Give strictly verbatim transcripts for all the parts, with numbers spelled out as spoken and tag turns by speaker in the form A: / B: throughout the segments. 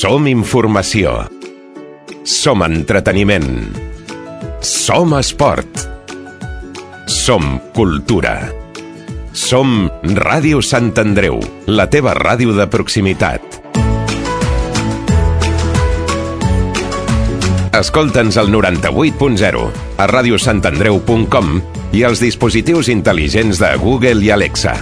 A: Som informació. Som entreteniment. Som esport. Som cultura. Som Ràdio Sant Andreu, la teva ràdio de proximitat. Escolta'ns al noranta-vuit punt zero, a ràdio sant andreu punt com i als dispositius intel·ligents de Google i Alexa.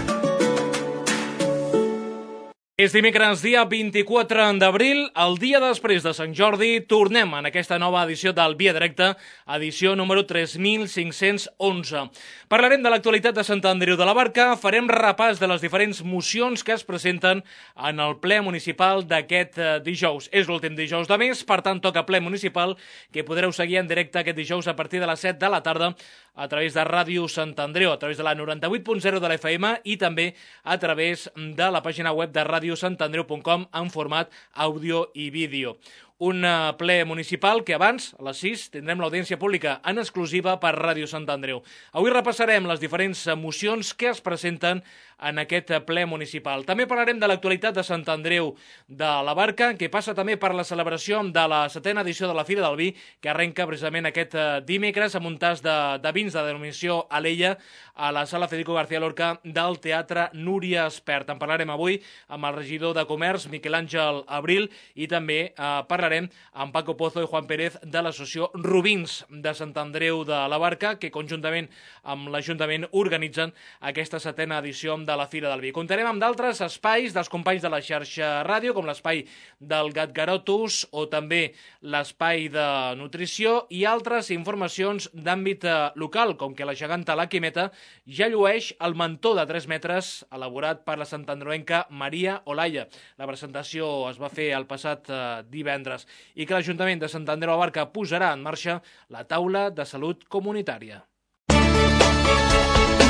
B: És dimecres, dia vint-i-quatre d'abril, el dia després de Sant Jordi. Tornem en aquesta nova edició del Via Directa, edició número tres mil cinc-cents onze. Parlarem de l'actualitat de Sant Andreu de la Barca, farem repàs de les diferents mocions que es presenten en el ple municipal d'aquest dijous. És l'últim dijous de mes, per tant toca ple municipal, que podreu seguir en directe aquest dijous a partir de les set de la tarda a través de Ràdio Sant Andreu, a través de la noranta-vuit punt zero de la F M i també a través de la pàgina web de ràdio sant andreu punt com en format àudio i vídeo. Un ple municipal que abans, a les sis, tindrem l'audiència pública en exclusiva per Ràdio Sant Andreu. Avui repassarem les diferents mocions que es presenten en aquest ple municipal. També parlarem de l'actualitat de Sant Andreu de la Barca, que passa també per la celebració de la setena edició de la Fira del Vi, que arrenca precisament aquest dimecres amb un tas de, de vins de denominació Alella a la sala Federico García Lorca del Teatre Núria Espert. En parlarem avui amb el regidor de Comerç, Miquel Àngel Abril, i també eh, parlarem amb Paco Pozo i Juan Pérez de l'associació Rubins de Sant Andreu de la Barca, que conjuntament amb l'Ajuntament organitzen aquesta setena edició de la Fira del Vi. Comptarem amb d'altres espais dels companys de la xarxa ràdio, com l'espai del Gat Garotus o també l'espai de nutrició i altres informacions d'àmbit local, com que la geganta La Quimeta ja llueix el mantó de tres metres elaborat per la santandreuenca Maria Olaya. La presentació es va fer el passat eh, divendres i que l'Ajuntament de Sant Andreu de la Barca posarà en marxa la taula de salut comunitària.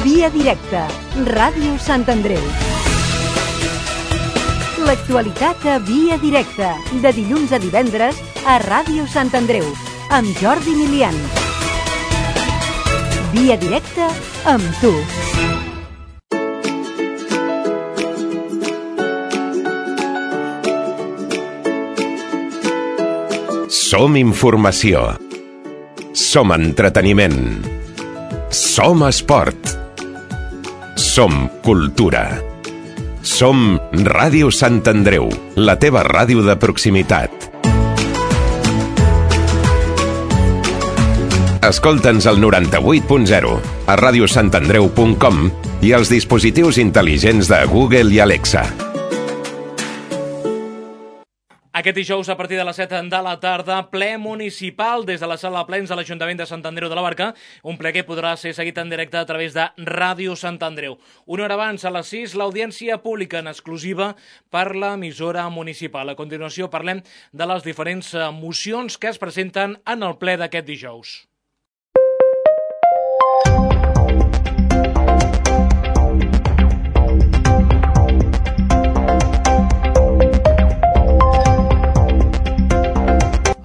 C: Via Directa, Ràdio Sant Andreu. L'actualitat a Via Directa, de dilluns a divendres a Ràdio Sant Andreu, amb Jordi Milian. Via Directa amb tu.
A: Som informació. Som entreteniment. Som esport. Som cultura. Som Ràdio Sant Andreu, la teva ràdio de proximitat. Escolta'ns al noranta-vuit punt zero, a ràdio sant andreu punt com i als dispositius intel·ligents de Google i Alexa.
B: Aquest dijous, a partir de les set de la tarda, ple municipal des de la sala de plens de l'Ajuntament de Sant Andreu de la Barca, un ple que podrà ser seguit en directe a través de Ràdio Sant Andreu. Una hora abans, a les sis, l'audiència pública en exclusiva per l'emissora municipal. A continuació parlem de les diferents mocions que es presenten en el ple d'aquest dijous.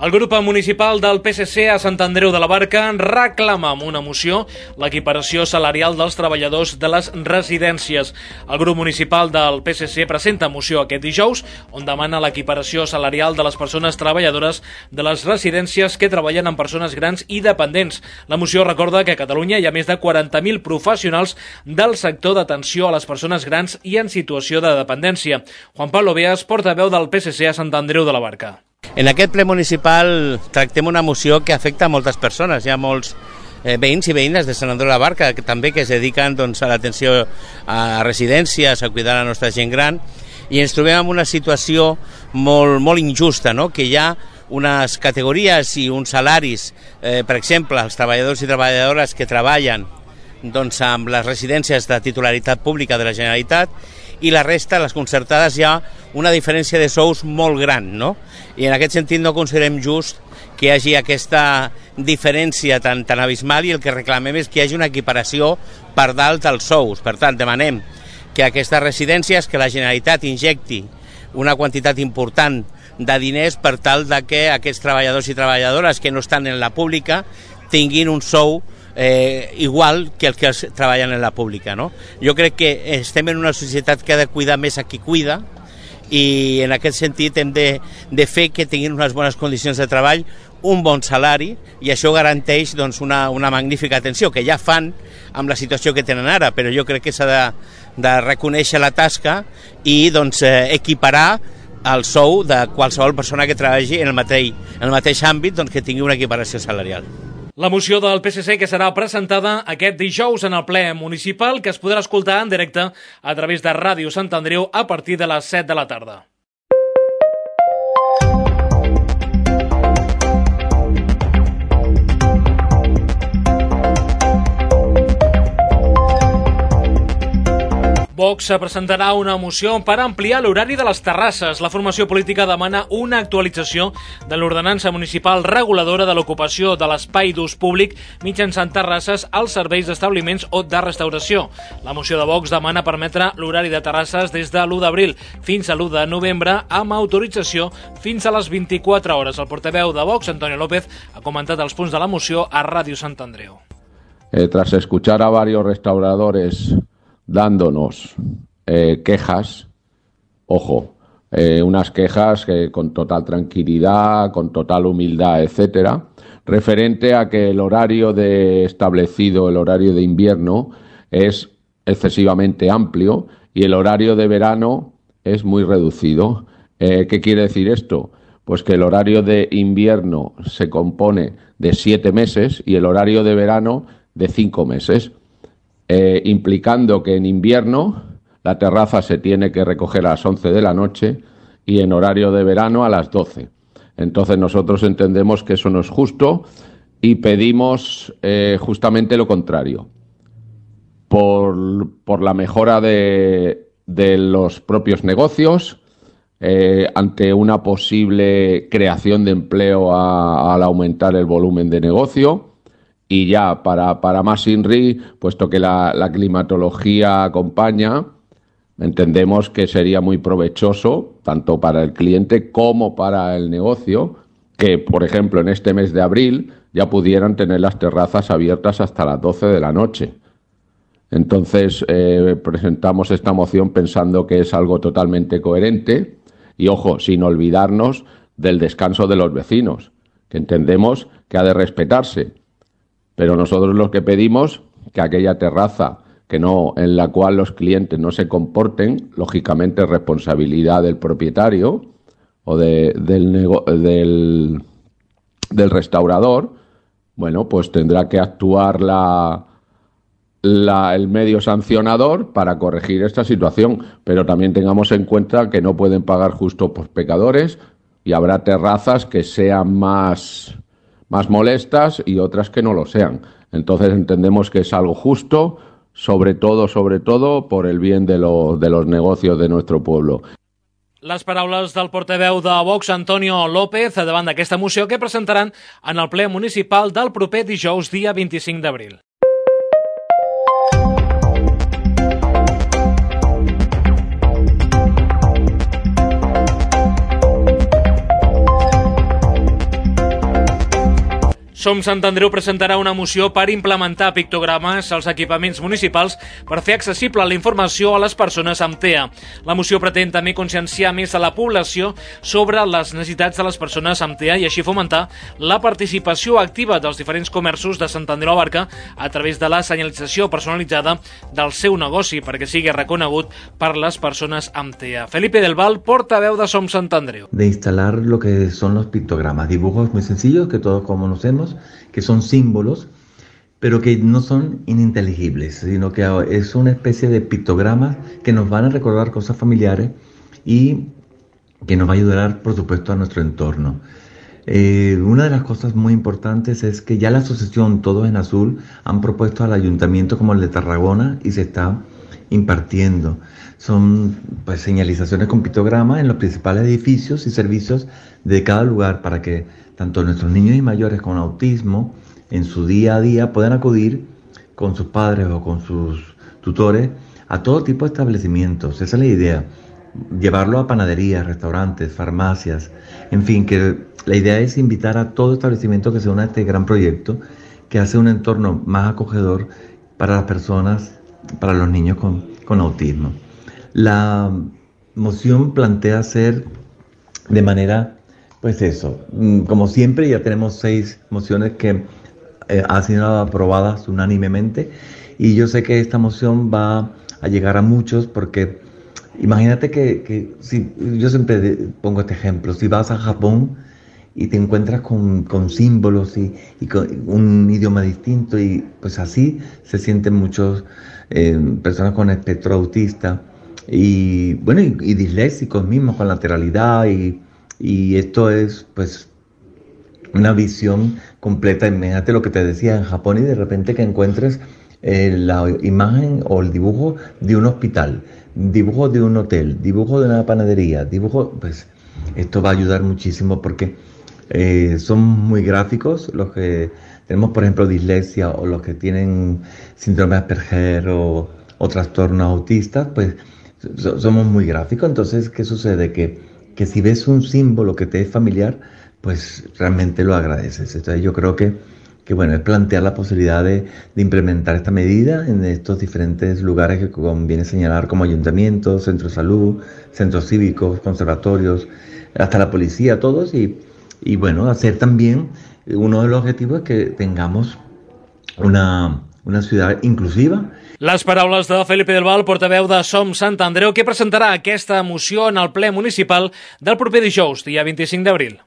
B: El grup municipal del P S C a Sant Andreu de la Barca reclama amb una moció l'equiparació salarial dels treballadors de les residències. El grup municipal del P S C presenta moció aquest dijous on demana l'equiparació salarial de les persones treballadores de les residències que treballen amb persones grans i dependents. La moció recorda que a Catalunya hi ha més de quaranta mil professionals del sector d'atenció a les persones grans i en situació de dependència. Juan Pablo Beas, portaveu del P S C a Sant Andreu de la Barca.
D: En aquest ple municipal tractem una moció que afecta a moltes persones. Hi ha molts eh, veïns i veïnes de Sant Andreu de la Barca que també que es dediquen doncs, a l'atenció a residències, a cuidar la nostra gent gran, i ens trobem en una situació molt, molt injusta, no? Que hi ha unes categories i uns salaris, eh, per exemple, els treballadors i treballadores que treballen doncs, amb les residències de titularitat pública de la Generalitat, i la resta, les concertades, hi ha una diferència de sous molt gran, no? I en aquest sentit no considerem just que hi hagi aquesta diferència tan, tan abismal, i el que reclamem és que hi hagi una equiparació per dalt dels sous. Per tant, demanem que aquestes residències, que la Generalitat injecti una quantitat important de diners per tal de que aquests treballadors i treballadores que no estan en la pública tinguin un sou eh, igual que els que treballen en la pública, no? Jo crec que estem en una societat que ha de cuidar més a qui cuida, i en aquest sentit hem de, de fer que tinguin unes bones condicions de treball, un bon salari, i això garanteix doncs, una, una magnífica atenció, que ja fan amb la situació que tenen ara, però jo crec que s'ha de, de reconèixer la tasca i doncs, eh, equiparar el sou de qualsevol persona que treballi en el mateix, en el mateix àmbit, doncs, que tingui una equiparació salarial.
B: La moció del P S C que serà presentada aquest dijous en el ple municipal, que es podrà escoltar en directe a través de Ràdio Sant Andreu a partir de les set de la tarda. Vox presentarà una moció per ampliar l'horari de les terrasses. La formació política demana una actualització de l'ordenança municipal reguladora de l'ocupació de l'espai d'ús públic mitjançant terrasses als serveis d'establiments o de restauració. La moció de Vox demana permetre l'horari de terrasses des de l'u d'abril fins a l'u de novembre amb autorització fins a les vint-i-quatre hores. El portaveu de Vox, Antonio López, ha comentat els punts de la moció a Ràdio Sant Andreu.
E: Eh, tras escuchar a varios restauradores dándonos eh, quejas, ojo, eh, unas quejas que con total tranquilidad, con total humildad, etcétera, referente a que el horario de establecido, el horario de invierno, es excesivamente amplio y el horario de verano es muy reducido. Eh, ¿Qué quiere decir esto? Pues que el horario de invierno se compone de siete meses y el horario de verano de cinco meses. Eh, implicando que en invierno la terraza se tiene que recoger a las once de la noche y en horario de verano a las doce. Entonces nosotros entendemos que eso no es justo y pedimos eh, justamente lo contrario. Por, por la mejora de, de los propios negocios, eh, ante una posible creación de empleo a, al aumentar el volumen de negocio. Y ya, para, para más INRI, puesto que la, la climatología acompaña, entendemos que sería muy provechoso, tanto para el cliente como para el negocio, que, por ejemplo, en este mes de abril ya pudieran tener las terrazas abiertas hasta las doce de la noche. Entonces, eh, presentamos esta moción pensando que es algo totalmente coherente y, ojo, sin olvidarnos del descanso de los vecinos, que entendemos que ha de respetarse. Pero nosotros lo que pedimos que aquella terraza que no, en la cual los clientes no se comporten, lógicamente es responsabilidad del propietario o de, del, nego, del, del restaurador, bueno, pues tendrá que actuar la, la, el medio sancionador para corregir esta situación. Pero también tengamos en cuenta que no pueden pagar justo por pecadores y habrá terrazas que sean más... más molestas y otras que no lo sean. Entonces entendemos que es algo justo, sobre todo, sobre todo, por el bien de, lo, de los negocios de nuestro pueblo.
B: Les paraules del portaveu de Vox, Antonio López, davant d'aquesta moció que presentaran en el ple municipal del proper dijous, dia vint-i-cinc d'abril. Som Sant Andreu presentarà una moció per implementar pictogrames als equipaments municipals per fer accessible la informació a les persones amb T E A. La moció pretén també conscienciar més a la població sobre les necessitats de les persones amb T E A i així fomentar la participació activa dels diferents comerços de Sant Andreu Abarca a través de la senyalització personalitzada del seu negoci perquè sigui reconegut per les persones amb T E A. Felipe del Val, portaveu de Som Sant Andreu.
F: De instalar lo que son los pictogramas, dibujos muy sencillos que todos conocemos, que son símbolos, pero que no son ininteligibles, sino que es una especie de pictogramas que nos van a recordar cosas familiares y que nos va a ayudar, por supuesto, a nuestro entorno. Eh, una de las cosas muy importantes es que ya la asociación Todos en Azul han propuesto al ayuntamiento como el de Tarragona y se está impartiendo. Son pues, señalizaciones con pictogramas en los principales edificios y servicios de cada lugar para que tanto nuestros niños y mayores con autismo en su día a día puedan acudir con sus padres o con sus tutores a todo tipo de establecimientos. Esa es la idea, llevarlo a panaderías, restaurantes, farmacias, en fin, que la idea es invitar a todo establecimiento que se una a este gran proyecto que hace un entorno más acogedor para las personas, para los niños con, con autismo. La moción plantea hacer de manera, pues eso, como siempre ya tenemos seis mociones que eh, han sido aprobadas unánimemente, y yo sé que esta moción va a llegar a muchos porque imagínate que, que si, yo siempre pongo este ejemplo, si vas a Japón y te encuentras con, con símbolos y, y con un idioma distinto, y pues así se sienten muchos eh, personas con espectro autista y bueno y, y disléxicos mismos con lateralidad, y, y esto es pues una visión completa. Imagínate lo que te decía en Japón, y de repente que encuentres eh, la imagen o el dibujo de un hospital, dibujo de un hotel, dibujo de una panadería, dibujo, pues esto va a ayudar muchísimo porque eh, son muy gráficos los que tenemos, por ejemplo, dislexia, o los que tienen síndrome de Asperger o, o trastornos autistas, pues so, somos muy gráficos. Entonces, ¿qué sucede? Que, que si ves un símbolo que te es familiar, pues realmente lo agradeces. Entonces yo creo que, que bueno, es plantear la posibilidad de, de implementar esta medida en estos diferentes lugares que conviene señalar, como ayuntamientos, centros de salud, centros cívicos, conservatorios, hasta la policía, todos, y, y bueno, hacer también, uno de los objetivos es que tengamos una, una ciudad inclusiva.
B: Les paraules de Felipe del Val, portaveu de Som Sant Andreu, que presentarà aquesta moció en el ple municipal del proper dijous, dia vint-i-cinc d'abril.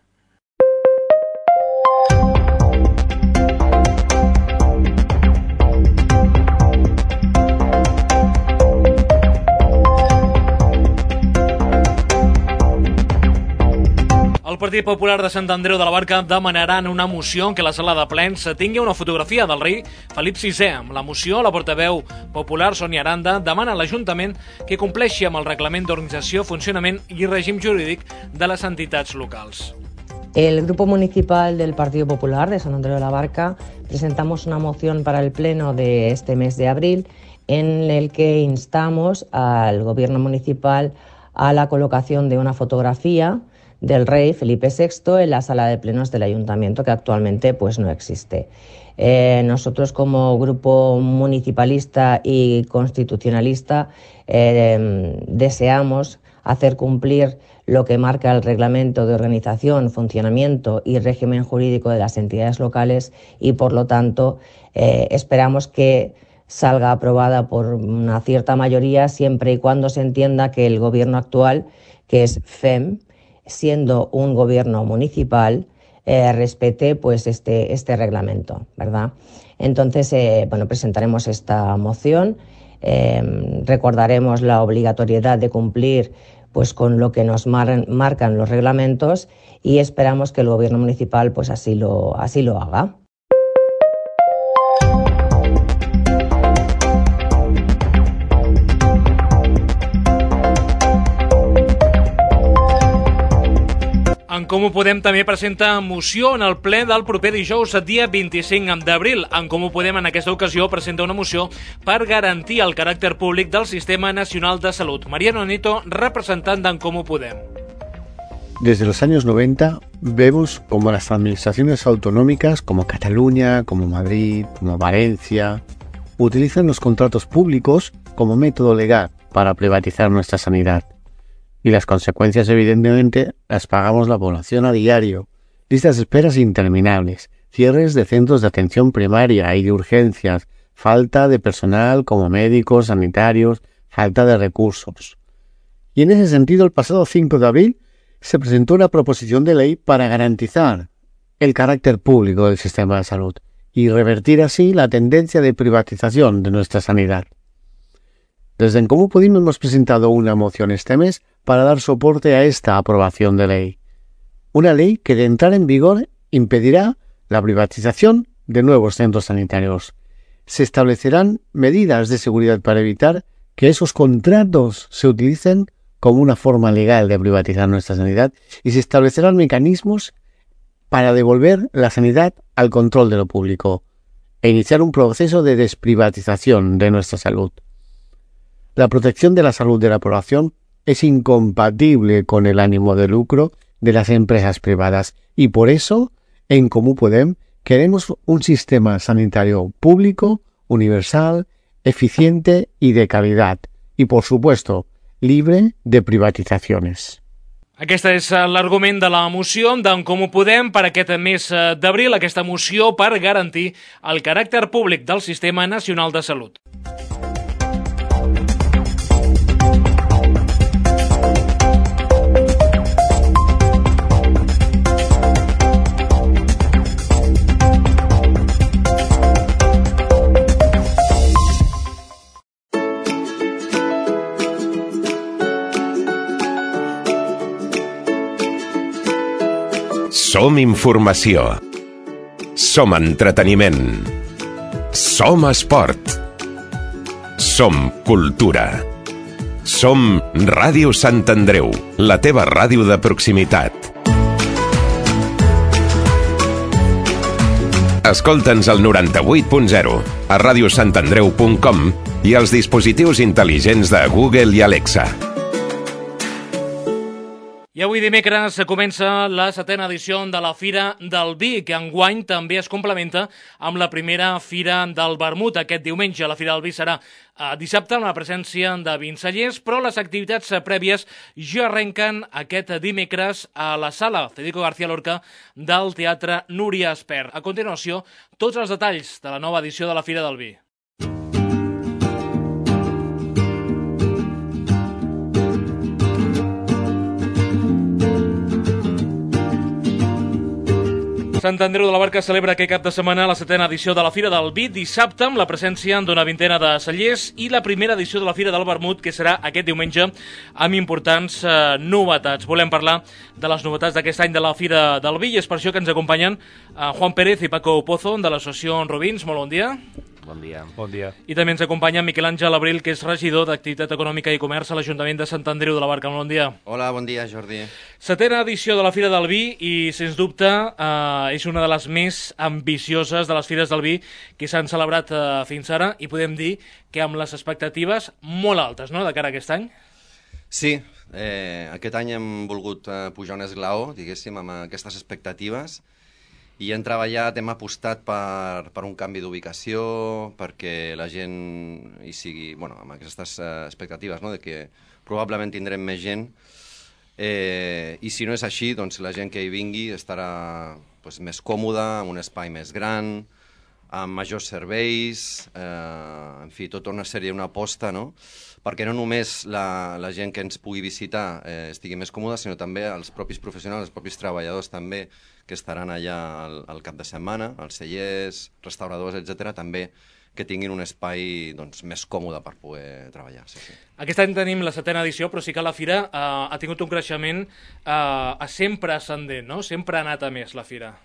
B: El Partit Popular de Sant Andreu de la Barca demanarà en una moció en què la sala de plens tingui una fotografia del rei Felip sisè. Amb la moció, la portaveu popular Sònia Aranda demana a l'Ajuntament que compleixi amb el reglament d'organització, funcionament i règim jurídic de les entitats locals.
G: El Grupo Municipal del Partido Popular de San Andreu de la Barca presentamos una moción para el pleno de este mes de abril en el que instamos al Gobierno municipal a la colocación de una fotografía del rey Felipe sexto en la sala de plenos del ayuntamiento, que actualmente pues no existe. Eh, nosotros como grupo municipalista y constitucionalista eh, deseamos hacer cumplir lo que marca el reglamento de organización, funcionamiento y régimen jurídico de las entidades locales, y por lo tanto eh, esperamos que salga aprobada por una cierta mayoría, siempre y cuando se entienda que el gobierno actual, que es F E M, siendo un gobierno municipal, eh, respete pues este, este reglamento, ¿verdad? Entonces, eh, bueno, presentaremos esta moción, eh, recordaremos la obligatoriedad de cumplir pues con lo que nos mar- marcan los reglamentos, y esperamos que el gobierno municipal pues así lo, así lo haga.
B: En Comú Podem també presenta moció en el ple del proper dijous, dia vint-i-cinc d'abril. En Comú Podem en aquesta ocasió presenta una moció per garantir el caràcter públic del Sistema Nacional de Salut. Mariano Nito, representant d'en Comú Podem.
H: Desde los años noventa vemos como las administraciones autonómicas como Cataluña, como Madrid, como Valencia, utilizan los contratos públicos como método legal para privatizar nuestra sanidad. Y las consecuencias, evidentemente, las pagamos la población a diario. Listas de esperas interminables, cierres de centros de atención primaria y de urgencias, falta de personal como médicos, sanitarios, falta de recursos. Y en ese sentido, el pasado cinco de abril se presentó una proposición de ley para garantizar el carácter público del sistema de salud y revertir así la tendencia de privatización de nuestra sanidad. Desde En Comú Podem hemos presentado una moción este mes para dar soporte a esta aprobación de ley. Una ley que, de entrar en vigor, impedirá la privatización de nuevos centros sanitarios. Se establecerán medidas de seguridad para evitar que esos contratos se utilicen como una forma legal de privatizar nuestra sanidad, y se establecerán mecanismos para devolver la sanidad al control de lo público e iniciar un proceso de desprivatización de nuestra salud. La protección de la salud de la población es incompatible con el ánimo de lucro de las empresas privadas, y por eso, en Comú Podem, queremos un sistema sanitario público, universal, eficiente y de calidad. Y por supuesto, libre de privatizaciones.
B: Aquest és l'argument de la moció d'en Comú Podem per aquest mes d'abril, aquesta moció per garantir el caràcter públic del Sistema Nacional de Salut.
A: Som informació. Som entreteniment. Som esport. Som cultura. Som Ràdio Sant Andreu, la teva ràdio de proximitat. Escolta'ns al noranta-vuit punt zero, a ràdio sant andreu punt com i als dispositius intel·ligents de Google i Alexa.
B: I avui dimecres comença la setena edició de la Fira del Vi, que enguany també es complementa amb la primera Fira del Vermut. Aquest diumenge la Fira del Vi serà eh, dissabte amb la presència de vincellers, però les activitats prèvies ja arrenquen aquest dimecres a la sala Federico García Lorca del Teatre Núria Espert. A continuació, tots els detalls de la nova edició de la Fira del Vi. Sant Andreu de la Barca celebra aquest cap de setmana la setena edició de la Fira del Vi, dissabte amb la presència d'una vintena de cellers i la primera edició de la Fira del Vermut, que serà aquest diumenge amb importants eh, novetats. Volem parlar de les novetats d'aquest any de la Fira del Vi i és per això que ens acompanyen eh, Juan Pérez i Paco Pozo de l'associació Robins. Molt bon dia.
I: Bon dia.
J: Bon dia.
B: I també ens acompanya Miquel Àngel Abril, que és regidor d'Activitat Econòmica i Comerç a l'Ajuntament de Sant Andreu de la Barca. Molt bon dia.
I: Hola, bon dia, Jordi.
B: Setena edició de la Fira del Vi i, sens dubte, eh, és una de les més ambicioses de les Fires del Vi que s'han celebrat eh, fins ara i podem dir que amb les expectatives molt altes, no?, de cara a aquest any.
I: Sí, eh, aquest any hem volgut eh, pujar un esglaó, diguéssim, amb aquestes expectatives i hem treballat, hem apostat per, per un canvi d'ubicació, perquè la gent hi sigui, bueno, amb aquestes eh, expectatives, no?, de que probablement tindrem més gent, eh, i si no és així, doncs la gent que hi vingui estarà pues, més còmoda, amb un espai més gran, amb majors serveis, eh, en fi, tota una sèrie, una aposta, no?, perquè no només la, la gent que ens pugui visitar eh, estigui més còmoda, sinó també els propis professionals, els propis treballadors també, que estaran allà al, al cap de setmana, els cellers, restauradors, etcètera, també que tinguin un espai doncs, més còmode per poder treballar. Sí, sí.
B: Aquest any tenim la setena edició, però sí que la Fira eh, ha tingut un creixement eh, sempre ascendent, no? Sempre ha anat a més la Fira.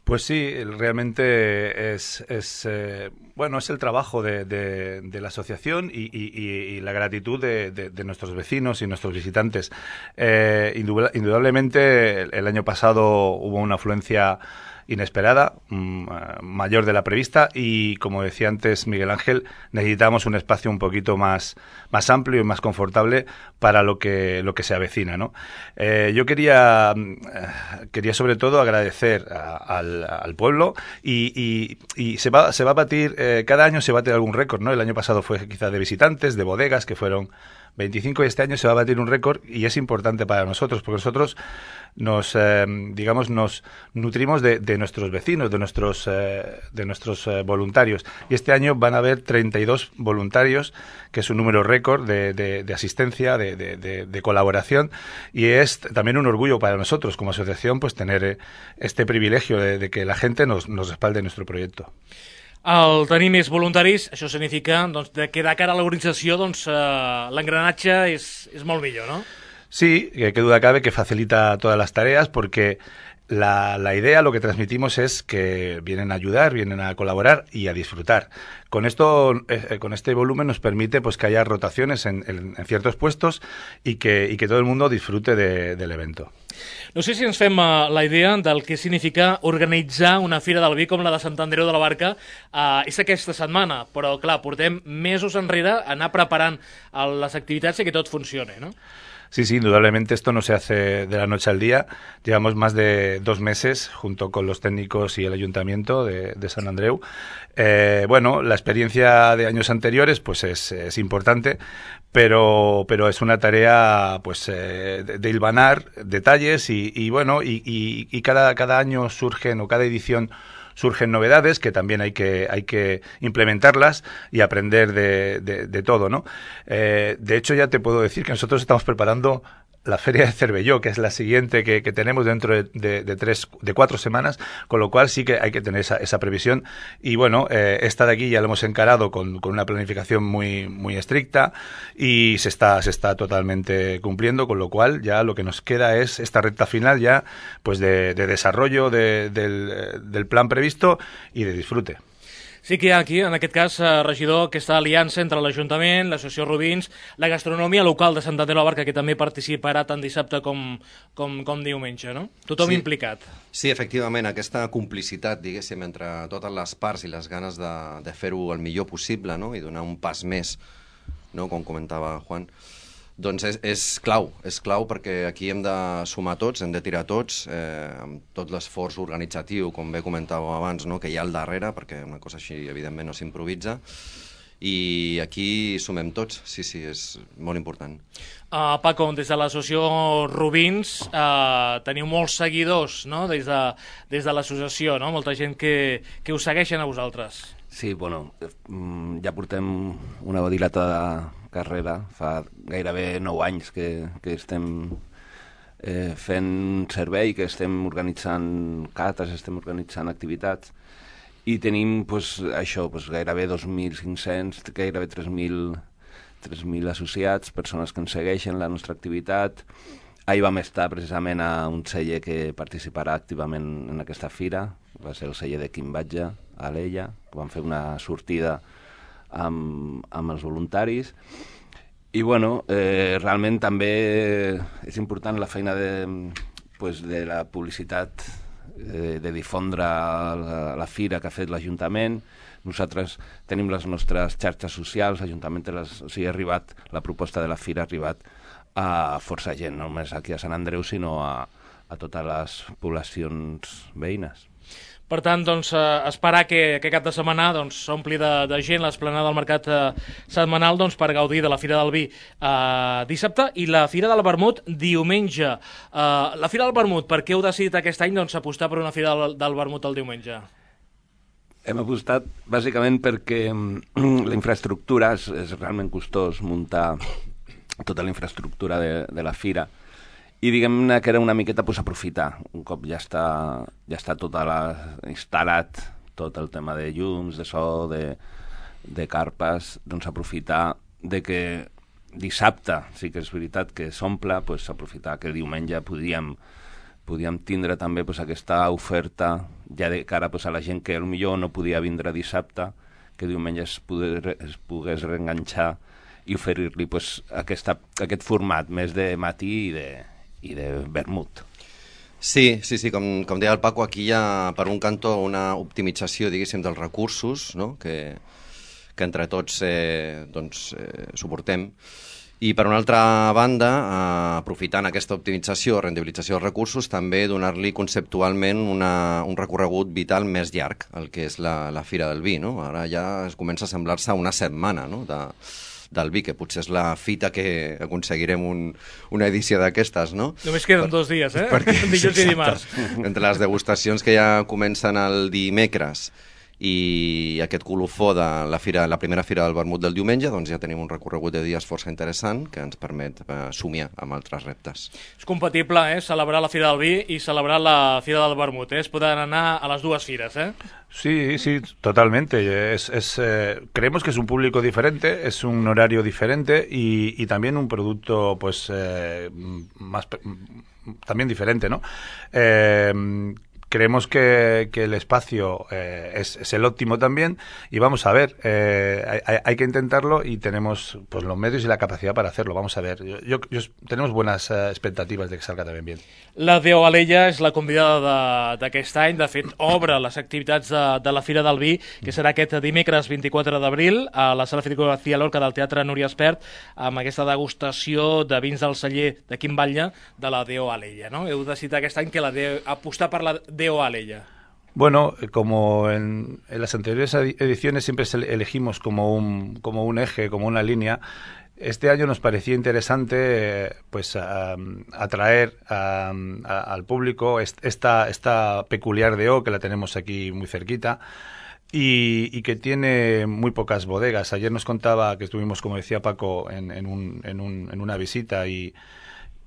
J: Pues sí, realmente es, es, eh, bueno, es el trabajo de, de, de la asociación y, y, y la gratitud de, de, de nuestros vecinos y nuestros visitantes. Eh, indudablemente, el, el año pasado hubo una afluencia inesperada, mmm, mayor de la prevista y, como decía antes Miguel Ángel, necesitamos un espacio un poquito más, más amplio y más confortable para lo que, lo que se avecina, ¿no? Eh, yo quería, quería sobre todo agradecer a, al, al pueblo y, y, y se va, se va a batir, eh, cada año se bate algún récord, ¿no? El año pasado fue quizá de visitantes, de bodegas, que fueron veinticinco, y este año se va a batir un récord y es importante para nosotros porque nosotros nos eh, digamos nos nutrimos de, de nuestros vecinos, de nuestros eh, de nuestros eh, voluntarios, y este año van a haber treinta y dos voluntarios, que es un número récord de, de, de asistencia, de, de, de, de colaboración, y es también un orgullo para nosotros como asociación pues tener eh, este privilegio de, de que la gente nos, nos respalde nuestro proyecto.
B: El tenir més voluntaris, això significa doncs, que de cara a l'organització doncs, eh, l'engranatge és, és molt millor, ¿no?
J: Sí, que duda cabe que facilita todas las tareas porque la, la idea, lo que transmitimos es que vienen a ayudar, vienen a colaborar y a disfrutar. Con esto, eh, con este volumen nos permite pues que haya rotaciones en, en, en ciertos puestos y que, y que todo el mundo disfrute de, del evento.
B: No sé si ens fem uh, la idea del que significa organitzar una Fira del Vi com la de Sant Andreu de la Barca. Uh, és aquesta setmana, però clar, portem mesos enrere a anar preparant uh, les activitats i que tot funcioni, no?
J: Sí, sí, indudablemente esto no se hace de la noche al día. Llevamos más de dos meses junto con los técnicos y el ayuntamiento de, de Sant Andreu. Eh, bueno, la experiencia de años anteriores pues es, es importante, pero, pero es una tarea pues eh, de, de hilvanar detalles y, y bueno, y, y, y cada, cada año surgen o cada edición surgen novedades que también hay que hay que implementarlas y aprender de, de, de todo, ¿no? Eh, de hecho, ya te puedo decir que nosotros estamos preparando la Feria de Cervelló, que es la siguiente que, que tenemos dentro de, de, de tres, de cuatro semanas, con lo cual sí que hay que tener esa, esa previsión. Y bueno, eh, esta de aquí ya lo hemos encarado con, con una planificación muy, muy estricta y se está, se está totalmente cumpliendo, con lo cual ya lo que nos queda es esta recta final ya pues de, de desarrollo de, del, del plan previsto y de disfrute.
B: Sí que hi ha aquí, en aquest cas, eh, regidor, aquesta aliança entre l'Ajuntament, l'Associació Rubins, la gastronomia local de Sant Andreu de la Barca, que també participarà tant dissabte com, com, com diumenge, no? Tothom
I: sí.
B: implicat.
I: Sí, efectivament, aquesta complicitat, diguéssim, entre totes les parts i les ganes de, de fer-ho el millor possible, no?, i donar un pas més, no?, com comentava Juan, doncs és, és clau, és clau perquè aquí hem de sumar tots, hem de tirar tots, eh, amb tot l'esforç organitzatiu, com bé comentàveu abans, no?, que hi ha al darrere, perquè una cosa així evidentment no s'improvisa, i aquí sumem tots, sí, sí, és molt important.
B: Uh, Paco, des de l'associació Rubins uh, teniu molts seguidors, no?, des de, des de l'associació, no?, molta gent que, que us segueixen a vosaltres.
K: Sí, bueno, ja portem una dilatada carrera, fa gairebé nou anys que, que estem eh, fent servei, que estem organitzant cates, estem organitzant activitats, i tenim pues, això, pues, gairebé dos mil cinc-cents, gairebé tres mil associats, persones que ens segueixen la nostra activitat. Ahir vam estar precisament a un celler que participarà activament en aquesta fira, va ser el celler de Quim Batlle, a Alella, vam fer una sortida amb, amb els voluntaris, i bueno, eh, realment també és important la feina de, pues, de la publicitat, eh, de difondre la, la fira que ha fet l'Ajuntament. Nosaltres tenim les nostres xarxes socials, l'Ajuntament té les, o sigui, ha arribat, la proposta de la fira ha arribat a força gent, no només aquí a Sant Andreu, sinó a, a totes les poblacions veïnes.
B: Per tant, doncs, eh, esperar que, que cap de setmana doncs, s'ompli de, de gent l'esplanada del mercat eh, setmanal doncs, per gaudir de la Fira del Vi eh, dissabte i la Fira del Vermut diumenge. Eh, la Fira del Vermut, per què heu decidit aquest any doncs, apostar per una Fira del, del Vermut el diumenge?
K: Hem apostat bàsicament perquè la infraestructura és, és realment costós muntar tota la infraestructura de, de la fira. I diguem-ne que era una miqueta pues, aprofitar, un cop ja està, ja està tot la, instal·lat, tot el tema de llums, de so, de, de carpes, doncs aprofitar de que dissabte, sí que és veritat que s'omple, pues, aprofitar que diumenge podíem, podíem tindre també pues, aquesta oferta ja de cara pues, a la gent que potser no podia vindre dissabte, que diumenge es, poder, es pogués reenganxar i oferir-li pues, aquesta, aquest format més de matí i de, i de vermut.
I: Sí, sí, sí, com, com deia el Paco, aquí hi ha per un cantó una optimització, diguéssim, dels recursos, no?, que, que entre tots eh, doncs, eh, suportem. I per una altra banda, eh, aprofitant aquesta optimització, rendibilització dels recursos, també donar-li conceptualment una, un recorregut vital més llarg, el que és la, la Fira del Vi, no? Ara ja es comença a semblar-se una setmana, no?, de, del vi, que potser és la fita que aconseguirem un, una edició d'aquestes, no?
B: Només queden per, dos dies, eh?
I: Perquè,
B: dijous i dimarts.
I: Entre les degustacions que ja comencen el dimecres i aquest colofó de la, fira, la primera Fira del Vermut del diumenge, doncs ja tenim un recorregut de dies força interessant que ens permet eh, somiar amb altres reptes.
B: És compatible, eh?, celebrar la Fira del Vi i celebrar la Fira del Vermut, eh? Es poden anar a les dues fires, eh?
J: Sí, sí, totalmente. Es, es, eh, creemos que es un público diferente, es un horario diferente y, y también un producto, pues, eh, más, también diferente, ¿no? Eh, creemos que, que el espacio eh, es, es el óptimo también y vamos a ver, eh, hay, hay que intentarlo y tenemos pues los medios y la capacidad para hacerlo, vamos a ver. Yo, yo, yo, tenemos buenas uh, expectativas de que salga también bien.
B: La D O Alella és la convidada d'aquest any, de fet obre les activitats de, de la Fira del Vi, que serà aquest dimecres vint-i-quatre d'abril a la Sala Federico García Lorca del Teatre Núria Espert, amb aquesta degustació de vins del celler de Quim Batlle de la D O Alella, no? Heu decidit aquest any que la de, apostar per la D O Alella.
J: Bueno, como en, en las anteriores ediciones siempre elegimos como un, como un eje, como una línea. Este año nos parecía interesante eh, pues a, atraer a, a, al público esta, esta peculiar D O que la tenemos aquí muy cerquita y, y que tiene muy pocas bodegas. Ayer nos contaba que estuvimos, como decía Paco, en, en, un, en, un, en una visita y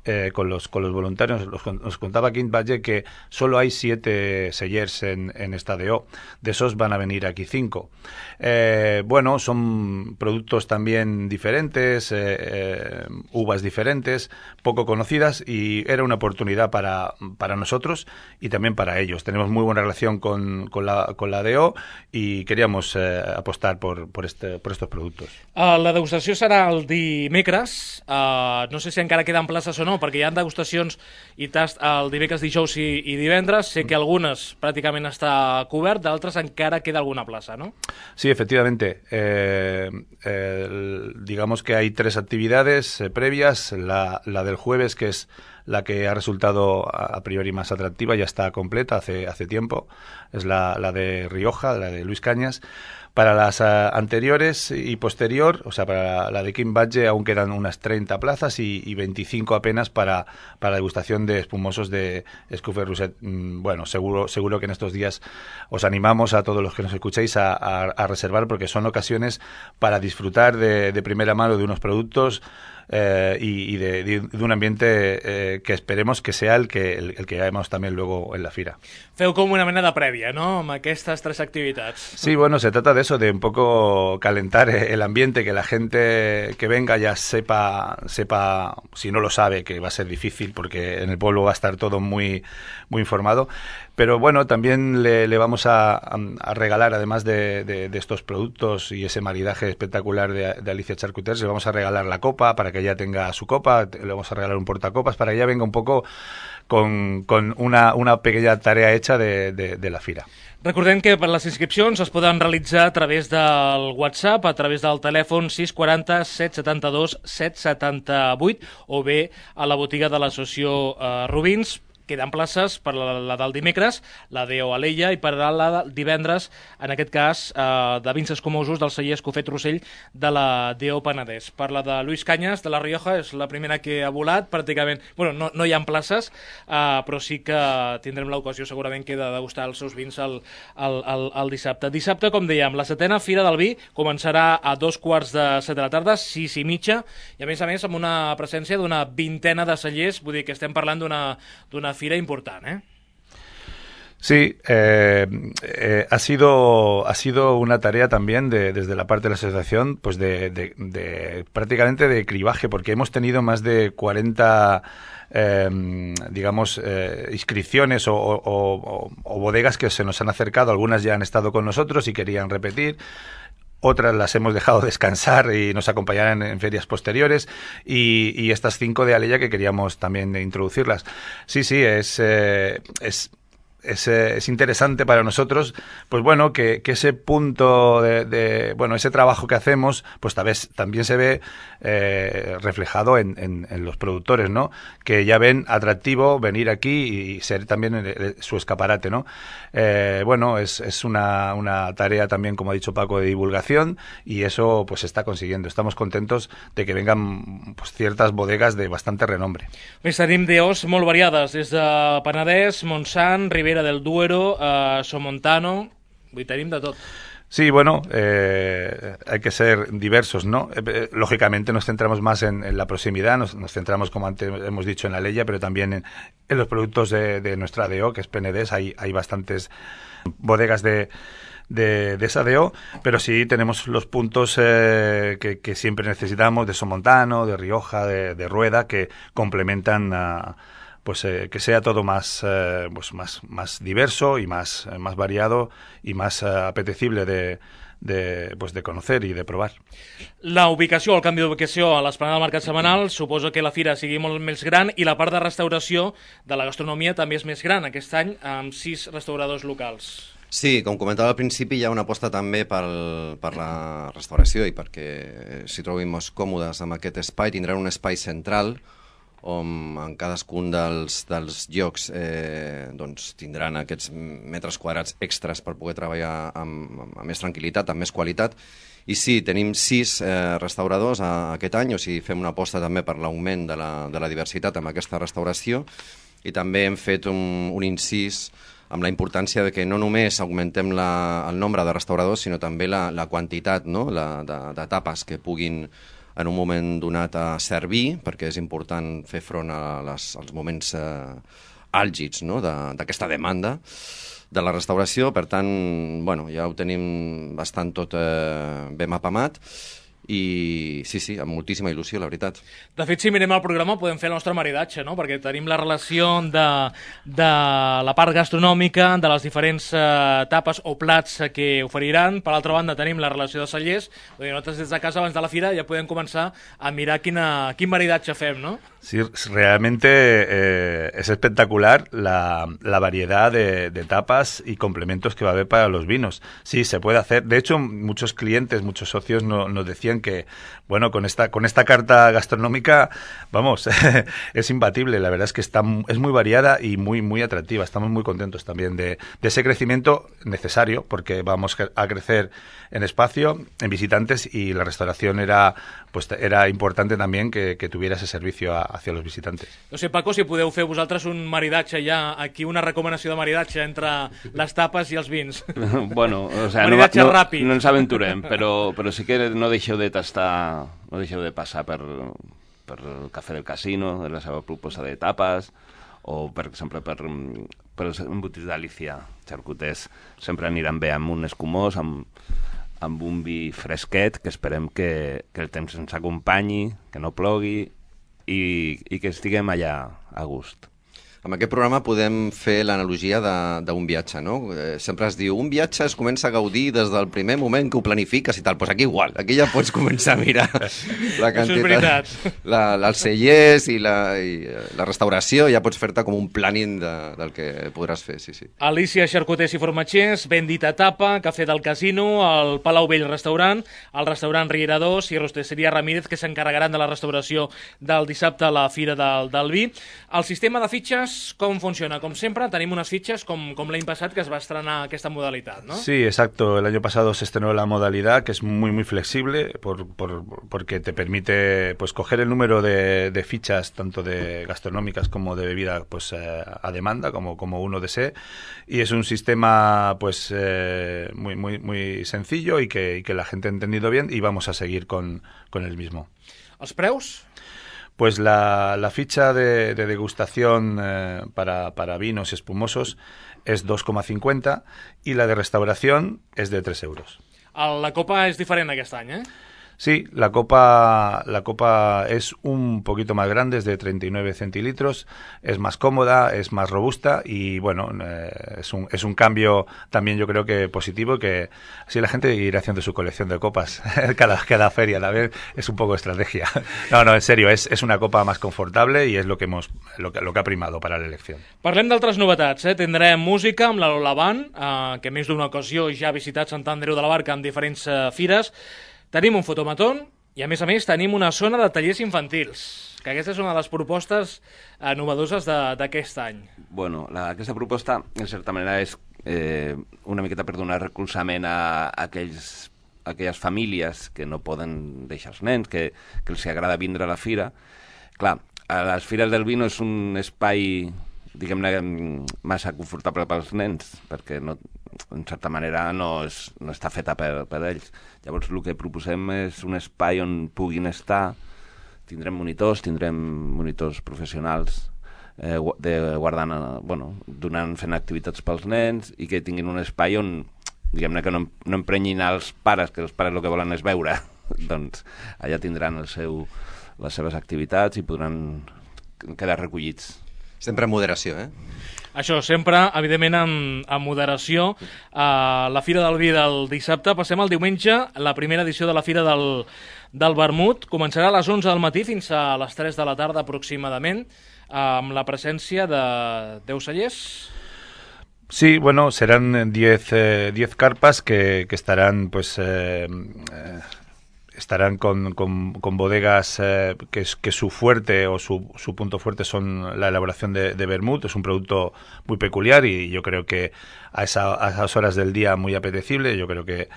J: Eh, con los con los voluntarios, los, nos contaba Quim Batlle que solo hay siete sellers en, en esta D O, de esos van a venir aquí cinco. Eh, bueno, son productos también diferentes, eh, eh, uvas diferentes, poco conocidas y era una oportunidad para, para nosotros y también para ellos. Tenemos muy buena relación con, con, la, con la D O y queríamos eh, apostar por, por, este, por estos productos.
B: Uh, la degustació serà el dimecres, uh, no sé si encara queden places o no, perquè hi ha degustacions i tast el dimecres, dijous i, i divendres. Sé que algunes pràcticament està cobert, d'altres encara queda alguna plaça, ¿no?
J: Sí, efectivamente. Eh, eh, digamos que hay tres actividades eh, previas. La, la del jueves, que es la que ha resultado a, a priori más atractiva, ya está completa hace, hace tiempo. Es la, la de Rioja, la de Luis Cañas. Para las uh, anteriores y posterior, o sea, para la de Quim Batlle aún quedan unas treinta plazas y, y veinticinco apenas para, para la degustación de espumosos de Escoffier Rousset. Mm, bueno, seguro, seguro que en estos días os animamos a todos los que nos escuchéis a, a, a reservar, porque son ocasiones para disfrutar de, de primera mano de unos productos Eh, y, y de, de un ambiente eh, que esperemos que sea el que, el, el que veamos también luego en la fira.
B: Feu com una mena de prèvia, ¿no?, amb aquestes tres activitats.
J: Sí, bueno, se trata de eso, de un poco calentar el ambiente, que la gente que venga ya sepa, sepa, si no lo sabe, que va a ser difícil porque en el pueblo va a estar todo muy, muy informado. Pero bueno, también le, le vamos a, a regalar, además de, de, de estos productos y ese maridaje espectacular de, de Alicia Charcuters, le vamos a regalar la copa para que ella tenga su copa, le vamos a regalar un portacopas para que ella venga un poco con, con una, una pequeña tarea hecha de, de, de la fira.
B: Recordem que per les inscripcions es poden realitzar a través del WhatsApp, a través del telèfon sis quatre zero, set set dos, set set vuit o bé a la botiga de l'associació eh, Rubins. Queden places per la, la del dimecres, la D O Alella, i per la del divendres, en aquest cas, eh, de vins escumosos del celler Escoffier Rousset de la D O Penedès. Per la de Luis Cañas, de la Rioja, és la primera que ha volat, pràcticament, bueno, no, no hi ha places, eh, però sí que tindrem l'ocasió segurament que de degustar els seus vins el, el, el, el dissabte. Dissabte, com dèiem, la setena Fira del Vi començarà a dos quarts de set de la tarda, sis i mitja, i a més a més amb una presència d'una vintena de cellers, vull dir que estem parlant d'una d'una fira important, ¿eh?
J: Sí, eh, eh, ha sido ha sido una tarea también de, desde la parte de la asociación, pues de, de, de prácticamente de cribaje, porque hemos tenido más de cuarenta eh, digamos eh, inscripciones o, o, o, o bodegas que se nos han acercado. Algunas ya han estado con nosotros y querían repetir. Otras las hemos dejado descansar y nos acompañarán en ferias posteriores, y, y estas cinco de Alella que queríamos también introducirlas. Sí, sí, es, eh, es, es, es interesante para nosotros, pues bueno, que, que ese punto de, de, bueno, ese trabajo que hacemos, pues tal vez también se ve eh, reflejado en, en, en los productores, ¿no? Que ya ven atractivo venir aquí y ser también el, el, su escaparate, ¿no? Eh, bueno, es, es una, una tarea también, como ha dicho Paco, de divulgación, y eso pues se está consiguiendo. Estamos contentos de que vengan pues, ciertas bodegas de bastante renombre.
B: Més tenim D Os molt variades, des de Penedès, Montsant, Ribera del Duero, eh, Somontano, vull tenim de tot.
J: Sí, bueno, eh, hay que ser diversos, ¿no? Eh, lógicamente nos centramos más en, en la proximidad, nos, nos centramos, como antes hemos dicho, en la Alella, pero también en, en los productos de, de nuestra D O, que es Penedès. Hay, hay bastantes bodegas de, de, de esa D O, pero sí tenemos los puntos eh, que, que siempre necesitamos, de Somontano, de Rioja, de, de Rueda, que complementan a... pues eh, que sea todo más, eh, pues más, más diverso y más, eh, más variado y más eh, apetecible de, de, pues de conocer i de provar.
B: La ubicació, el canvi d'ubicació a l'Esplanada del Mercat Setmanal suposa que la fira sigui molt més gran i la part de restauració de la gastronomia també és més gran aquest any, amb sis restauradors locals.
I: Sí, com comentava al principi, hi ha una aposta també pel, per la restauració i perquè s'hi trobin més còmodes amb aquest espai. Tindran un espai central on en cadascun dels, dels llocs eh, doncs, tindran aquests metres quadrats extras per poder treballar amb, amb més tranquil·litat, amb més qualitat. I sí, tenim sis eh, restauradors a, aquest any, o sigui, fem una aposta també per l'augment de, la, de la diversitat amb aquesta restauració i també hem fet un, un incís amb la importància de que no només augmentem la, el nombre de restauradors, sinó també la, la quantitat, no? la, de, de tapes que puguin en un moment donat a servir, perquè és important fer front a les, als moments eh, àlgids, no? d'aquesta de, demanda de la restauració. Per tant, bueno, ja ho tenim bastant tot eh, ben mapamat. I sí, sí, amb moltíssima il·lusió, la veritat.
B: De fet, si mirem el programa podem fer el nostre maridatge, no? Perquè tenim la relació de, de la part gastronòmica, de les diferents eh, tapes o plats que oferiran. Per l'altra banda tenim la relació de cellers. Nosaltres des de casa abans de la fira ja podem començar a mirar quina, quin maridatge fem, no?
J: Sí, realmente eh, es espectacular la, la variedad de, de tapas y complementos que va a haber para los vinos. Sí, se puede hacer. De hecho, muchos clientes, muchos socios no, nos decían que, bueno, con esta, con esta carta gastronómica, vamos, es imbatible. La verdad es que está, es muy variada y muy, muy atractiva. Estamos muy contentos también de, de ese crecimiento necesario, porque vamos a crecer en espacio, en visitantes, y la restauración era, pues, era importante también que, que tuviera ese servicio a, hacia los visitantes.
B: No sé, Paco, si podeu fer vosaltres un maridatge ja, aquí una recomanació de maridatge entre les tapes i els vins.
K: Bueno, o sea,
B: maridatge
K: no, no,
B: ràpid.
K: No ens aventurem, però, però sí que no deixeu de tastar, no deixeu de passar per, per el Cafè del Casino, de la seva proposta de tapes, o, per exemple, per, per els embotits d'Alícia, xarcuters, sempre aniran bé amb un escumós, amb, amb un vi fresquet, que esperem que, que el temps ens acompanyi, que no plogui, i, i que estiguem allà a gust.
I: Amb aquest programa podem fer l'analogia d'un viatge, no? Eh, sempre es diu, un viatge es comença a gaudir des del primer moment que ho planifiques i tal. Doncs pues aquí igual, aquí ja pots començar a mirar la quantitat, la, els cellers i la, i la restauració, ja pots fer-te com un planning de, del que podràs fer, sí, sí.
B: Alícia Xarcuters i Formatgers, ben dita tapa, Cafè del Casino, el Palau Vell Restaurant, el restaurant Riera dos i Rosteseria Ramírez, que s'encarregaran de la restauració del dissabte a la Fira del, del Vi. El sistema de fitxes, com funciona? Com sempre, tenim unes fitxes com, com l'any passat que es va estrenar aquesta modalitat, ¿no?
J: Sí, exacto. El año pasado se estrenó la modalidad, que es muy, muy flexible, por, por, porque te permite pues coger el número de, de fichas, tanto de gastronómicas como de bebida, pues eh, a demanda, como, como uno desee. Y es un sistema pues eh, muy, muy, muy sencillo y que, y que la gente ha entendido bien, y vamos a seguir con, con el mismo.
B: ¿Els preus?
J: Pues la, la ficha de, de degustación eh, para, para vinos espumosos es dos coma cincuenta y la de restauración es de tres euros.
B: La copa és diferent aquest any, eh?
J: Sí, la copa, la copa es un poquito más grande, es de treinta y nueve centilitros, es más cómoda, es más robusta y bueno, eh, es, un, es un cambio también yo creo que positivo, que así la gente irá haciendo su colección de copas cada, cada feria, la vez es un poco estrategia. No, no, en serio, es, es una copa más confortable y es lo que, hemos, lo que, lo que ha primado para la elección.
B: Parlem d'altres novetats, eh? Tindrem música amb la Lola Band, eh, que més d'una ocasió ja ha visitat Sant Andreu de la Barca en diferents eh, fires. Tenim un fotomatón i, a més a més, tenim una zona de tallers infantils, que aquesta és una de les propostes eh, novedoses d'aquest any.
K: Bueno, la, aquesta proposta, en certa manera, és eh, una miqueta per donar recolzament a, a aquells, a aquelles famílies que no poden deixar els nens, que, que els agrada vindre a la fira. Clar, a les fires del vino és un espai, diguem-ne, massa confortable pels nens, perquè no, en certa manera no, és, no està feta per, per ells. Llavors el que proposem és un espai on puguin estar, tindrem monitors, tindrem monitors professionals eh, de guardant, bueno, donant, fent activitats pels nens, i que tinguin un espai on, diguem-ne, que no, no emprenyin els pares, que els pares el que volen és veure. Doncs allà tindran el seu, les seves activitats i podran quedar recollits.
I: Sempre en moderació, eh?
B: Això, sempre, evidentment, amb, amb moderació. Uh, la Fira del Vi del dissabte. Passem al diumenge, la primera edició de la Fira del, del Vermut. Començarà a les onze del matí fins a les tres de la tarda aproximadament, amb la presència de deu cellers.
J: Sí, bueno, serán diez eh, carpas que, que estarán, pues... Eh, eh, estarán con, con, con bodegas eh, que, que su fuerte o su, su punto fuerte son la elaboración de, de vermut. Es un producto muy peculiar y yo creo que a, esa, a esas horas del día muy apetecible. Yo creo que,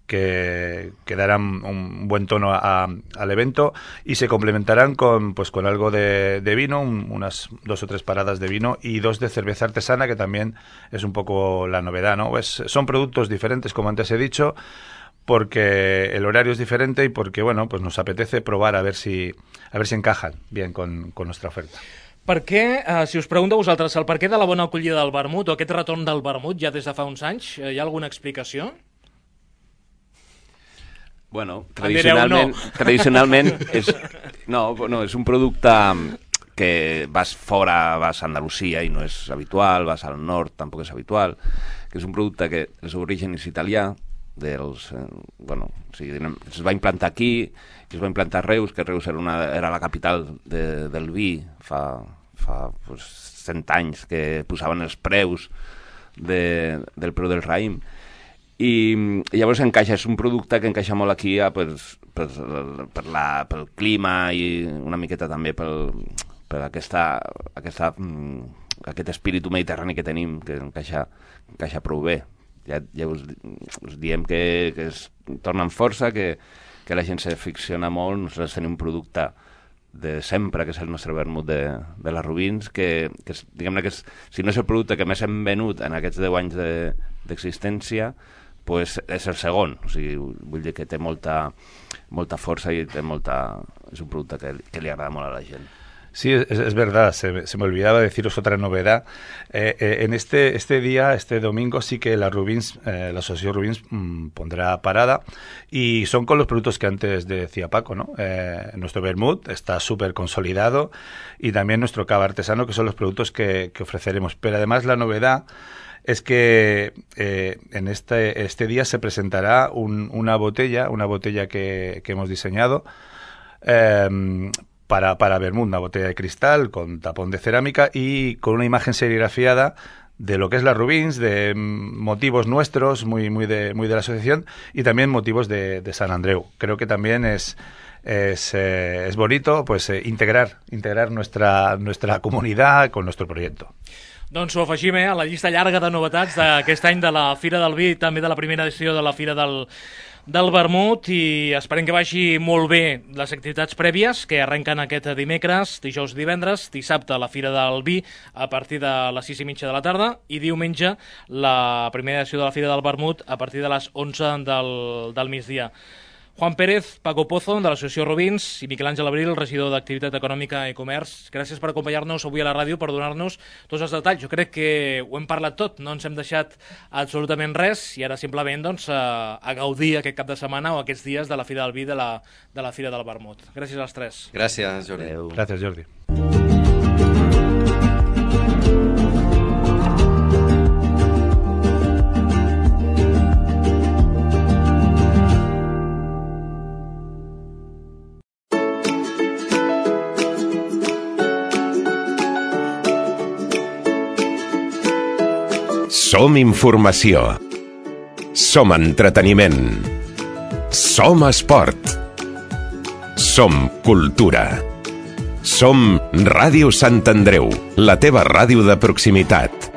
J: que, que darán un buen tono a, al evento y se complementarán con, pues, con algo de, de vino, un, unas dos o tres paradas de vino y dos de cerveza artesana, que también es un poco la novedad, ¿no? Pues son productos diferentes, como antes he dicho, porque el horario es diferente y porque, bueno, pues nos apetece probar a ver si, a ver si encajan bien con, con nuestra oferta.
B: Per què, eh, si us pregunto a vosaltres, el per què de la bona acollida del vermut o aquest retorn del vermut ja des de fa uns anys, hi ha alguna explicació?
K: Bueno, tradicionalment, no. tradicionalment és, no, no, és un producte que vas fora, vas a Andalusia i no és habitual, vas al nord, tampoc és habitual, que és un producte que el seu origen és italià, dels, eh, bueno, o sigui, es va implantar aquí, es va implantar a Reus, que Reus era, una, era la capital de, del vi fa, fa pues, cent anys, que posaven els preus de, del preu del raïm. I, i llavors encaixa, és un producte que encaixa molt aquí a, per, per, per la, pel clima i una miqueta també pel, per aquesta, aquesta, aquest espíritu mediterrani que tenim, que encaixa, encaixa prou bé. Ja, ja us, us diem que, que es torna amb força, que, que la gent se ficciona molt. Nosaltres tenim un producte de sempre, que és el nostre vermut de, de les Rubins, que, que és, diguem-ne que és, si no és el producte que més hem venut en aquests deu anys d'existència, de, pues és el segon. O sigui, vull dir que té molta, molta força i té molta, és un producte que, que li agrada molt a la gent.
J: Sí, es, es verdad, se, se me olvidaba deciros otra novedad. Eh, eh, en este, este día, este domingo, sí que la Rubins, eh, la Asociación Rubins mmm, pondrá parada y son con los productos que antes decía Paco, ¿no? Eh, nuestro vermut está súper consolidado y también nuestro cava artesano, que son los productos que, que ofreceremos. Pero además la novedad es que eh, en este, este día se presentará un, una botella, una botella que, que hemos diseñado eh, para, para vermut, una botella de cristal con tapón de cerámica y con una imagen serigrafiada de lo que es la Rubins, de motivos nuestros, muy, muy, de, muy de la asociación, y también motivos de, de Sant Andreu. Creo que también es, es, eh, es bonito pues, eh, integrar, integrar nuestra, nuestra comunidad con nuestro proyecto.
B: Doncs ho afegim eh, a la llista llarga de novetats d'aquest any de la Fira del Vi i també de la primera edició de la Fira del, del Vermut, i esperem que vagi molt bé les activitats prèvies que arrenquen aquest dimecres, dijous, divendres, dissabte la Fira del Vi a partir de les sis i mitja de la tarda i diumenge la primera edició de la Fira del Vermut a partir de les onze del, del migdia. Juan Pérez, Paco Pozo, de l'Associació Rubins, i Miquel Àngel Abril, regidor d'Activitat Econòmica i Comerç. Gràcies per acompanyar-nos avui a la ràdio, per donar-nos tots els detalls. Jo crec que ho hem parlat tot, no ens hem deixat absolutament res, i ara simplement doncs, a, a gaudir aquest cap de setmana o aquests dies de la Fira del Vi de la, de la Fira del Vermut. Gràcies als tres.
I: Gràcies, Jordi. Adeu.
J: Gràcies, Jordi.
A: Som informació. Som entreteniment. Som esport. Som cultura. Som Ràdio Sant Andreu, la teva ràdio de proximitat.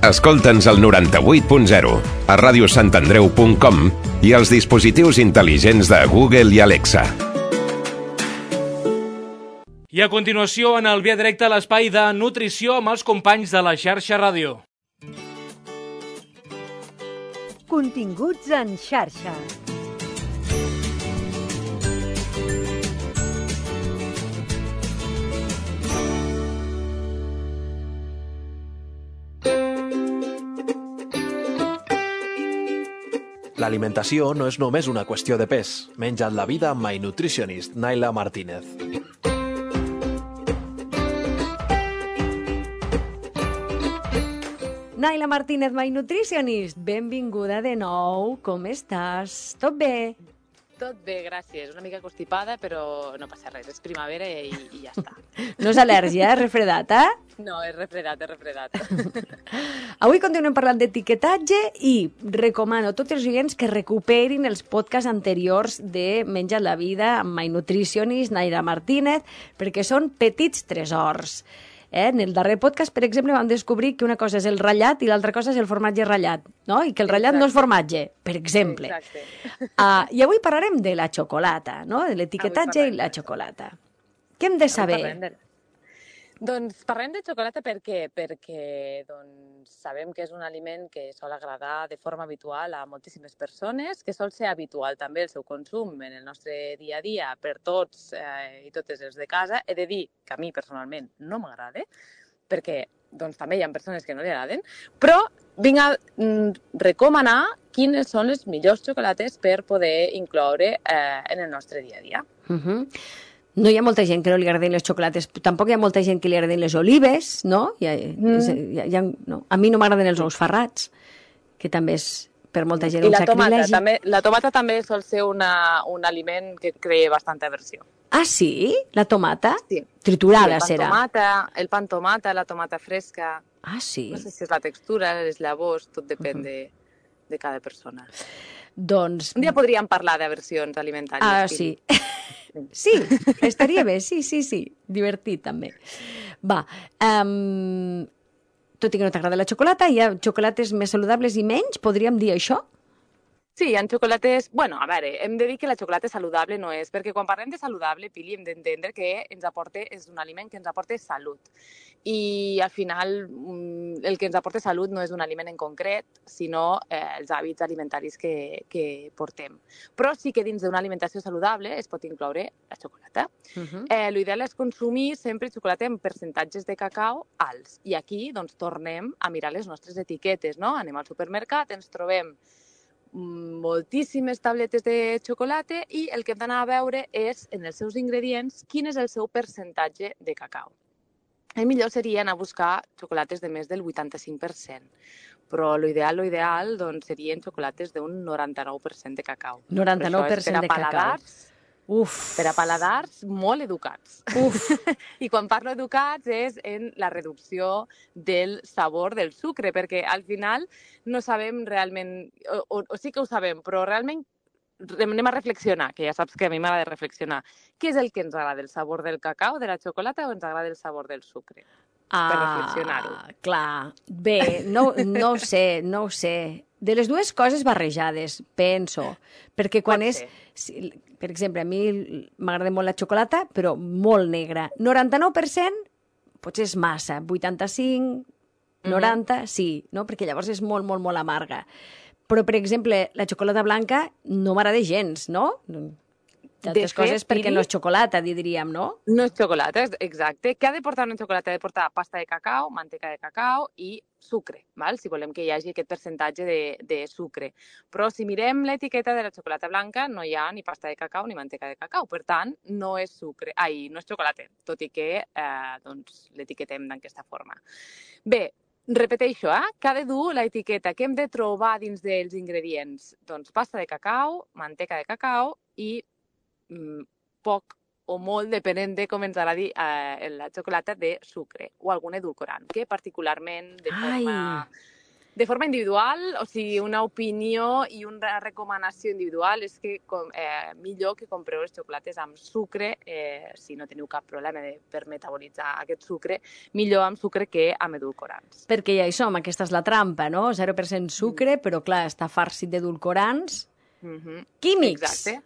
A: Escolta'ns al noranta-vuit punt zero, a ràdio sant andreu punt com i als dispositius intel·ligents de Google i Alexa.
B: I a continuació, en el Via Directe, l'espai de nutrició amb els companys de la xarxa ràdio.
C: Continguts en xarxa.
L: L'alimentació no és només una qüestió de pes. Menja't la vida amb My Nutritionist, Naila Martínez. Naila Martínez, My Nutritionist, benvinguda de nou. Com estàs? Tot bé?
M: Tot bé, gràcies. Una mica constipada, però no passa res. És primavera i, i ja està.
L: No és al·lèrgia, és refredat, eh?
M: No, és refredat, és refredat.
L: Avui continuem parlant d'etiquetatge i recomano a tots els oients que recuperin els podcasts anteriors de Menja't la vida amb My Nutritionist, Naila Martínez, perquè són petits tresors. Eh? En el darrer podcast, per exemple, vam descobrir que una cosa és el ratllat i l'altra cosa és el formatge ratllat, no? I que el ratllat Exacte. No és formatge, per exemple. Uh, I avui parlarem de la xocolata, no? De l'etiquetatge i la xocolata. Què hem de saber?
M: De... Doncs parlem de xocolata per què? Perquè doncs, sabem que és un aliment que sol agradar de forma habitual a moltíssimes persones, que sol ser habitual també el seu consum en el nostre dia a dia per tots eh, i totes els de casa. He de dir que a mi personalment no m'agrada, perquè doncs, també hi ha persones que no li agraden, però vinc a mm, recomanar quines són les millors xocolates per poder incloure eh, en el nostre dia a dia.
L: Uh-huh. No hi ha molta gent que no li agradin les xocolates, tampoc hi ha molta gent que li agradin les olives, no? Hi ha, mm. hi ha, hi ha, no. A mi no m'agraden els ous ferrats, que també és per molta gent un sacrilegi.
M: I també, la tomata també sol ser una, un aliment que crea bastanta aversió.
L: Ah, sí? La tomata?
M: Sí.
L: Triturada
M: sí, el
L: serà.
M: Tomata, el pa amb tomata, la tomata fresca...
L: Ah, sí?
M: No sé si és la textura, les llavors, tot depèn uh-huh. de, de cada persona.
L: Doncs...
M: Un dia podríem parlar d'aversions alimentàries.
L: Ah, sí. Sí, estaria bé, sí, sí, sí. Divertit, també. Va, um, tot i que no t'agrada la xocolata, hi ha xocolates més saludables i menys, podríem dir això?
M: Sí, hi ha xocolates... Bueno, a veure, hem de dir que la xocolata saludable no és, perquè quan parlem de saludable, Pili, hem d'entendre que ens aporta, és un aliment que ens aporta salut. I al final el que ens aporta salut no és un aliment en concret, sinó eh, els hàbits alimentaris que, que portem. Però sí que dins d'una alimentació saludable es pot incloure la xocolata. Uh-huh. eh, L'ideal és consumir sempre xocolata en percentatges de cacau alts. I aquí doncs, tornem a mirar les nostres etiquetes, no? Anem al supermercat, ens trobem moltíssimes tabletes de xocolata i el que hem d'anar a veure és, en els seus ingredients, quin és el seu percentatge de cacau. El millor seria anar a buscar xocolates de més del vuitanta-cinc per cent, però l'ideal, l'ideal, doncs, serien xocolates d'un noranta-nou per cent de cacau.
L: noranta-nou per cent de cacau. Uf.
M: Per a paladars molt educats.
L: Uf.
M: I quan parlo educats és en la reducció del sabor del sucre, perquè al final no sabem realment, o, o, o sí que ho sabem, però realment anem a reflexionar, que ja saps que a mi m'agrada reflexionar. Què és el que ens agrada, el sabor del cacau, de la xocolata, o ens agrada el sabor del sucre?
L: Ah,
M: per reflexionar-ho.
L: Clar. Bé, no, no ho sé, no ho sé. De les dues coses barrejades, penso. Perquè quan és... Si, per exemple, a mi m'agrada molt la xocolata, però molt negra. noranta-nou per cent potser és massa. vuitanta-cinc, noranta, mm-hmm. sí, no? Perquè llavors és molt, molt, molt amarga. Però, per exemple, la xocolata blanca no m'agrada gens, no? D'altres coses perquè no és xocolata, diríem, no?
M: No és xocolata, exacte. Què ha de portar una xocolata? Ha de portar pasta de cacau, manteca de cacau i sucre, val? Si volem que hi hagi aquest percentatge de, de sucre. Però si mirem l'etiqueta de la xocolata blanca, no hi ha ni pasta de cacau ni manteca de cacau. Per tant, no és sucre, ai, no és xocolata, tot i que eh, doncs, l'etiquetem d'aquesta forma. Bé, repeteixo, eh? Que ha de dur l'etiqueta, què hem de trobar dins dels ingredients? Doncs pasta de cacau, manteca de cacau i poc o molt, depenent de com ens agradi eh, la xocolata, de sucre o algun edulcorant, que particularment de forma, de forma individual, o sigui, una opinió i una recomanació individual és que com, eh, millor que compreu les xocolates amb sucre, eh, si no teniu cap problema de, per metabolitzar aquest sucre, millor amb sucre que amb edulcorants.
L: Perquè ja hi som, aquesta és la trampa, no? zero per cent sucre, mm. però clar, està farcit d'edulcorants
M: mm-hmm.
L: químics.
M: Exacte.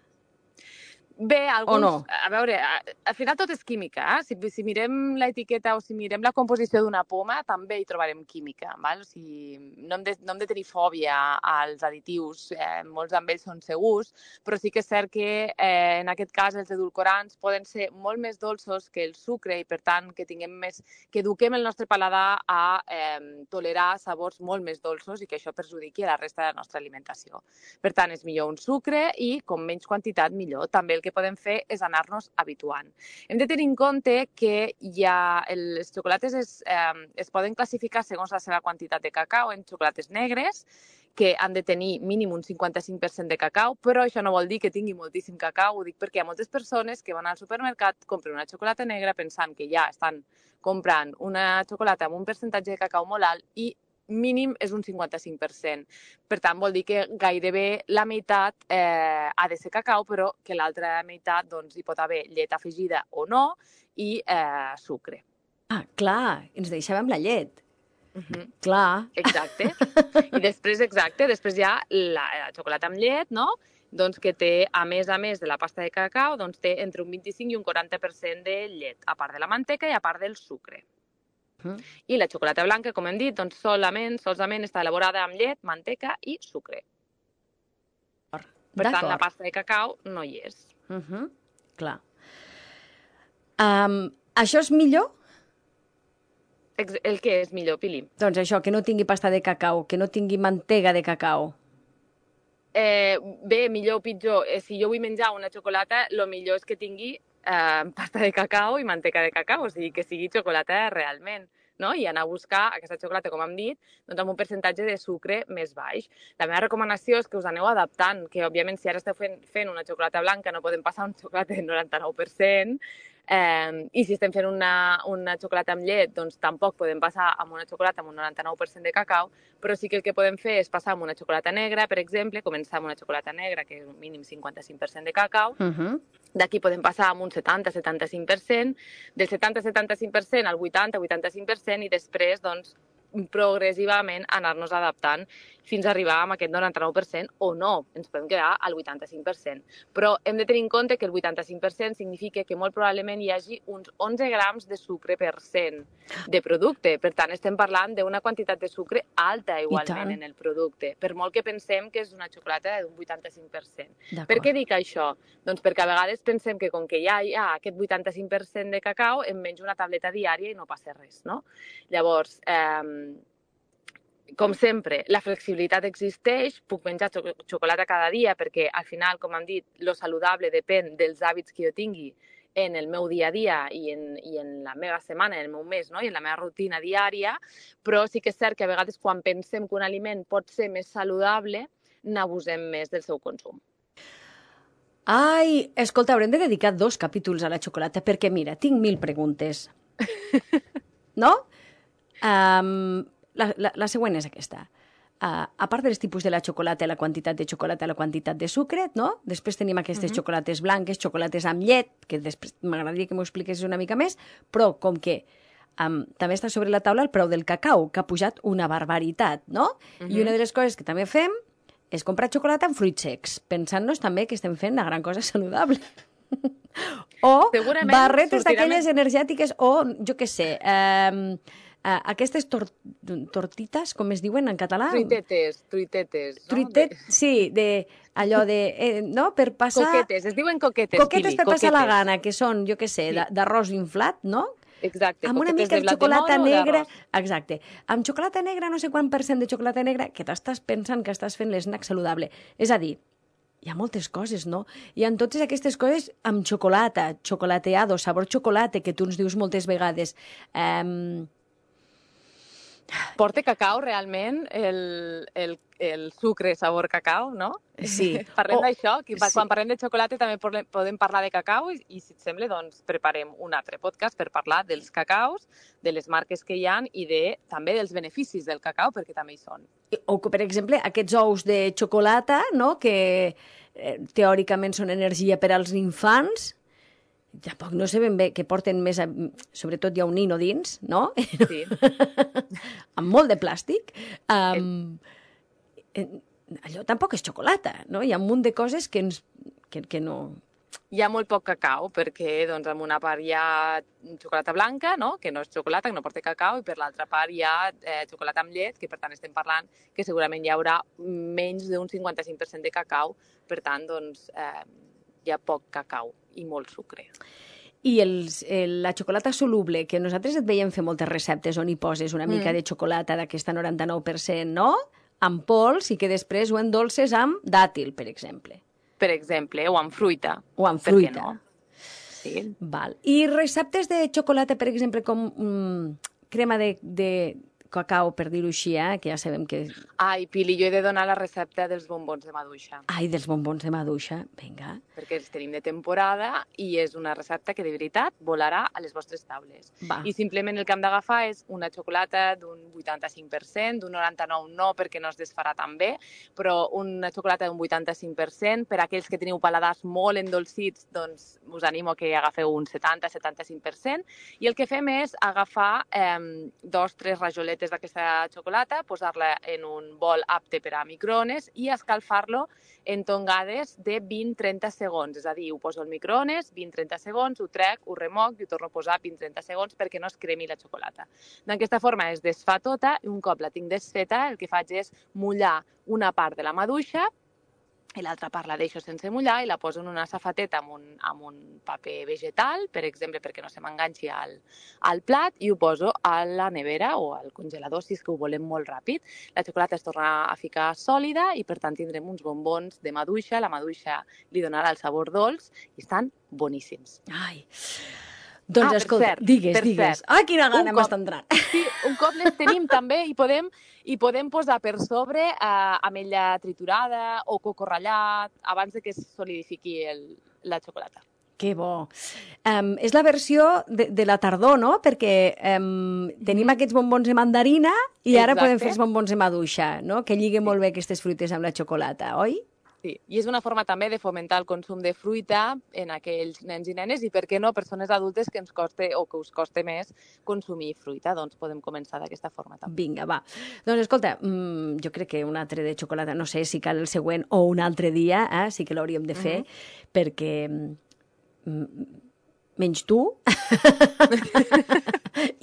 M: Bé, alguns,
L: no?
M: A veure, al final tot és química. Eh? Si, si mirem l'etiqueta o si mirem la composició d'una poma, també hi trobarem química. Val? O sigui, no, hem de, no hem de tenir fòbia als additius, eh, molts d'ells són segurs, però sí que és cert que eh, en aquest cas els edulcorants poden ser molt més dolços que el sucre i per tant que tinguem més, que eduquem el nostre paladar a eh, tolerar sabors molt més dolços i que això perjudiqui la resta de la nostra alimentació. Per tant, és millor un sucre i com menys quantitat millor. També el que podem fer és anar-nos habituant. Hem de tenir en compte que ja les xocolates es, eh, es poden classificar segons la seva quantitat de cacau en xocolates negres, que han de tenir mínim un cinquanta-cinc per cent de cacau, però això no vol dir que tingui moltíssim cacau, ho dic perquè hi ha moltes persones que van al supermercat, compren una xocolata negra pensant que ja estan comprant una xocolata amb un percentatge de cacau molt alt i mínim és un cinquanta-cinc per cent. Per tant, vol dir que gairebé la meitat eh, ha de ser cacau, però que l'altra meitat doncs, hi pot haver llet afegida o no i eh, sucre.
L: Ah, clar, ens deixàvem la llet.
M: Uh-huh.
L: Clar.
M: Exacte. I després, exacte, després hi ha la, la xocolata amb llet, no? Doncs que té, a més a més de la pasta de cacau, doncs té entre un vint-i-cinc i un quaranta per cent de llet, a part de la manteca i a part del sucre. Uh-huh. I la xocolata blanca, com hem dit, doncs solament, solament està elaborada amb llet, manteca i sucre. Per tant, la pasta de cacau no hi és.
L: Uh-huh. Clar. Um, això és millor?
M: El que és millor, Pili?
L: Doncs això, que no tingui pasta de cacau, que no tingui mantega de cacau.
M: Eh, bé, millor o pitjor. Eh, si jo vull menjar una xocolata, el millor és que tingui eh, pasta de cacau i manteca de cacau, o sigui, que sigui xocolata realment, no? I anar a buscar aquesta xocolata, com hem dit, doncs amb un percentatge de sucre més baix. La meva recomanació és que us aneu adaptant, que òbviament si ara esteu fent, fent una xocolata blanca no podem passar un xocolata del noranta-nou per cent, Eh, i si estem fent una, una xocolata amb llet, doncs tampoc podem passar amb una xocolata amb un noranta-nou per cent de cacau, però sí que el que podem fer és passar amb una xocolata negra, per exemple, començar amb una xocolata negra, que és un mínim cinquanta-cinc per cent de cacau,
L: uh-huh.
M: D'aquí podem passar amb un setanta a setanta-cinc per cent, del setanta a setanta-cinc per cent al vuitanta a vuitanta-cinc per cent i després, doncs, progressivament anar-nos adaptant fins a arribar a aquest noranta-nou per cent o no, ens podem quedar al vuitanta-cinc per cent. Però hem de tenir en compte que el vuitanta-cinc per cent significa que molt probablement hi hagi uns onze grams de sucre per cent de producte. Per tant, estem parlant d'una quantitat de sucre alta igualment en el producte, per molt que pensem que és una xocolata d'un vuitanta-cinc per cent. Per què dic això? Doncs perquè a vegades pensem que com que ja hi ha aquest vuitanta-cinc per cent de cacau, em menjo una tableta diària i no passa res, no? Llavors, eh, com sempre, la flexibilitat existeix, puc menjar xocolata cada dia perquè al final, com hem dit, lo saludable depèn dels hàbits que jo tingui en el meu dia a dia i en, i en la meva setmana, en el meu mes, no? I en la meva rutina diària, però sí que és cert que a vegades quan pensem que un aliment pot ser més saludable, n'abusem més del seu consum.
L: Ai, escolta, haurem de dedicar dos capítols a la xocolata perquè, mira, tinc mil preguntes. No? Um, la, la, la següent és aquesta. Uh, a part dels tipus de la xocolata, la quantitat de xocolata, la quantitat de sucre, no? Després tenim aquestes uh-huh. xocolates blanques, xocolates amb llet, que després m'agradaria que m'ho expliquessis una mica més, però com que um, també està sobre la taula el preu del cacau, que ha pujat una barbaritat, no? Uh-huh. I una de les coses que també fem és comprar xocolata amb fruits secs, pensant-nos també que estem fent una gran cosa saludable. O barretes d'aquelles energètiques, o jo què sé, eh, Uh, aquestes tor tortites, com es diuen en català?
M: Truitetes, truitetes. No?
L: Truitet, sí, de, allò de... Eh, no? Per passar...
M: Coquetes, es diuen coquetes,
L: Coquetes
M: Pili,
L: per
M: coquetes.
L: passar la gana, que són, jo què sé, sí. d'arròs inflat, no?
M: Exacte,
L: amb una mica de xocolata negra. Exacte. Amb xocolata negra, no sé quant per cent de xocolata negra, que t'estàs pensant que estàs fent l'esnac saludable. És a dir, hi ha moltes coses, no? Hi ha totes aquestes coses amb xocolata, chocolateado, sabor xocolata, que tu ens dius moltes vegades. Eh...
M: Porta cacau, realment, el, el, el sucre sabor cacau, no?
L: Sí.
M: Parlem
L: oh,
M: d'això, que quan
L: sí.
M: parlem de xocolata també podem parlar de cacau i, i si et sembla, doncs, preparem un altre podcast per parlar dels cacaus, de les marques que hi ha i de, també dels beneficis del cacau, perquè també hi són.
L: O que, per exemple, aquests ous de xocolata, no?, que eh, teòricament són energia per als infants, tampoc no sé ben bé, que porten més... A... Sobretot hi ha un nino dins, no?
M: Sí.
L: Amb molt de plàstic. Um, allò tampoc és xocolata, no? Hi ha un munt de coses que, ens, que, que no...
M: Hi ha molt poc cacau, perquè doncs, en una part hi ha xocolata blanca, no? Que no és xocolata, que no porta cacau, i per l'altra part hi ha eh, xocolata amb llet, que per tant estem parlant que segurament hi haurà menys d'un cinquanta-cinc per cent de cacau, per tant, doncs, eh, hi ha poc cacau i molt sucre.
L: I els, el, la xocolata soluble, que nosaltres et veiem fer moltes receptes on hi poses una mica mm. de xocolata d'aquesta noranta-nou per cent, no? Amb pols, i que després ho endolces amb dàtil, per exemple.
M: per exemple, o amb fruita.
L: O amb
M: Per què
L: fruita.
M: no? Sí.
L: Val. I receptes de xocolata, per exemple, com mm, crema de, de cacau, per dir-ho així, eh? Que ja sabem que...
M: Ai, Pili, jo he de donar la recepta dels bombons de maduixa.
L: Ai, dels bombons de maduixa, vinga.
M: Perquè els tenim de temporada i és una recepta que de veritat volarà a les vostres taules.
L: Va.
M: I simplement el que hem d'agafar és una xocolata d'un vuitanta-cinc per cent, d'un noranta-nou no perquè no es desfarà tan bé, però una xocolata d'un vuitanta-cinc per cent. Per aquells que teniu paladars molt endolcits, doncs us animo que agafeu un setanta a setanta-cinc per cent. I el que fem és agafar eh, dos, tres rajoletes d'aquesta xocolata, posar-la en un bol apte per a microones i escalfar-lo en tongades de vint a trenta segons. És a dir, ho poso al microones, vint a trenta segons, ho trec, ho remoc i ho torno a posar vint a trenta segons perquè no es cremi la xocolata. D'aquesta forma es desfà tota i un cop la tinc desfeta el que faig és mullar una part de la maduixa i l'altra part la deixo sense mullar i la poso en una safateta amb un, amb un paper vegetal, per exemple, perquè no se m'enganxi al, al plat, i ho poso a la nevera o al congelador si és que ho volem molt ràpid. La xocolata es torna a ficar sòlida i, per tant, tindrem uns bombons de maduixa. La maduixa li donarà el sabor dolç i estan boníssims.
L: Ai... Doncs
M: ah,
L: escolta,
M: cert,
L: digues, digues.
M: Cert.
L: Ah, quina gana
M: Un
L: m'està
M: cop-
L: entrant.
M: Sí, un cop les tenim també i podem, i podem posar per sobre eh, ametlla triturada o coco ratllat abans de que es solidifiqui el, la xocolata.
L: Que bo. Um, és la versió de, de la tardor, no? Perquè um, tenim aquests bombons de mandarina i ara
M: Exacte.
L: podem fer els bombons de maduixa, no? Que lliguen molt bé aquestes fruites amb la xocolata, oi?
M: Sí, i és una forma també de fomentar el consum de fruita en aquells nens i nenes i, per què no, persones adultes que ens coste o que us coste més consumir fruita. Doncs podem començar d'aquesta forma també.
L: Vinga, va. Doncs escolta, mmm, jo crec que un altre de xocolata, no sé si cal el següent o un altre dia, eh, sí que l'hauríem de fer, mm-hmm. perquè mm, menys tu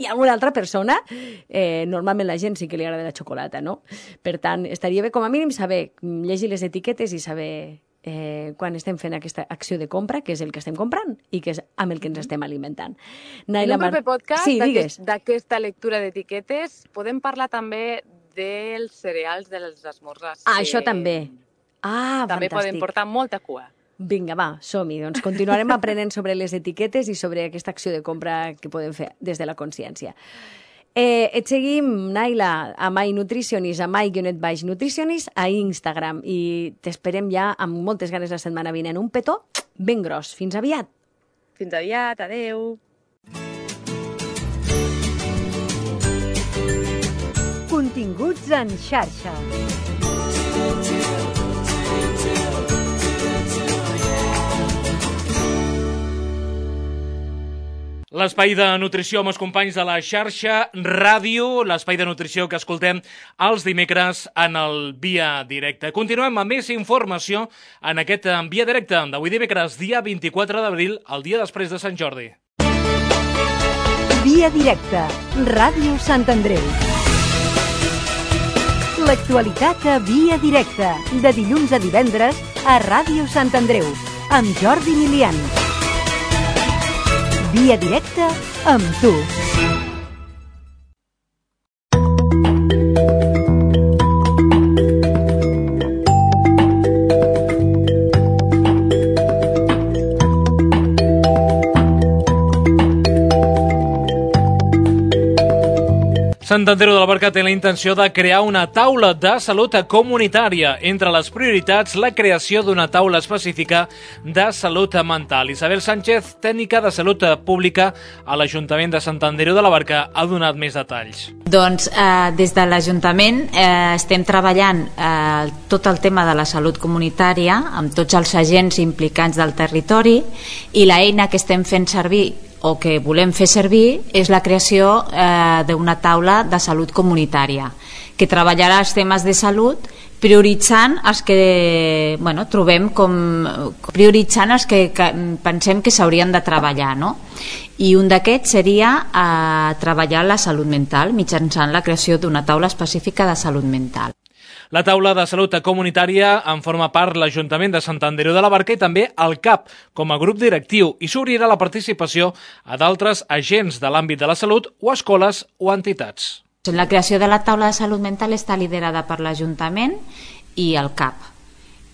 L: i alguna altra persona, eh, normalment la gent sí que li agrada la xocolata, no? Per tant, estaria bé com a mínim saber, llegir les etiquetes i saber eh, quan estem fent aquesta acció de compra, que és el que estem comprant i que és amb el que ens estem alimentant.
M: En un proper podcast
L: sí, digues.
M: d'aquesta lectura d'etiquetes podem parlar també dels cereals dels esmorzars.
L: Ah, això també. Ah,
M: també
L: fantàstic.
M: poden portar molta cua.
L: Vinga, va, som-hi. Doncs continuarem aprenent sobre les etiquetes i sobre aquesta acció de compra que podem fer des de la consciència. Eh, et seguim, Naila, a My Nutritionist, a My-Nutritionist, a Instagram. I t'esperem ja amb moltes ganes la setmana vinent. Un petó ben gros. Fins aviat.
M: Fins aviat, adeu.
C: Continguts en xarxa.
B: L'espai de nutrició amb els companys de la xarxa Ràdio, l'espai de nutrició que escoltem els dimecres en el Via Directe. Continuem amb més informació en aquest Via Directe d'avui dimecres, dia vint-i-quatre d'abril, el dia després de Sant Jordi.
C: Via Directe, Ràdio Sant Andreu. L'actualitat a Via Directe, de dilluns a divendres a Ràdio Sant Andreu, amb Jordi Milian. Via Directe amb tu.
B: Sant Andreu de la Barca té la intenció de crear una taula de salut comunitària. Entre les prioritats, la creació d'una taula específica de salut mental. Isabel Sánchez, tècnica de salut pública a l'Ajuntament de Sant Andreu de la Barca, ha donat més detalls.
N: Doncs eh, des de l'Ajuntament eh, estem treballant eh, tot el tema de la salut comunitària amb tots els agents implicats del territori i l'eina que estem fent servir o que volem fer servir és la creació eh, d'una taula de salut comunitària que treballarà els temes de salut prioritzant els que bueno, trobem com prioritzant els que, que pensem que s'haurien de treballar, no? I un d'aquests seria eh, treballar la salut mental mitjançant la creació d'una taula específica de salut mental.
B: La taula de salut comunitària en forma part l'Ajuntament de Sant Andreu de la Barca i també el C A P com a grup directiu i s'obrirà la participació a d'altres agents de l'àmbit de la salut o escoles o entitats.
N: La creació de la taula de salut mental està liderada per l'Ajuntament i el C A P.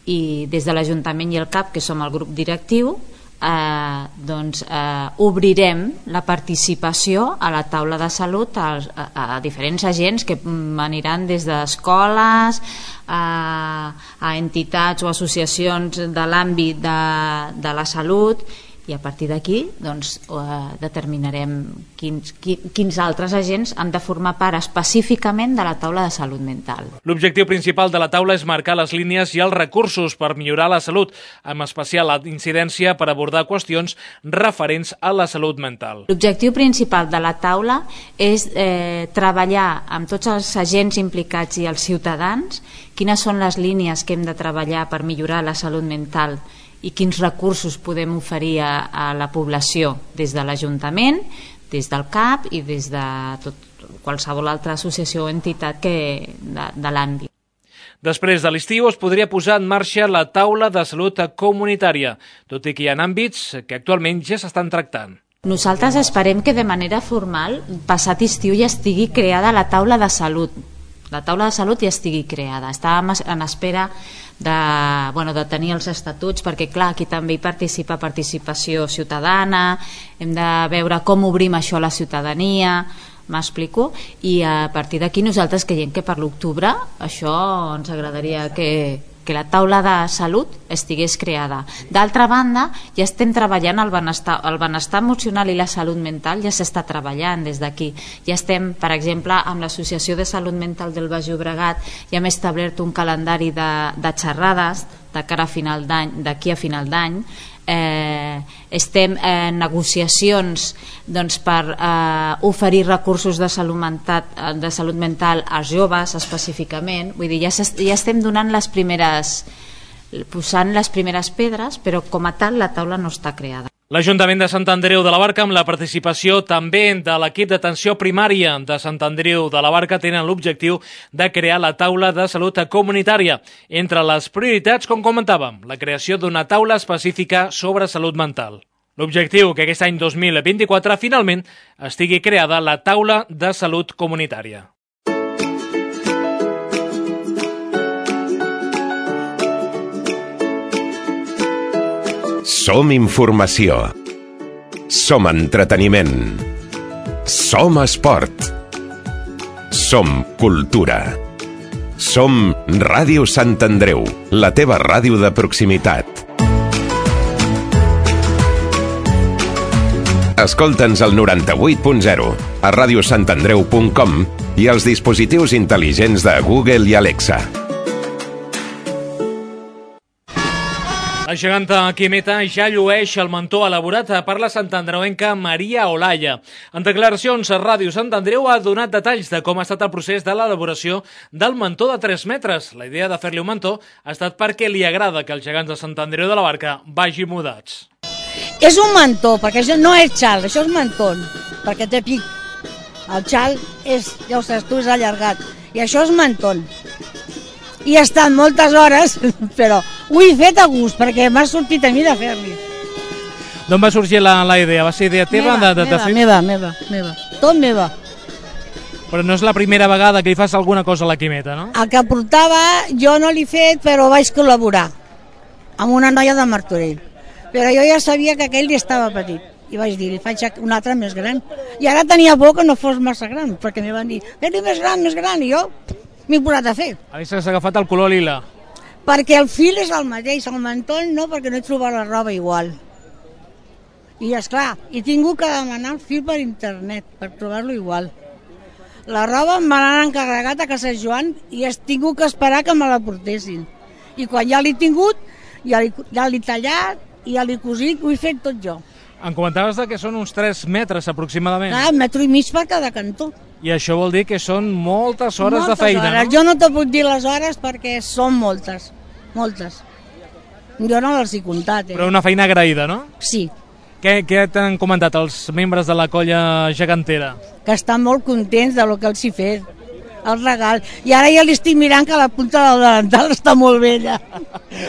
N: i des de l'Ajuntament i el C A P, que som el grup directiu, eh, doncs eh, obrirem la participació a la taula de salut a, a, a diferents agents que aniran des d'escoles a, a entitats o associacions de l'àmbit de, de la salut, i a partir d'aquí doncs, eh, determinarem quins, quins altres agents han de formar part específicament de la taula de salut mental.
B: L'objectiu principal de la taula és marcar les línies i els recursos per millorar la salut, amb especial incidència per abordar qüestions referents a la salut mental.
N: L'objectiu principal de la taula és eh, treballar amb tots els agents implicats i els ciutadans quines són les línies que hem de treballar per millorar la salut mental i quins recursos podem oferir a, a la població des de l'Ajuntament, des del C A P i des de tot, qualsevol altra associació o entitat que, de, de l'àmbit.
B: Després de l'estiu es podria posar en marxa la taula de salut comunitària, tot i que hi ha àmbits que actualment ja s'estan tractant.
N: Nosaltres esperem que de manera formal, passat estiu, ja estigui creada la taula de salut. La taula de salut ja estigui creada. Estàvem en espera de, bueno, de tenir els estatuts, perquè clar, aquí també hi participa participació ciutadana, hem de veure com obrim això a la ciutadania, m'explico, i a partir d'aquí nosaltres creiem que per l'octubre això ens agradaria que, que la taula de salut estigués creada. D'altra banda, ja estem treballant el benestar, el benestar emocional i la salut mental, ja s'està treballant des d'aquí. Ja estem, per exemple, amb l'Associació de Salut Mental del Baix Llobregat, ja hem establert un calendari de, de xerrades de cara a final d'any, d'aquí a final d'any. Eh, estem en negociacions doncs, per eh, oferir recursos de salut, mental, de salut mental als joves específicament. Vull dir, ja, ja estem donant les primeres, posant les primeres pedres, però com a tal la taula no està creada.
B: L'Ajuntament de Sant Andreu de la Barca, amb la participació també de l'equip d'atenció primària de Sant Andreu de la Barca, tenen l'objectiu de crear la taula de salut comunitària. Entre les prioritats, com comentàvem, la creació d'una taula específica sobre salut mental. L'objectiu que aquest any dos mil vint-i-quatre finalment estigui creada la taula de salut comunitària.
A: Som informació. Som entreteniment. Som esport. Som cultura. Som Ràdio Sant Andreu, la teva ràdio de proximitat. Escolta'ns al noranta-vuit punt zero, a ràdio sant andreu punt com i als dispositius intel·ligents de Google i Alexa.
B: La geganta Quimeta ja llueix el mantó elaborat per la santandreuenca Maria Olaya. En declaracions a Ràdio Sant Andreu ha donat detalls de com ha estat el procés de l'elaboració del mantó de tres metres. La idea de fer-li un mantó ha estat perquè li agrada que els gegants de Sant Andreu de la Barca vagin mudats.
O: És un mantó, perquè això no és xal, això és mantó, perquè té pic. El xal és, ja ho saps tu, és allargat, i això és mantó. I he estat moltes hores, però ho he fet a gust, perquè m'ha sortit a mi de fer-li.
B: D'on va sorgir la, la idea? Va ser idea teva?
O: Meva,
B: de, de, de
O: meva, meva, meva, meva, tot meva.
B: Però no és la primera vegada que hi fas alguna cosa a la Quimeta, no?
O: El que portava jo no l'he fet, però vaig col·laborar amb una noia de Martorell. Però jo ja sabia que aquell estava petit. I vaig dir, li faig un altre més gran. I ara tenia por que no fos massa gran, perquè m'hi van dir, fes-li més gran, més gran, i jo m'he posat a fer.
B: Havies agafat el color lila.
O: Perquè el fil és el mateix, el mantell no, perquè no he trobat la roba igual. I esclar, he tingut que demanar el fil per internet, per trobar-lo igual. La roba em van encarregat a casa Joan i he tingut que esperar que me la portessin. I quan ja l'he tingut, ja l'he ja tallat i ja l'he cosit, ho he fet tot jo.
B: Em comentaves que són uns tres metres aproximadament.
O: Ah, un metro i mig per cada cantó.
B: I això vol dir que són moltes hores
O: moltes
B: de feina,
O: hores.
B: no?
O: Jo no te puc dir les hores perquè són moltes, moltes. Jo no les he comptat, eh?
B: Però una feina agraïda, no?
O: Sí.
B: Què, què t'han comentat els membres de la colla gegantera?
O: Que estan molt contents de lo que els he fet, el regal. I ara ja li estic mirant que la punta del delantal està molt vella.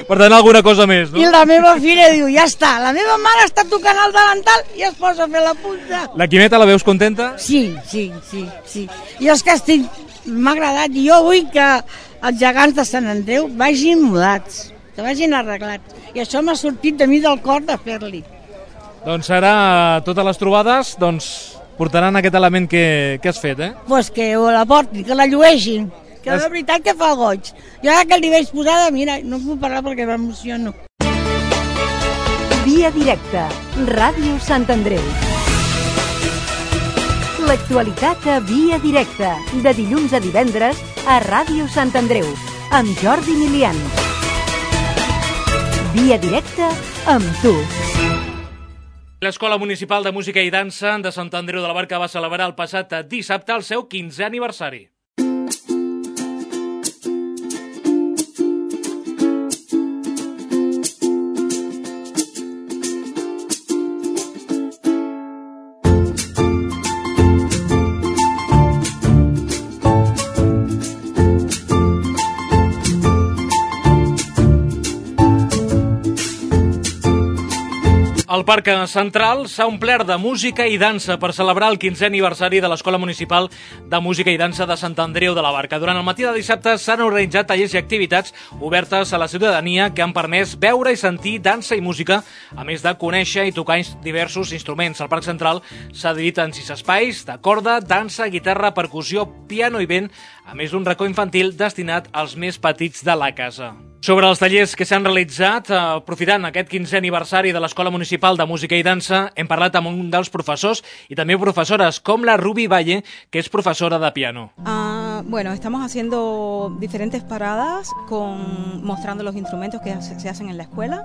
B: Per tant, alguna cosa més, no?
O: I la meva filla diu, ja està, la meva mare està tocant el delantal i es posa a fer la punta.
B: La Quimeta la veus contenta?
O: Sí, sí, sí, sí. Jo és que estic... m'ha agradat. Jo vull que els gegants de Sant Andreu vagin mudats. que vagin arreglats. I això m'ha sortit de mi del cor de fer-li.
B: Doncs ara totes les trobades doncs, portaran aquest element que, que has fet, eh?
O: Pues que la portin, que la llueixin, que la veritat que fa goig. Jo ara que li veig posada, mira, no puc parlar perquè m'emociono.
C: Via directa, Ràdio Sant Andreu. L'actualitat a Via directa, de dilluns a divendres a Ràdio Sant Andreu, amb Jordi Milian. Via directa amb tu.
B: L'Escola Municipal de Música i Dansa de Sant Andreu de la Barca va celebrar el passat dissabte el seu quinzè aniversari. El Parc Central s'ha omplert de música i dansa per celebrar el quinzè aniversari de l'Escola Municipal de Música i Dansa de Sant Andreu de la Barca. Durant el matí de dissabte s'han organitzat tallers i activitats obertes a la ciutadania que han permès veure i sentir dansa i música, a més de conèixer i tocar diversos instruments. El Parc Central s'ha dividit en sis espais de corda, dansa, guitarra, percussió, piano i vent, a més d'un racó infantil destinat als més petits de la casa. Sobre els tallers que s'han realitzat, aprofitant aquest quinzè aniversari de l'Escola Municipal de Música i Dansa, hem parlat amb un dels professors y también profesoras, com la Ruby Valle, que es profesora de piano.
P: Uh, bueno, estamos haciendo diferentes paradas con, mostrando los instrumentos que se hacen en la escuela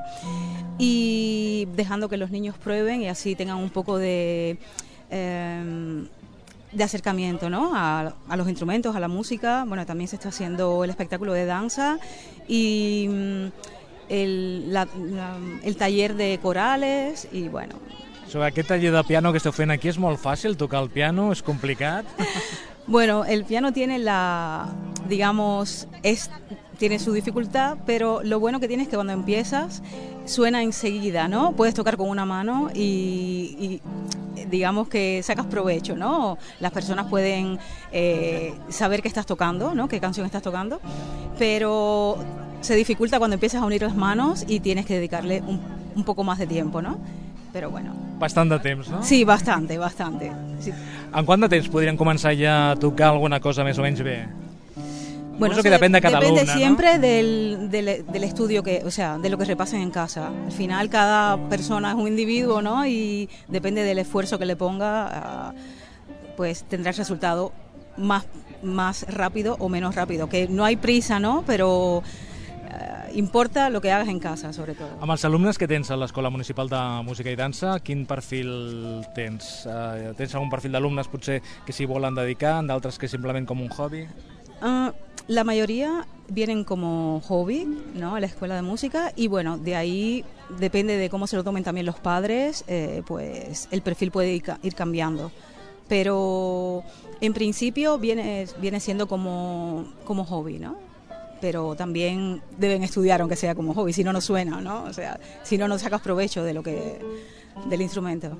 P: y dejando que los niños prueben y así tengan un poco de... Eh, de acercamiento, ¿no? a, a los instrumentos, a la música. Bueno, también se está haciendo el espectáculo de danza y el, la, la, el taller de corales y bueno.
B: Sobre aquest taller de piano que esteu fent aquí, és molt fàcil tocar el piano? És complicat?
P: Bueno, el piano tiene la, digamos, es, tiene su dificultad, pero lo bueno que tiene es que cuando empiezas suena enseguida, ¿no? Puedes tocar con una mano y, y digamos que sacas provecho, ¿no? Las personas pueden eh, saber qué estás tocando, ¿no? Qué canción estás tocando, pero se dificulta cuando empiezas a unir las manos y tienes que dedicarle un, un poco más de tiempo, ¿no? Però bueno.
B: Bastant de temps, no?
P: Sí, bastante, bastante. Sí.
B: En quant de temps podrien començar ja a tocar alguna cosa més o menys bé?
P: Bueno,
B: eso que depende de cada
P: depende
B: alumna,
P: siempre,
B: ¿no?
P: del, del, del estudio que, o sea, de lo que repasen en casa. Al final cada persona es un individuo, ¿no? Y depende del esfuerzo que le ponga, uh, pues tendrá el resultado más, más rápido o menos rápido. Que no hay prisa, ¿no? Pero uh, importa lo que hagas en casa, sobre todo.
B: Amb els alumnes que tens a l'Escola Municipal de Música i Dansa, quin perfil tens? Uh, tens algun perfil d'alumnes potser que s'hi volen dedicar, d'altres que simplement com un hobby?
P: Uh, la mayoría vienen como hobby, ¿no? A la escuela de música y bueno, de ahí depende de cómo se lo tomen también los padres, eh, pues el perfil puede ir, ir cambiando. Pero en principio viene, viene siendo como, como hobby, ¿no? Pero también deben estudiar aunque sea como hobby, si no, no suena, ¿no? O sea, si no, no sacas provecho de lo que, del instrumento.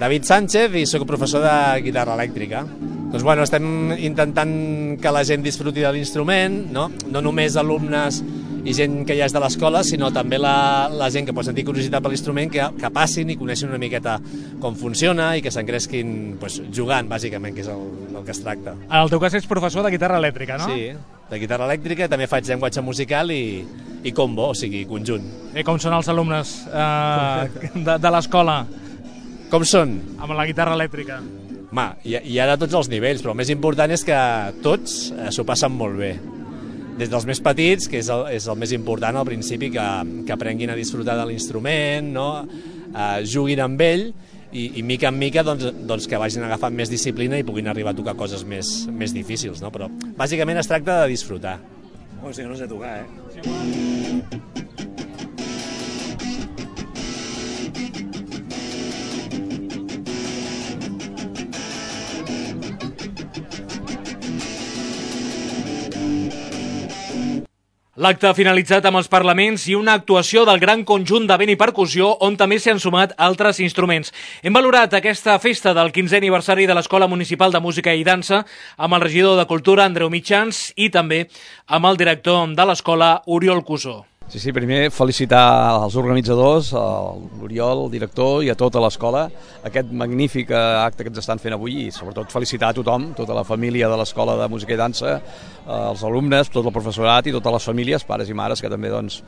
Q: David Sánchez i sóc professor de guitarra elèctrica. Doncs bueno, estem intentant que la gent disfruti de l'instrument, no? No només alumnes i gent que ja és de l'escola, sinó també la, la gent que pot sentir curiositat per l'instrument, que, que passin i coneixin una miqueta com funciona i que s'encresquin pues, jugant, bàsicament, que és el, el que es tracta.
B: En el teu cas ets professor de guitarra elèctrica, no?
Q: Sí, de guitarra elèctrica, també faig llenguatge musical i, i combo, o sigui, conjunt.
B: I com són els alumnes eh, de, de l'escola?
Q: Com són?
B: Amb la guitarra elèctrica.
Q: Ma, hi, hi ha de tots els nivells, però el més important és que tots eh, s'ho passen molt bé. Des dels més petits, que és el, és el més important al principi, que, que aprenguin a disfrutar de l'instrument, no? eh, juguin amb ell i, i mica en mica doncs, doncs que vagin agafant més disciplina i puguin arribar a tocar coses més, més difícils. No? Però bàsicament es tracta de disfrutar.
R: O sigui, no sé tocar, eh?
B: L'acte ha finalitzat amb els parlaments i una actuació del gran conjunt de vent i percussió on també s'hi han sumat altres instruments. Hem valorat aquesta festa del quinzè aniversari de l'Escola Municipal de Música i Dansa amb el regidor de Cultura, Andreu Mitjans, i també amb el director de l'escola, Oriol Cusó.
S: Sí, sí, primer felicitar als organitzadors, l'Oriol, el director i a tota l'escola, aquest magnífic acte que ens estan fent avui i sobretot felicitar a tothom, tota la família de l'Escola de Música i Dansa, els alumnes, tot el professorat i totes les famílies, pares i mares, que també doncs,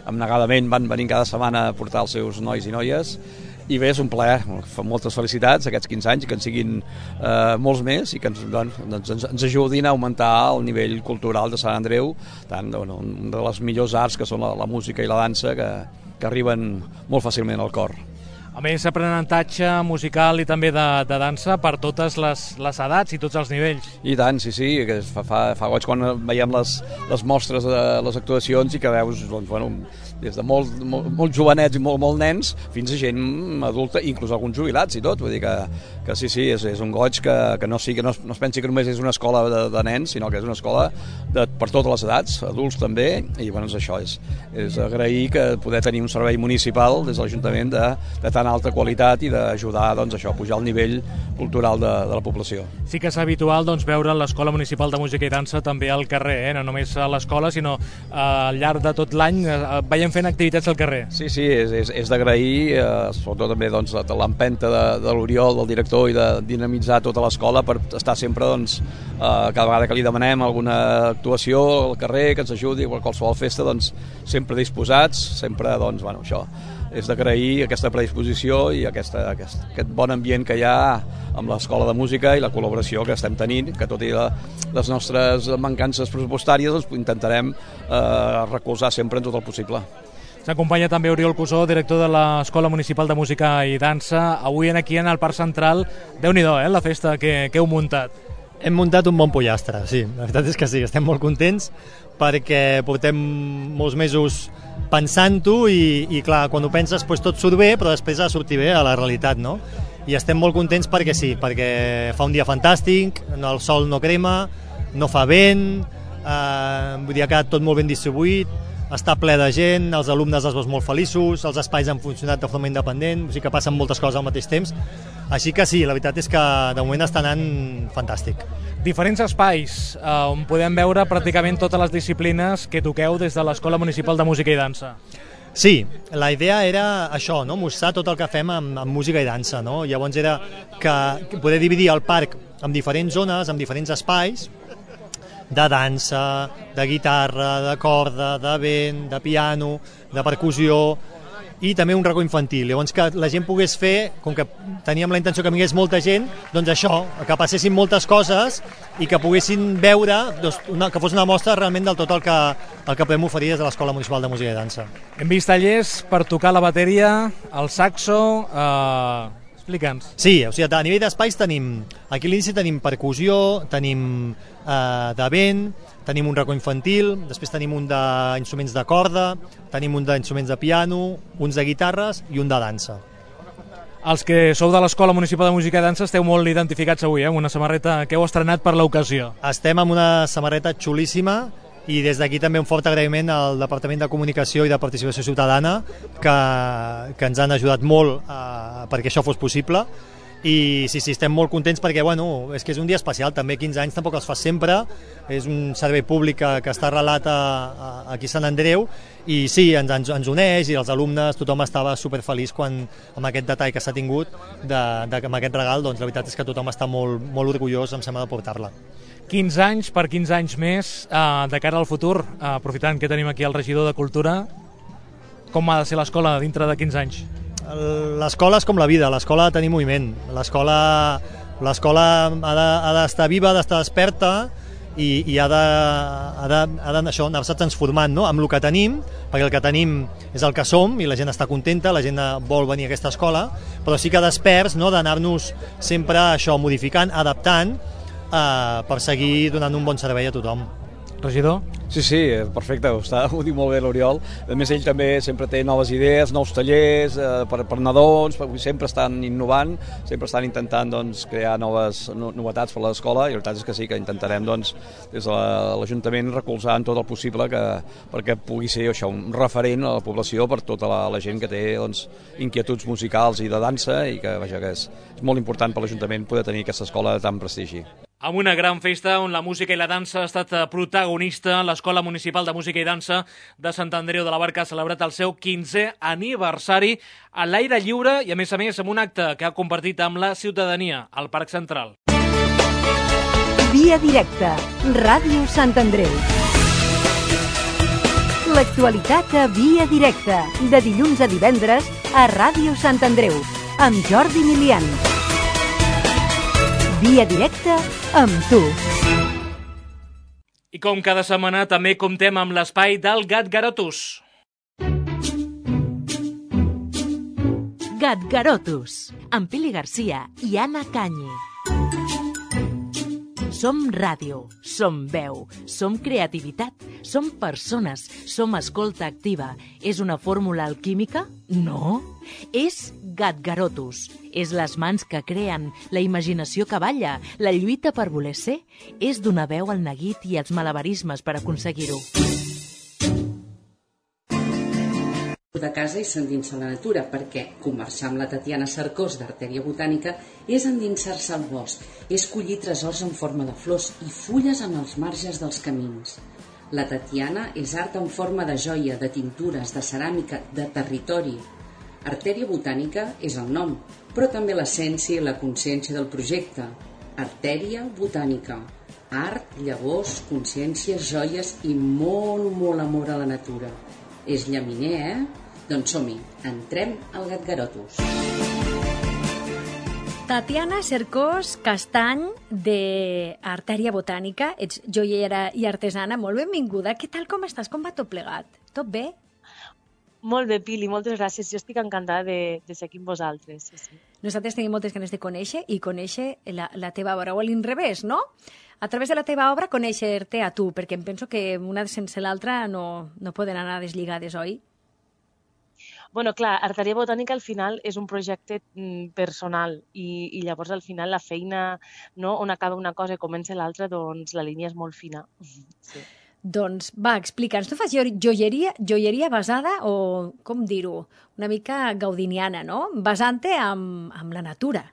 S: abnegadament van venint cada setmana a portar els seus nois i noies. I bé, és un plaer, moltes felicitats aquests quinze anys i que en siguin eh, molts més i que ens, doncs, ens, ens ajudin a augmentar el nivell cultural de Sant Andreu, tant bueno, una de les millors arts que són la, la música i la dansa que, que arriben molt fàcilment al cor.
B: A més, aprenentatge musical i també de, de dansa per totes les, les edats i tots els nivells.
S: I tant, sí, sí, que fa, fa, fa goig quan veiem les, les mostres de les actuacions i que veus, doncs, bueno, des de molt, molt, molt jovenets i molt, molt nens fins a gent adulta, inclús alguns jubilats i tot, vull dir que, que sí, sí, és, és un goig que, que, no, sigui, que no, no es pensi que només és una escola de, de nens, sinó que és una escola de, per totes les edats, adults també, i bueno, és això, és, és agrair que poder tenir un servei municipal des de l'Ajuntament de, de tan alta qualitat i d'ajudar doncs, això, a pujar el nivell cultural de, de la població.
B: Sí que és habitual doncs, veure l'Escola Municipal de Música i Dansa també al carrer, eh? No només a l'escola, sinó eh, al llarg de tot l'any eh, veiem fent activitats al carrer.
S: Sí, sí, és, és, és d'agrair, eh, sobretot també doncs, de l'empenta de, de l'Oriol, del director, i de dinamitzar tota l'escola per estar sempre, doncs, eh, cada vegada que li demanem alguna actuació al carrer, que ens ajudi, o qualsevol festa, doncs, sempre disposats, sempre, doncs, bueno, això, és d'agrair aquesta predisposició i aquesta, aquest, aquest bon ambient que hi ha amb l'Escola de Música i la col·laboració que estem tenint, que tot i la, les nostres mancances pressupostàries doncs, intentarem eh, recolzar sempre en tot el possible.
B: S'acompanya també Oriol Cusó, director de l'Escola Municipal de Música i Dansa. Avui aquí en el Parc Central, Déu-n'hi-do, eh, la festa que, que heu muntat.
T: Hem muntat un bon pollastre, sí, la veritat és que sí, estem molt contents perquè portem molts mesos pensant-ho i, i clar, quan ho penses doncs tot surt bé, però després ha de sortir bé a la realitat, no? I estem molt contents perquè sí, perquè fa un dia fantàstic, el sol no crema, no fa vent, eh, vull dir, ha quedat tot molt ben distribuït, està ple de gent, els alumnes els veus molt feliços, els espais han funcionat de forma independent, o sigui que passen moltes coses al mateix temps, així que sí, la veritat és que de moment està anant fantàstic.
B: Diferents espais eh, on podem veure pràcticament totes les disciplines que toqueu des de l'Escola Municipal de Música i Dansa.
T: Sí, la idea era això, no? Mostrar tot el que fem amb, amb música i dansa, no? Llavors era que poder dividir el parc en diferents zones, en diferents espais, de dansa, de guitarra, de corda, de vent, de piano, de percussió i també un racó infantil. Llavors que la gent pogués fer, com que teníem la intenció que vingués molta gent, doncs això, que passessin moltes coses i que poguessin veure, doncs, una, que fos una mostra realment del tot el que, el que podem oferir des de l'Escola Municipal de Música i Dansa.
B: Hem vist tallers per tocar la bateria, el saxo... Eh... Explica'ns.
T: Sí, o sigui, a nivell d'espais tenim, aquí a l'inici tenim percussió, tenim eh, de vent, tenim un racó infantil, després tenim un d'instruments de corda, tenim un d'instruments de piano, uns de guitarres i un de dansa.
B: Els que sou de l'Escola Municipal de Música i Dansa esteu molt identificats avui, eh, amb una samarreta que heu estrenat per l'ocasió.
T: Estem amb una samarreta xulíssima i des d'aquí també un fort agraïment al Departament de Comunicació i de Participació Ciutadana que, que ens han ajudat molt eh, perquè això fos possible i sí, sí, estem molt contents perquè bueno, és que és un dia especial, també quinze anys tampoc els fa sempre, és un servei públic que, que està arrelat a, a, aquí a Sant Andreu i sí, ens, ens, ens uneix i els alumnes, tothom estava superfeliç quan, amb aquest detall que s'ha tingut de, de, amb aquest regal, doncs la veritat és que tothom està molt, molt orgullós, em sembla, de portar-la.
B: quinze anys per quinze anys més, eh, de cara al futur, eh, aprofitant que tenim aquí el regidor de Cultura, com ha de ser l'escola dintre de quinze anys?
T: L'escola és com la vida, l'escola ha de tenir moviment, l'escola l'escola ha d'estar viva, ha d'estar desperta i, i ha de, ha de, ha de això, anar-se transformant, no? Amb el que tenim, perquè el que tenim és el que som i la gent està contenta, la gent vol venir a aquesta escola, però sí que desperts, no? D'anar-nos sempre això modificant, adaptant, Uh, per seguir donant un bon servei a tothom.
B: Regidor?
S: Sí, sí, perfecte, ho, està, ho diu molt bé l'Oriol. A més, ell també sempre té noves idees, nous tallers eh, per, per nadons, sempre estan innovant, sempre estan intentant doncs, crear noves no, novetats per a l'escola i la veritat és que sí, que intentarem doncs, des de l'Ajuntament recolzar en tot el possible que, perquè pugui ser això, un referent a la població per tota la, la gent que té doncs, inquietuds musicals i de dansa i que, vaja, que és, és molt important per l'Ajuntament poder tenir aquesta escola de tant prestigi.
B: amb una gran festa on la música i la dansa ha estat protagonista. L'Escola Municipal de Música i Dansa de Sant Andreu de la Barca ha celebrat el seu quinzè aniversari a l'aire lliure i, a més a més, amb un acte que ha compartit amb la ciutadania al Parc Central.
C: Via directa, Ràdio Sant Andreu. L'actualitat a Via directa, de dilluns a divendres a Ràdio Sant Andreu, amb Jordi Milian. Via directa amb tu.
B: I com cada setmana també comptem amb l'espai del Gatgarotus.
U: Gatgarotus, amb Pili Garcia i Anna Canyi. Som ràdio, som veu, som creativitat, som persones, som escolta activa. És una fórmula alquímica? No. És Gatgarotus. És les mans que creen, la imaginació que balla, la lluita per voler ser. És donar veu al neguit i als malabarismes per aconseguir-ho.
V: De casa i s'endinsa la natura, perquè conversar amb la Tatiana Cercós d'Artèria Botànica és endinsar-se al bosc, és collir tresors en forma de flors i fulles en els marges dels camins. La Tatiana és art en forma de joia, de tintures, de ceràmica, de territori. Artèria Botànica és el nom, però també l'essència i la consciència del projecte. Artèria Botànica. Art, llavors, consciència, joies i molt, molt amor a la natura. És llaminer, eh? Doncs som-hi, entrem al Gatgarotus.
L: Tatiana Cercós Castany, d'Artèria Botànica, ets joiera i artesana, molt benvinguda. Què tal, com estàs? Com va tot plegat? Tot bé?
W: Molt bé, Pili, moltes gràcies. Jo estic encantada de, de ser aquí amb vosaltres. Sí, sí.
L: Nosaltres tenim moltes ganes de conèixer i conèixer la, la teva obra, o a l'inrevés, no? A través de la teva obra conèixer-te a tu, perquè em penso que una sense l'altra no, no poden anar deslligades, oi?
W: Bueno, clar, Artèria Botànica al final és un projecte personal i, i llavors al final la feina, no, on acaba una cosa i comença l'altra, doncs la línia és molt fina. Sí.
L: Doncs va, explica'ns, tu fas joieria, joieria basada, o com dir-ho, una mica gaudiniana, no? Basant-te amb, amb la natura.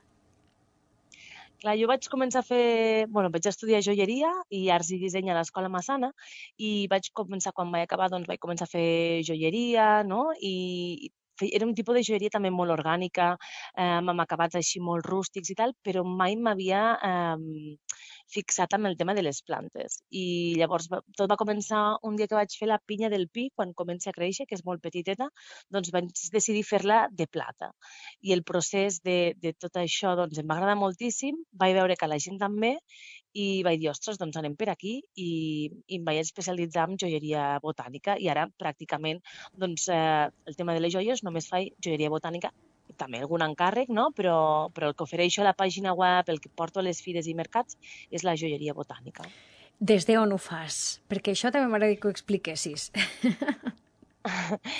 W: Clar, jo vaig començar a fer... Bueno, vaig estudiar joieria i arts i disseny a l'Escola Massana i vaig començar, quan vaig acabar, doncs vaig començar a fer joieria, no? I era un tipus de joieria també molt orgànica, eh, amb acabats així molt rústics i tal, però mai m'havia eh, fixat en el tema de les plantes. I llavors tot va començar un dia que vaig fer la pinya del pi, quan comença a créixer, que és molt petiteta, doncs vaig decidir fer-la de plata. I el procés de, de tot això doncs, em va agradar moltíssim, vaig veure que la gent també, i vaig dir, ostres, doncs anem per aquí, i, i em vaig especialitzar en joieria botànica, i ara pràcticament doncs, eh, el tema de les joies només faig joieria botànica, també algun encàrrec, no? però, però el que ofereixo a la pàgina web, el que porto a les fires i mercats, és la joieria botànica.
L: Des d'on ho fas? Perquè això també m'agradaria que ho expliquessis.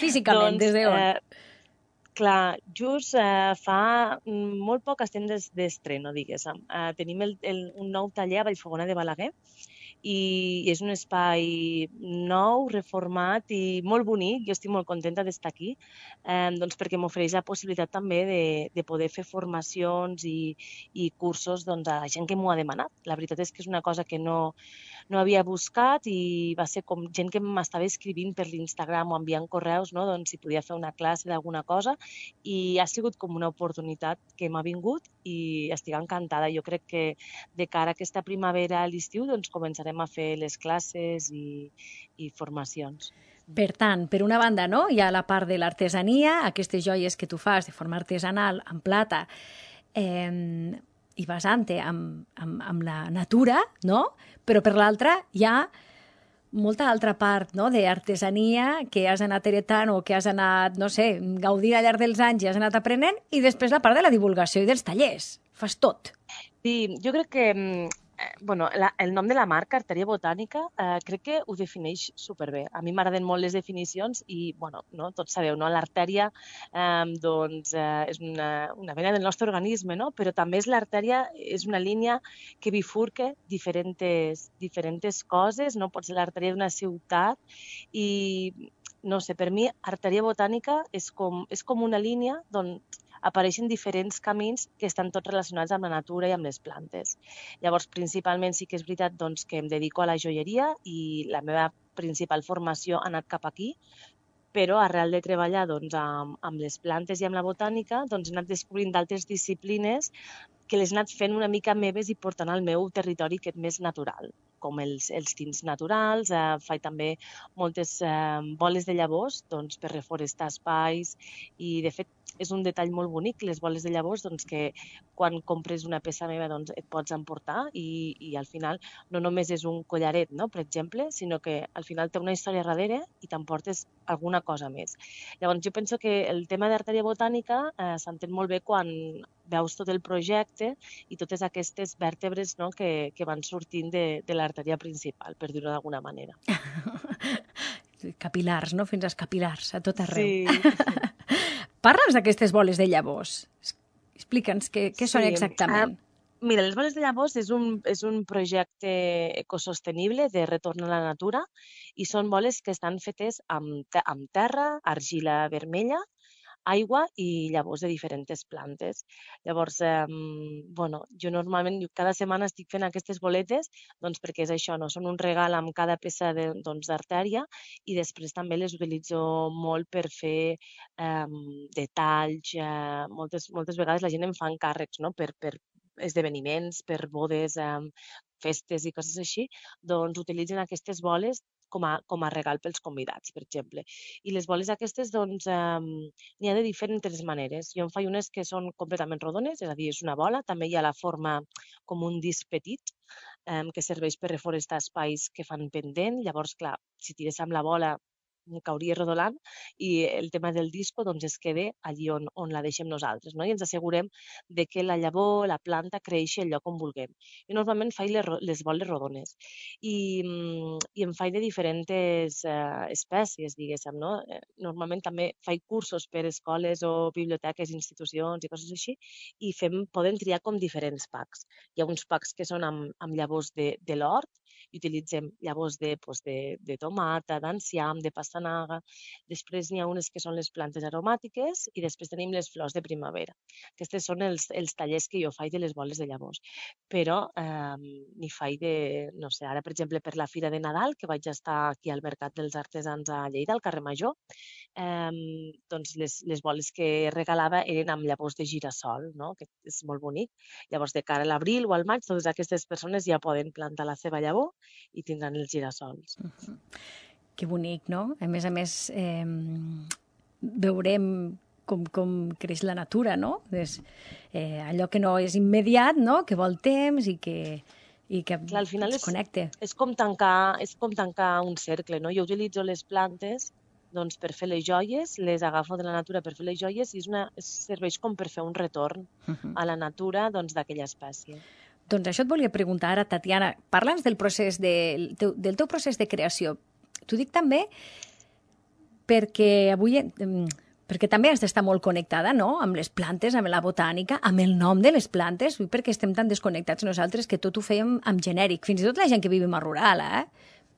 L: Físicament, doncs, des d'on?
W: Eh, clar, just eh, fa molt poc estem d'estreno, diguéssim. Eh, tenim el, el, un nou taller a Vallfogona de Balaguer, i és un espai nou, reformat i molt bonic. Jo estic molt contenta d'estar aquí, eh, doncs perquè m'ofereix la possibilitat també de, de poder fer formacions i, i cursos doncs, a la gent que m'ho ha demanat. La veritat és que és una cosa que no, no havia buscat i va ser com gent que m'estava escrivint per l'Instagram o enviant correus, no? Doncs si podia fer una classe d'alguna cosa, i ha sigut com una oportunitat que m'ha vingut i estic encantada. Jo crec que de cara a aquesta primavera a l'estiu doncs començarem a fer les classes i, i formacions.
L: Per tant, per una banda, no? Hi ha la part de l'artesania, aquestes joies que tu fas de forma artesanal, en plata, eh, i basant-te amb, amb, amb la natura, no? Però per l'altra hi ha molta altra part, no?, d'artesania que has anat heretant o que has anat, no sé, gaudint al llarg dels anys i has anat aprenent, i després la part de la divulgació i dels tallers. Fas tot.
W: Sí, jo crec que bueno, la, el nom de la marca, Artèria Botànica, eh, crec que ho defineix superbé. A mi m'agraden molt les definicions i, bueno, no, tots sabeu, no? L'artèria eh, doncs, eh, és una, una vena del nostre organisme, no? Però també és l'artèria, és una línia que bifurca diferents, diferents coses, no? Pot ser l'artèria d'una ciutat i, no sé, per mi, Artèria Botànica és com, és com una línia d'on apareixen diferents camins que estan tots relacionats amb la natura i amb les plantes. Llavors, principalment sí que és veritat doncs, que em dedico a la joieria i la meva principal formació ha anat cap aquí, però arrel de treballar doncs, amb, amb les plantes i amb la botànica doncs, he anat descobrint d'altres disciplines que les he anat fent una mica meves i portant al meu territori aquest més natural, com els, els tints naturals, eh, faig també moltes eh, boles de llavors doncs, per reforestar espais i, de fet, és un detall molt bonic, les boles de llavors, doncs, que quan compres una peça meva doncs, et pots emportar i, i al final no només és un collaret, no?, per exemple, sinó que al final té una història darrere i t'emportes alguna cosa més. Llavors, jo penso que el tema d'artèria botànica eh, s'entén molt bé quan veus tot el projecte i totes aquestes vèrtebres, no?, que, que van sortint de, de l'artèria principal, per dir-ho d'alguna manera.
L: Capilars, no?, fins als capilars, a tot arreu.
W: Sí.
L: Parla'ns d'aquestes boles de llavors. Explica'ns què, què són
W: Sí,
L: exactament.
W: ah, mira, les boles de llavors és un, és un projecte ecosostenible de retorn a la natura i són boles que estan fetes amb, te- amb terra, argila vermella, aigua i llavors de diferents plantes. Llavors, eh, bueno, jo normalment jo cada setmana estic fent aquestes boletes doncs perquè és això, no? Són un regal amb cada peça de, doncs, d'artèria i després també les utilitzo molt per fer eh, detalls. Eh, moltes, moltes vegades la gent em fa encàrrecs, no?, per, per esdeveniments, per bodes, eh, festes i coses així, doncs utilitzen aquestes boles com a, com a regal pels convidats, per exemple. I les boles aquestes, doncs, eh, n'hi ha de diferents maneres. Jo en faig unes que són completament rodones, és a dir, és una bola. També hi ha la forma com un disc petit, eh, que serveix per reforestar espais que fan pendent. Llavors, clar, si tires amb la bola cauria rodolant i el tema del disco doncs, es queda allí on, on la deixem nosaltres, no? I ens assegurem de que la llavor, la planta, creixi al lloc on vulguem. Jo normalment faig les, ro- les boles rodones i, mm, i em faig de diferents eh, espècies, diguéssim, no? Eh, Normalment també faig cursos per escoles o biblioteques, institucions i coses així i fem, poden triar com diferents packs. Hi ha uns packs que són amb, amb llavors de, de l'hort i utilitzem llavors de, doncs, de, de tomata, d'enciam, de pastanaga. Després n'hi ha unes que són les plantes aromàtiques i després tenim les flors de primavera. Aquests són els, els tallers que jo faig de les boles de llavors. Però eh, n'hi faig de, no sé, ara per exemple per la Fira de Nadal, que vaig estar aquí al Mercat dels Artesans a Lleida, al carrer Major, eh, doncs les, les boles que regalava eren amb llavors de girassol, no?, que és molt bonic. Llavors, de cara a l'abril o al maig, totes aquestes persones ja poden plantar la seva llavor i tindran els girassols.
L: Que bonic, no? A més a més, eh, veurem com, com creix la natura, no? És, eh, allò que no és immediat, no?, que vol temps i que, i que
W: Clar, al final
L: es
W: és,
L: connecte.
W: és, com tancar, és com tancar un cercle, no? Jo utilitzo les plantes doncs, per fer les joies, les agafo de la natura per fer les joies i és una, serveix com per fer un retorn
L: Uh-huh.
W: a la natura doncs, d'aquella espècie.
L: Doncs això et volia preguntar ara, Tatiana. Parla'ns del procés de, teu, del teu procés de creació. T'ho dic també perquè avui... em, perquè també has d'estar molt connectada, no?, amb les plantes, amb la botànica, amb el nom de les plantes, perquè estem tan desconnectats nosaltres que tot ho fèiem amb genèric. Fins i tot la gent que vivim a rural, eh?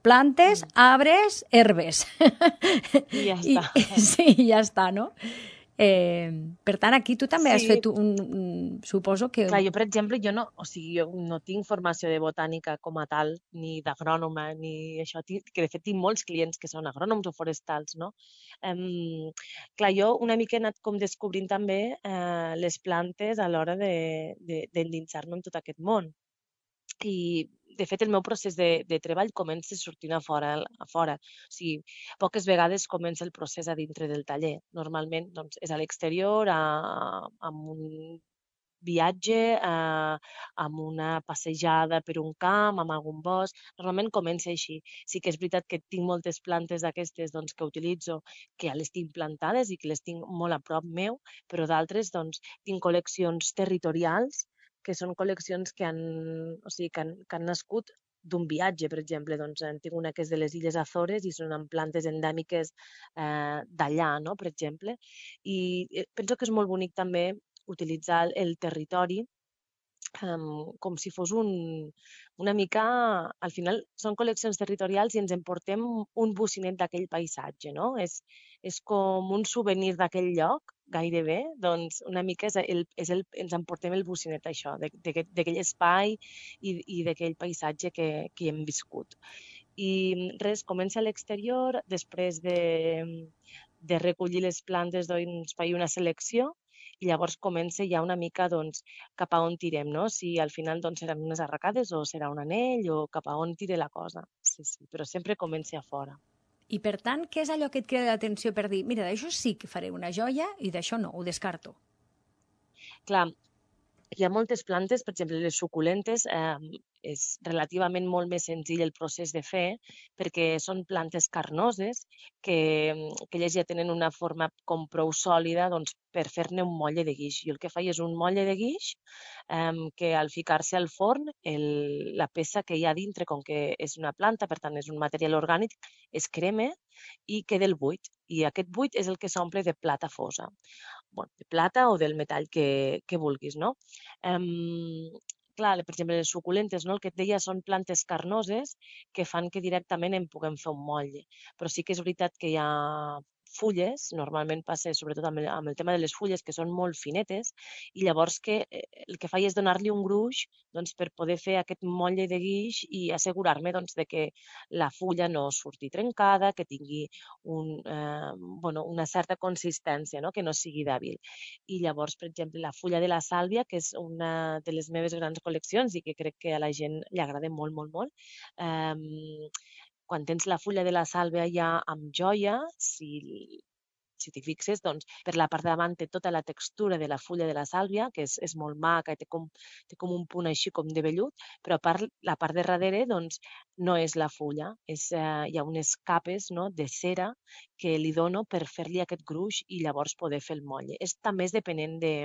L: Plantes, arbres, herbes.
W: I ja està.
L: I, sí, ja està, no? Eh, per tant, aquí tu també has
W: Sí.
L: fet un, un... Suposo que...
W: Clar, jo, per exemple, jo no, o sigui, jo no tinc formació de botànica com a tal, ni d'agrònoma, ni això, tinc, que de fet tinc molts clients que són agrònoms o forestals, no? Um, clar, jo una mica he anat com descobrint també eh, les plantes a l'hora de- de- d'endinsar-me en tot aquest món. I, de fet, el meu procés de, de treball comença sortint a fora, a fora. O sigui, poques vegades comença el procés a dintre del taller. Normalment doncs, és a l'exterior, a- amb un viatge, eh, amb una passejada per un camp, amb algun bosc. Normalment comença així. Sí que és veritat que tinc moltes plantes d'aquestes doncs, que utilitzo, que ja les tinc plantades i que les tinc molt a prop meu, però d'altres doncs, tinc col·leccions territorials que són col·leccions que han, o sigui, que han, que han nascut d'un viatge, per exemple. Doncs, en tinc una que és de les Illes Azores i són amb plantes endèmiques eh, d'allà, no?, per exemple. I eh, penso que és molt bonic també utilitzar el, el territori um, com si fos un, una mica... Al final són col·leccions territorials i ens emportem un bocinet d'aquell paisatge, no? És, és com un souvenir d'aquell lloc, gairebé, doncs una mica és el, és el, ens emportem el bocinet això, d'aquell espai i, i d'aquell paisatge que, que hem viscut. I res, comença a l'exterior, després de, de recollir les plantes, doncs faig una selecció i llavors comença ja una mica doncs, cap a on tirem, no? Si al final doncs, seran unes arracades o serà un anell o cap a on tire la cosa. Sí, sí, però sempre comença a fora.
L: I per tant, què és allò que et crida l'atenció per dir, mira, d'això sí que faré una joia i d'això no, ho descarto?
W: Clar, hi ha moltes plantes, per exemple, les suculentes, eh, és relativament molt més senzill el procés de fer perquè són plantes carnoses que, que elles ja tenen una forma com prou sòlida doncs, per fer-ne un motlle de guix. Jo el que faig és un motlle de guix eh, que al ficar-se al forn, el, la peça que hi ha dintre, com que és una planta, per tant és un material orgànic, es crema i queda el buit. I aquest buit és el que s'omple de plata fosa. Bueno, de plata o del metall que, que vulguis, no? Um, clar, per exemple, les suculentes, no? El que et deia són plantes carnoses que fan que directament en puguem fer un motlle. Però sí que és veritat que hi ha fulles, normalment passa sobretot amb el, amb el tema de les fulles, que són molt finetes, i llavors que el que faig és donar-li un gruix doncs, per poder fer aquest motlle de guix i assegurar-me doncs, de que la fulla no surti trencada, que tingui un, eh, bueno, una certa consistència, no? Que no sigui dèbil. I llavors, per exemple, la fulla de la sàlvia, que és una de les meves grans col·leccions i que crec que a la gent li agrada molt, molt, molt, eh, quan tens la fulla de la sàlvia ja amb joia, si, si t'hi fixes, doncs, per la part de davant té tota la textura de la fulla de la sàlvia, que és, és molt maca i té com, té com un punt així com de vellut, però a part, la part de darrere doncs, no és la fulla, és, eh, hi ha unes capes, no?, de cera que li dono per fer-li aquest gruix i llavors poder fer el motlle. És també és depenent de,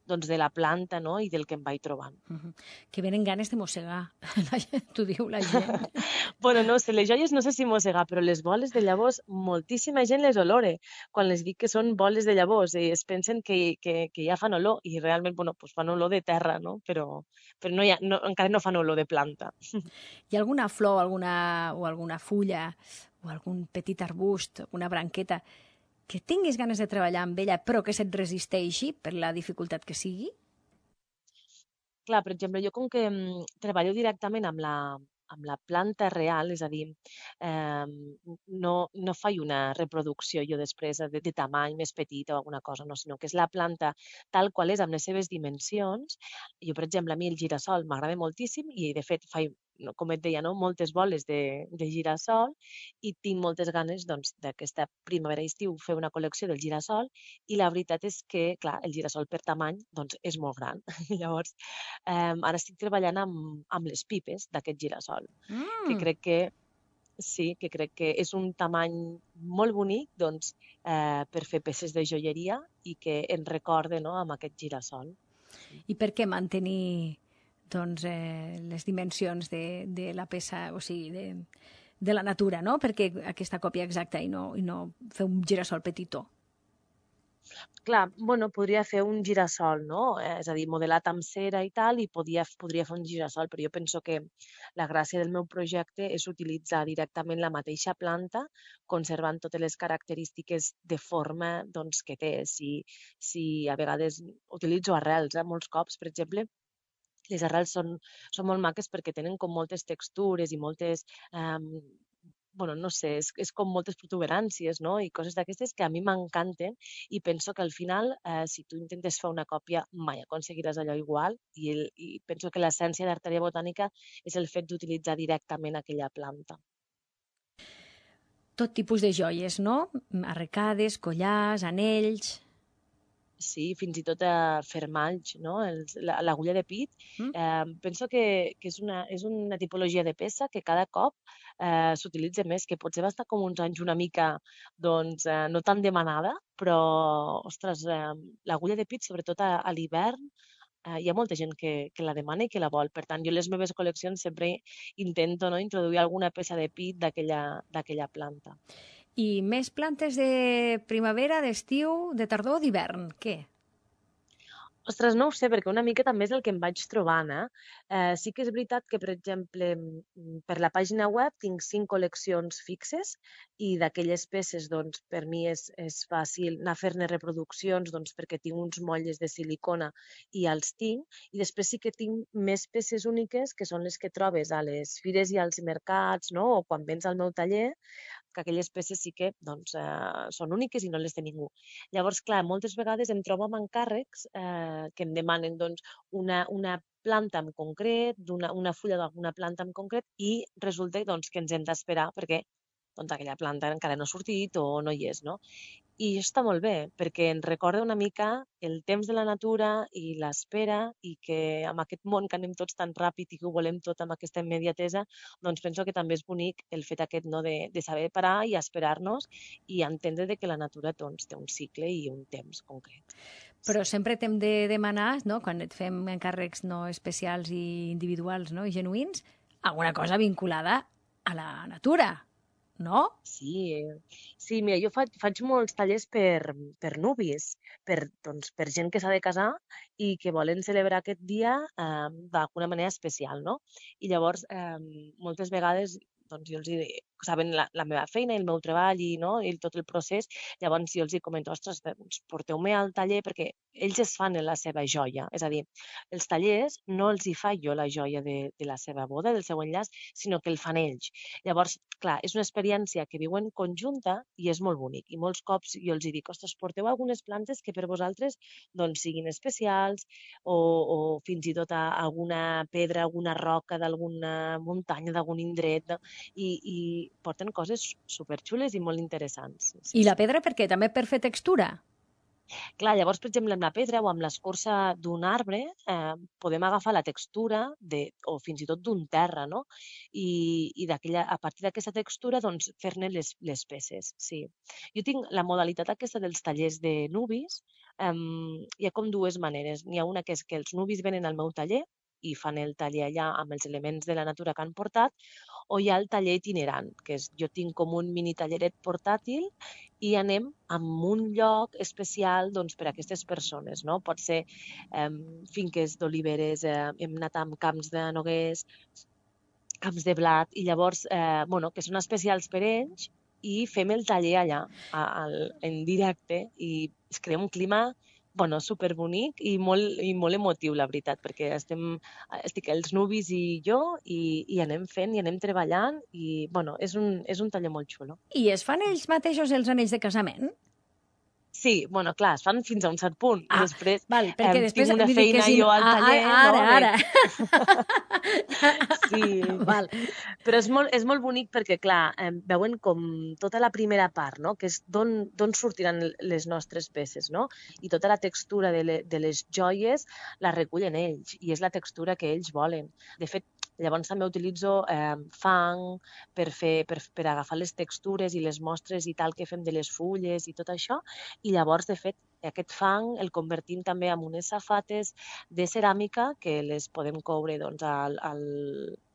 W: doncs, de la planta, no?, i del que em vaig trobant.
L: Uh-huh. Que venen ganes de mossegar, t'ho diu la gent.
W: Bueno, no sé, les joies no sé si mossegar, però les boles de llavors, moltíssima gent les olore quan les dic que són boles de llavors i es pensen que, que, que ja fan olor i realment, bueno, pues fan olor de terra, no? Però, però no hi ha, no, encara no fan olor de planta.
L: Hi ha alguna flor alguna, o alguna fulla o algun petit arbust, una branqueta que tinguis ganes de treballar amb ella però que se't resisteixi per la dificultat que sigui?
W: Clar, per exemple, jo com que mm, treballo directament amb la, amb la planta real, és a dir, eh, no, no faig una reproducció jo després de, de tamany més petita o alguna cosa, no, sinó que és la planta tal qual és amb les seves dimensions. Jo, per exemple, a mi el girassol m'agrada moltíssim i, de fet, faig, no, com et deia, no, moltes boles de, de girassol i tinc moltes ganes doncs, d'aquesta primavera-estiu fer una col·lecció del girassol i la veritat és que, clar, el girassol per tamany doncs, és molt gran. Llavors, eh, ara estic treballant amb, amb les pipes d'aquest girassol, mm. que crec que sí, que crec que és un tamany molt bonic doncs, eh, per fer peces de joieria i que ens recorde, no?, amb aquest girassol.
L: I per què mantenir doncs, eh, les dimensions de, de la peça, o sigui, de, de la natura, no? Perquè aquesta còpia exacta i no, i no fer un girassol petitó.
W: Clar, bueno, podria fer un girassol, no? És a dir, modelat amb cera i tal, i podia, podria fer un girassol, però jo penso que la gràcia del meu projecte és utilitzar directament la mateixa planta, conservant totes les característiques de forma doncs, que té. Si, si a vegades utilitzo arrels, eh? Molts cops, per exemple, les arrels són, són molt maques perquè tenen com moltes textures i moltes, eh, bueno, no sé, és, és com moltes protuberàncies, no?, i coses d'aquestes que a mi m'encanten i penso que al final, eh, si tu intentes fer una còpia, mai aconseguiràs allò igual i, el, i penso que l'essència d'Arteria Botànica és el fet d'utilitzar directament aquella planta.
L: Tot tipus de joies, no? Arrecades, collars, anells...
W: Sí, fins i tot a fermalls, no? L'agulla de pit. Mm. Eh, penso que, que és, una, és una tipologia de peça que cada cop eh, s'utilitza més, que potser va estar com uns anys una mica doncs, eh, no tan demanada, però, ostres, eh, l'agulla de pit, sobretot a, a l'hivern, eh, hi ha molta gent que, que la demana i que la vol. Per tant, jo en les meves col·leccions sempre intento, no?, introduir alguna peça de pit d'aquella planta.
L: I més plantes de primavera, d'estiu, de tardor o d'hivern? Què?
W: Ostres, no ho sé, perquè una mica també és el que em vaig trobant, eh? eh sí que és veritat que, per exemple, per la pàgina web tinc cinc col·leccions fixes i d'aquelles peces, doncs, per mi és, és fàcil anar a fer-ne reproduccions, doncs, perquè tinc uns motlles de silicona i els tinc, i després sí que tinc més peces úniques, que són les que trobes a les fires i als mercats, no?, o quan vens al meu taller, que aquelles peces sí que doncs, eh, són úniques i no les té ningú. Llavors, clar, moltes vegades em trobo amb encàrrecs eh, que em demanen doncs, una, una planta en concret, una, una fulla d'alguna planta en concret, i resulta doncs, que ens hem d'esperar perquè doncs, aquella planta encara no ha sortit o no hi és, no? I això està molt bé, perquè ens recorda una mica el temps de la natura i l'espera, i que amb aquest món que anem tots tan ràpid i que ho volem tot amb aquesta immediatesa, doncs penso que també és bonic el fet aquest, no?, de, de saber parar i esperar-nos i entendre de que la natura doncs, té un cicle i un temps concret.
L: Però sempre t'hem de demanar, no?, quan et fem encàrrecs no especials i individuals, no?, i genuïns, alguna cosa vinculada a la natura, no?
W: Sí, sí, mira, jo faig, faig molts tallers per, per nuvis, per, doncs, per gent que s'ha de casar i que volen celebrar aquest dia eh, d'alguna manera especial, no? I llavors, eh, moltes vegades, doncs, jo els dic, saben la, la meva feina i el meu treball i, no, i tot el procés, llavors jo els comento, ostres, doncs, porteu-me al taller perquè ells es fan la seva joia, és a dir, els tallers no els hi faig jo la joia de, de la seva boda, del seu enllaç, sinó que el fan ells. Llavors, clar, és una experiència que viuen conjunta i és molt bonic. I molts cops jo els dic, ostres, porteu algunes plantes que per vosaltres doncs, siguin especials o, o fins i tot a alguna pedra, alguna roca d'alguna muntanya, d'algun indret, no? I, i porten coses superxules i molt interessants. Sí,
L: I la pedra per què? També per fer textura?
W: Clar, llavors, per exemple, amb la pedra o amb l'escorça d'un arbre eh, podem agafar la textura de, o fins i tot d'un terra, no? I, i a partir d'aquesta textura doncs, fer-ne les, les peces. Sí. Jo tinc la modalitat aquesta dels tallers de nuvis, eh, hi ha com dues maneres. N'hi ha una que és que els nuvis venen al meu taller i fan el taller allà amb els elements de la natura que han portat, o hi ha el taller itinerant, que és, jo tinc com un mini talleret portàtil i anem a un lloc especial doncs, per a aquestes persones, no? Pot ser eh, finques d'oliveres, eh, hem anat amb camps de noguers, camps de blat, i llavors, eh, bueno, que són especials per ells, i fem el taller allà, a, a, en directe, i es crea un clima bueno, superbonic i molt, i molt emotiu, la veritat, perquè estem, estic els nuvis i jo i, i anem fent i anem treballant i, bueno, és un, és un taller molt xulo.
L: I es fan ells mateixos els anells de casament?
W: Sí, bueno, clar, es fan fins a un cert punt.
L: Ah,
W: després,
L: val, perquè
W: eh,
L: després
W: tinc una feina
L: si...
W: jo al taller.
L: Ah, ara,
W: no?
L: ara.
W: Sí,
L: val.
W: Però és molt, és molt bonic perquè, clar, eh, veuen com tota la primera part, no? Que és d'on sortiran les nostres peces, no? I tota la textura de, le, de les joies la recullen ells i és la textura que ells volen. De fet, llavors també utilitzo eh, fang per, fer, per, per agafar les textures i les mostres i tal que fem de les fulles i tot això, i llavors, de fet, aquest fang el convertim també en unes safates de ceràmica que les podem coure doncs, al, al,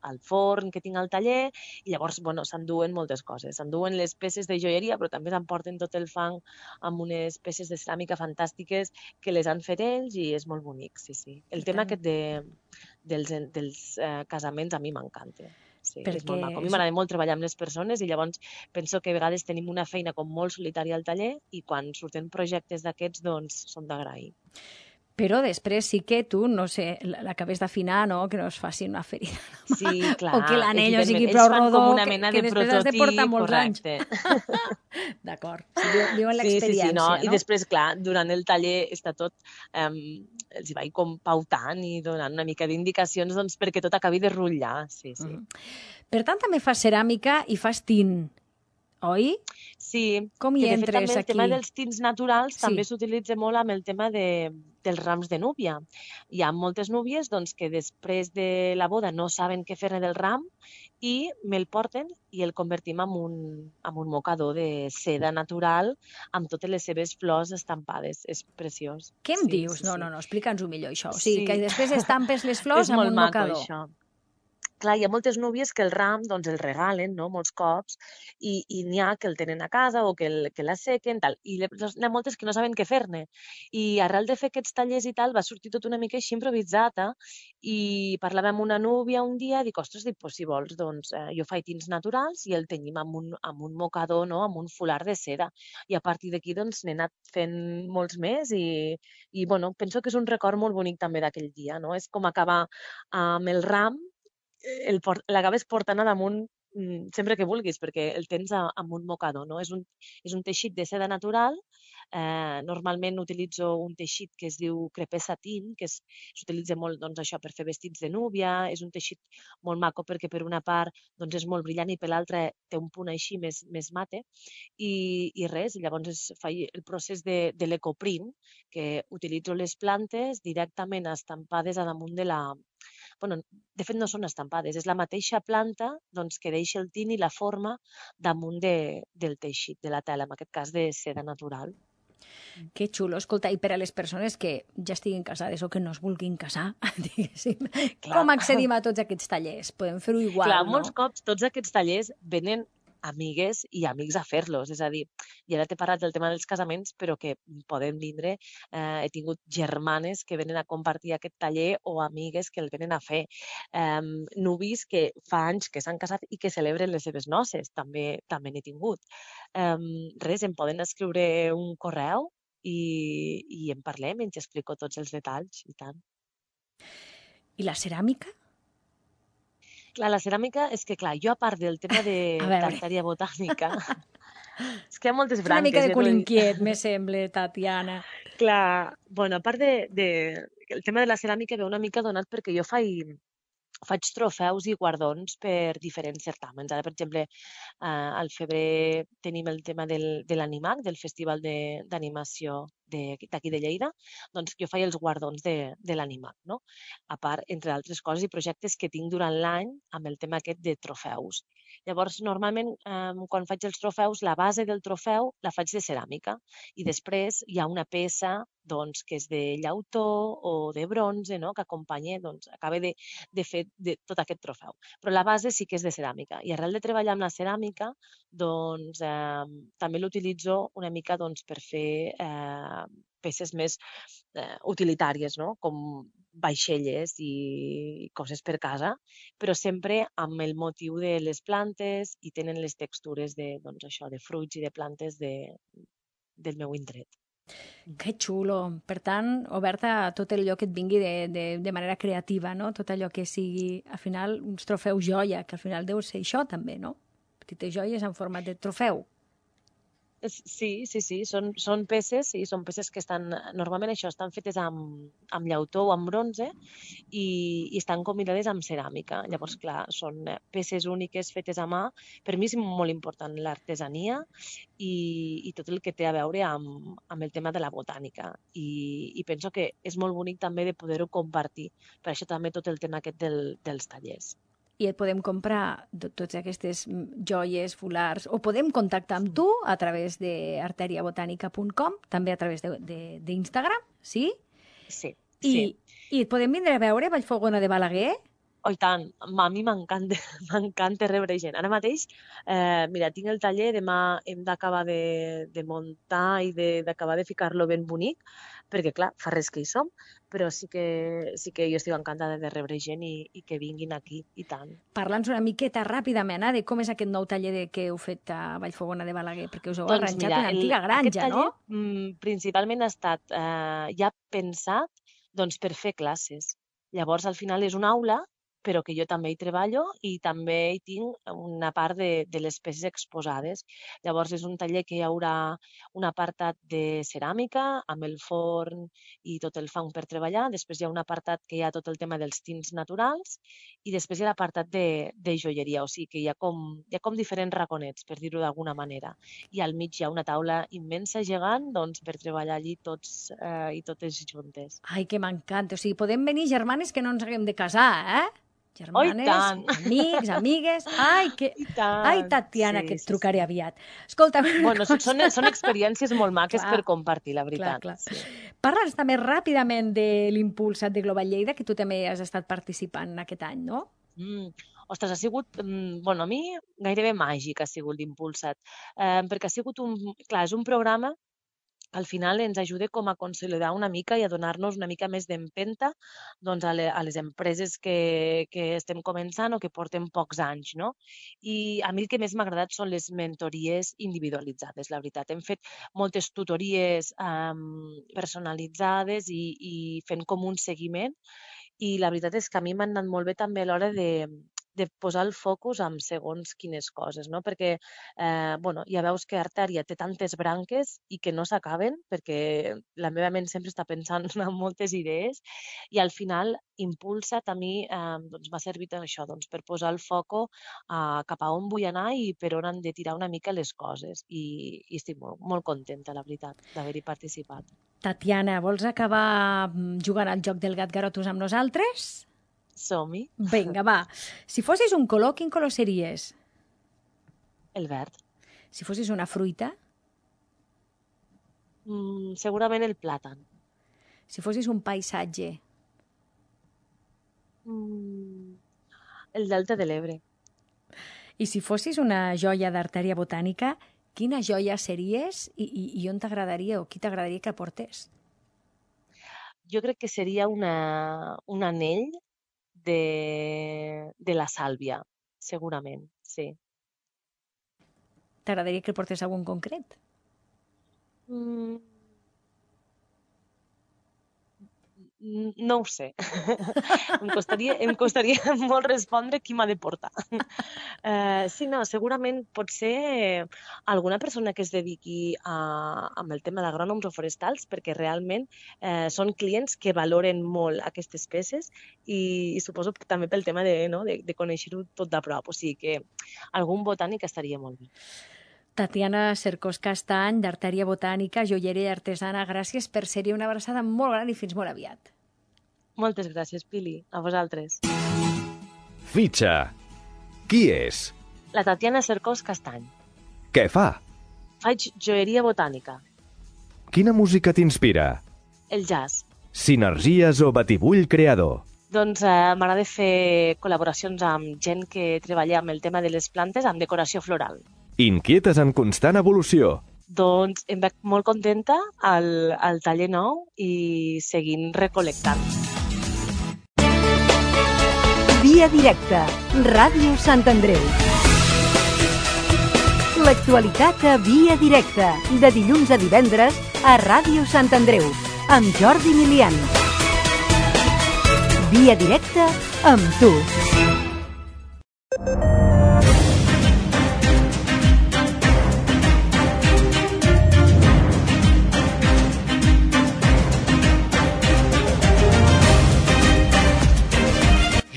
W: al forn que tinc al taller, i llavors bueno, s'enduen moltes coses. S'enduen les peces de joieria, però també s'emporten tot el fang amb unes peces de ceràmica fantàstiques que les han fet ells i és molt bonic, sí, sí. El tema aquest de, dels, dels eh, casaments a mi m'encanta. Sí, perquè... és molt maco. A mi m'agrada molt treballar amb les persones i llavors penso que a vegades tenim una feina com molt solitària al taller i quan surten projectes d'aquests doncs són d'agrair.
L: Però després sí que tu, no sé, l'acabes d'afinar, no? Que no es faci una ferida.
W: Sí, clar.
L: O que l'anell sigui prou rodó, que, que
W: de
L: després has de portar molts
W: correcte.
L: anys. D'acord. Diuen l'experiència,
W: sí, sí, sí, no?
L: no?
W: I després, clar, durant el taller està tot... Um, els hi vaig com pautant i donant una mica d'indicacions doncs, perquè tot acabi de rotllar. Sí, sí.
L: Mm. Per tant, també fas ceràmica i fas tint, oi?
W: Sí.
L: Com hi
W: que, de
L: entres
W: fet, també
L: aquí?
W: El tema dels tints naturals
L: sí.
W: també s'utilitza molt amb el tema de, dels rams de núvia. Hi ha moltes núvies doncs, que després de la boda no saben què fer-ne del ram i me'l porten i el convertim en un, en un mocador de seda natural amb totes les seves flors estampades. És preciós.
L: Què em
W: sí,
L: dius?
W: Sí,
L: no,
W: sí.
L: no, no, explica'ns-ho millor, això. O sigui,
W: sí.
L: que després estampes les flors
W: és
L: amb
W: molt
L: un
W: maco,
L: mocador.
W: Això. clar, hi ha moltes núvies que el ram doncs, el regalen, no?, molts cops, i, i n'hi ha que el tenen a casa o que, el, que l'assequen, tal, i n'hi ha moltes que no saben què fer-ne. I arrel de fer aquests tallers i tal, va sortir tot una mica així improvisat, eh? I parlàvem amb una núvia un dia, dic, ostres, dic, pues, si vols, doncs, eh, jo faig tints naturals i el tenyim amb un, amb un mocador, no?, amb un folar de seda. I a partir d'aquí, doncs, n'he anat fent molts més i, i, bueno, penso que és un record molt bonic també d'aquell dia, no? És com acabar amb el ram, el port, l'acabes portant a damunt mm, sempre que vulguis, perquè el tens a, amb un mocador, no? És un, és un teixit de seda natural. Eh, normalment utilitzo un teixit que es diu crepé satín, que és- s'utilitza molt doncs, això per fer vestits de núvia. És un teixit molt maco perquè per una part doncs, és molt brillant i per l'altra té un punt així més, més mate. I, i res, llavors es fa el procés de, de l'ecoprint, que utilitzo les plantes directament estampades a damunt de la... Bueno, de fet no són estampades, és la mateixa planta doncs, que deixa el tint i la forma damunt de, del teixit, de la tela, en aquest cas de seda natural.
L: Que xulo. Escolta, i per a les persones que ja estiguin casades o que no es vulguin casar, diguéssim, com accedim a tots aquests tallers? Podem fer-ho igual,
W: Clar,
L: no?
W: molts cops tots aquests tallers venen amigues i amics a fer-los, és a dir, i ara t'he parlat del tema dels casaments, però que poden vindre, eh, he tingut germanes que venen a compartir aquest taller o amigues que el venen a fer, eh, nuvis que fa anys que s'han casat i que celebren les seves noces, també també n'he tingut. Eh, res, em poden escriure un correu i, i en parlem i ens explico tots els detalls, i tant.
L: I la ceràmica?
W: Clar, la ceràmica és que, clar, jo a part del tema de
L: A veure.
W: d'artèria botànica, és que hi ha moltes
L: És una
W: branques.
L: mica de
W: jo
L: cul
W: no-
L: inquiet, me sembla, Tatiana.
W: Clar, bueno, a part de, de... El tema de la ceràmica ve una mica donat perquè jo faig, faig trofeus i guardons per diferents certàmens. Ara, per exemple, eh, al febrer tenim el tema del, de l'Animac, del Festival de- d'Animació de- d'aquí de Lleida, doncs jo faig els guardons de, de l'Animac, no? A part, entre altres coses i projectes que tinc durant l'any amb el tema aquest de trofeus. Llavors, normalment, eh, quan faig els trofeus, la base del trofeu la faig de ceràmica i després hi ha una peça doncs, que és de llautó o de bronze, no? Que acompanya, doncs, acaba de, de fer de tot aquest trofeu. Però la base sí que és de ceràmica. I arrel de treballar amb la ceràmica, doncs, eh, també l'utilitzo una mica doncs, per fer eh, peces més eh, utilitàries, no? Com vaixelles i coses per casa, però sempre amb el motiu de les plantes i tenen les textures de, doncs, això, de fruits i de plantes de, del meu indret.
L: Que xulo. Per tant, oberta a tot allò que et vingui de, de, de manera creativa, no? Tot allò que sigui, al final, uns trofeus joia, que al final deu ser això també, no? Petites joies en format de trofeu.
W: És- Sí, sí, sí, són, són peces, sí, són peces que estan, normalment això, estan fetes amb, amb llautó o amb bronze i, i estan combinades amb ceràmica. Llavors, clar, són eh, peces úniques fetes a mà. Per mi és molt important l'artesania i, i tot el que té a veure amb, amb el tema de la botànica. I, I penso que és molt bonic també de poder-ho compartir. Per això també tot el tema aquest del, dels tallers.
L: I et podem comprar to- totes aquestes mm, joies, fulars, o podem contactar amb tu a través de arteria botànica punt com, també a través de- de- d'Instagram, sí?
W: Sí,
L: I,
W: sí.
L: I et podem vindre a veure a Vallfogona de Balaguer?
W: Oh, i tant, a mi m'encanta, m'encanta rebre gent. Ara mateix, eh, mira, tinc el taller, demà hem d'acabar de, de muntar i de- d'acabar de, de ficar-lo ben bonic, perquè clar, fa res que hi som, però sí que, sí que jo estic encantada de rebre gent i, i que vinguin aquí, i tant.
L: Parla'ns una miqueta ràpidament eh, de com és aquest nou taller de, que heu fet a Vallfogona de Balaguer, perquè us heu arranjat una
W: el-
L: antiga
W: aquest
L: granja,
W: taller,
L: no?
W: mm, principalment ha estat eh, ja pensat doncs, per fer classes. Llavors, al final és una aula, però que jo també hi treballo i també hi tinc una part de, de les peces exposades. Llavors, és un taller que hi haurà un apartat de ceràmica amb el forn i tot el fang per treballar. Després hi ha un apartat que hi ha tot el tema dels tints naturals i després hi ha l'apartat de, de joieria, o sigui que hi ha com, hi ha com diferents raconets, per dir-ho d'alguna manera. I al mig hi ha una taula immensa, gegant, doncs, per treballar allí tots eh, i totes juntes.
L: Ai, que m'encanta. O sigui, podem venir germanes que no ens haguem de casar, eh? Germanes,
W: tant!
L: amics, amigues... Ai, que...
W: tant!
L: Ai, Tatiana,
W: Sí,
L: que et
W: sí,
L: trucaré aviat. Escolta,
W: Bueno, són, són, són experiències molt maques
L: Clar.
W: per compartir, la veritat.
L: Clar, clar. Parla'ns també ràpidament de l'Impulsat de Global Lleida, que tu també has estat participant aquest any, no?
W: Mm. Ostres, ha sigut, mm, bueno, a mi gairebé màgic ha sigut l'Impulsa't, eh, perquè ha sigut un, clar, és un programa que al final ens ajuda com a consolidar una mica i a donar-nos una mica més d'empenta doncs, a, le, a les empreses que, que estem començant o que porten pocs anys, no? I a mi el que més m'ha agradat són les mentories individualitzades, la veritat. Hem fet moltes tutories um, personalitzades i, i fent com un seguiment, i la veritat és que a mi m'han anat molt bé també a l'hora de, de posar el focus en segons quines coses, no? Perquè eh, bueno, ja veus que Artèria té tantes branques i que no s'acaben, perquè la meva ment sempre està pensant en moltes idees, i al final Impulsa't a mi eh, doncs m'ha servit això, doncs, per posar el foco eh, cap a on vull anar i per on han de tirar una mica les coses, i, i estic molt, molt contenta, la veritat, d'haver-hi participat.
L: Tatiana, vols acabar jugant al joc del Gat Garotus amb nosaltres?
W: Som-hi.
L: Vinga, va. Si fossis un color, quin color series?
W: El verd.
L: Si fossis una fruita?
W: Mm, segurament el plàtan.
L: Si fossis un paisatge?
W: Mm, el delta de l'Ebre.
L: I si fossis una joia d'Artèria Botànica, quina joia series i, i, i on t'agradaria o qui t'agradaria que portés?
W: Jo crec que seria una, un anell de, de la sàlvia, segurament, sí.
L: T'agradaria que el portés algun concret?
W: Mm, no ho sé. em, costaria, em costaria molt respondre qui m'ha de portar. Uh, sí, no, segurament pot ser alguna persona que es dediqui a, amb el tema d'agrònoms o forestals, perquè realment eh, són clients que valoren molt aquestes peces i, i suposo també pel tema de, no, de, de conèixer-ho tot de prop. O sigui que algun botànic estaria molt bé.
L: Tatiana Cercós Castany, d'Artèria Botànica, joieria artesana, gràcies per ser-hi, una abraçada molt gran i fins molt aviat.
W: Moltes gràcies, Pili. A vosaltres.
A: Fitxa. Qui és?
W: La Tatiana Cercós Castany.
A: Què fa?
W: Faig joieria botànica.
A: Quina música t'inspira?
W: El jazz.
A: Sinergies o batibull creador?
W: Doncs eh, m'agrada fer col·laboracions amb gent que treballa amb el tema de les plantes, amb decoració floral.
A: Inquietes en constant evolució.
W: Doncs em veig molt contenta al, al taller nou i seguint recol·lectant.
C: Via directa, Ràdio Sant Andreu. L'actualitat a Via directa, de dilluns a divendres a Ràdio Sant Andreu, amb Jordi Milian. Via directa amb tu.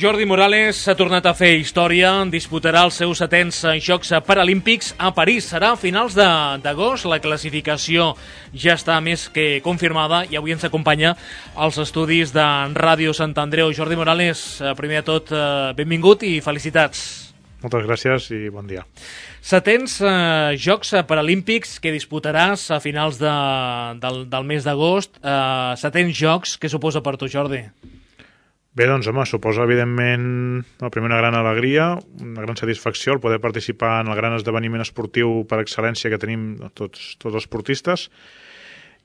B: Jordi Morales s'ha tornat a fer història, disputarà els seus setens Jocs Paralímpics a París. Serà a finals d'agost, la classificació ja està més que confirmada i avui ens acompanya als estudis de Ràdio Sant Andreu. Jordi Morales, primer de tot, benvingut i felicitats.
J: Moltes gràcies i bon dia.
B: Setens eh, Jocs Paralímpics que disputaràs a finals de, del, del mes d'agost. Eh, setens Jocs, què suposa per tu, Jordi?
J: Bé, doncs, home, suposa, evidentment, la primera gran alegria, una gran satisfacció el poder participar en el gran esdeveniment esportiu per excel·lència que tenim tots, tots els esportistes,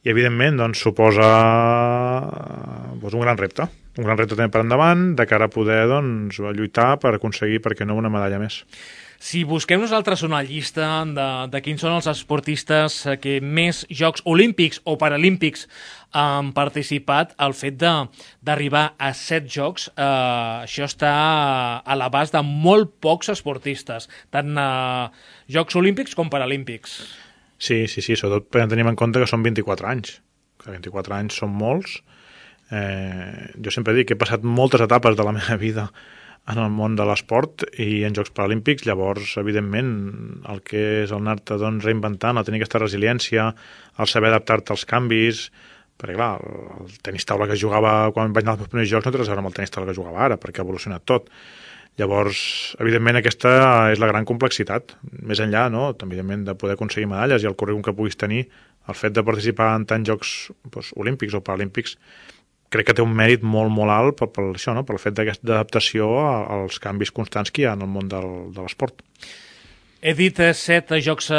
J: i, evidentment, doncs, suposa doncs, un gran repte, un gran repte també per endavant, de cara a poder doncs, lluitar per aconseguir, per què no, una medalla més.
B: Si busquem nosaltres una llista de, de quins són els esportistes que més Jocs Olímpics o Paralímpics han participat, el fet d'arribar a set jocs, eh, això està a l'abast de molt pocs esportistes, tant eh, Jocs Olímpics com Paralímpics.
J: Sí, sí, sí, sobretot tenim en compte que són vint-i-quatre anys, que vint-i-quatre anys són molts. Eh, jo sempre dic que he passat moltes etapes de la meva vida en el món de l'esport i en Jocs Paralímpics, llavors, evidentment, el que és el anar-te doncs, reinventant, el tenir aquesta resiliència, el saber adaptar-te als canvis, perquè clar, el tenis taula que jugava quan vaig anar als primers jocs no té res a veure amb el tenis taula que jugava ara, perquè ha evolucionat tot. Llavors, evidentment, aquesta és la gran complexitat. Més enllà, no?, evidentment, de poder aconseguir medalles i el currículum que puguis tenir, el fet de participar en tants jocs doncs, olímpics o paralímpics
D: crec que té un mèrit molt, molt alt per, per això, no? Per el fet d'aquesta adaptació als canvis constants que hi ha en el món del, de l'esport.
B: He dit eh, set Jocs eh,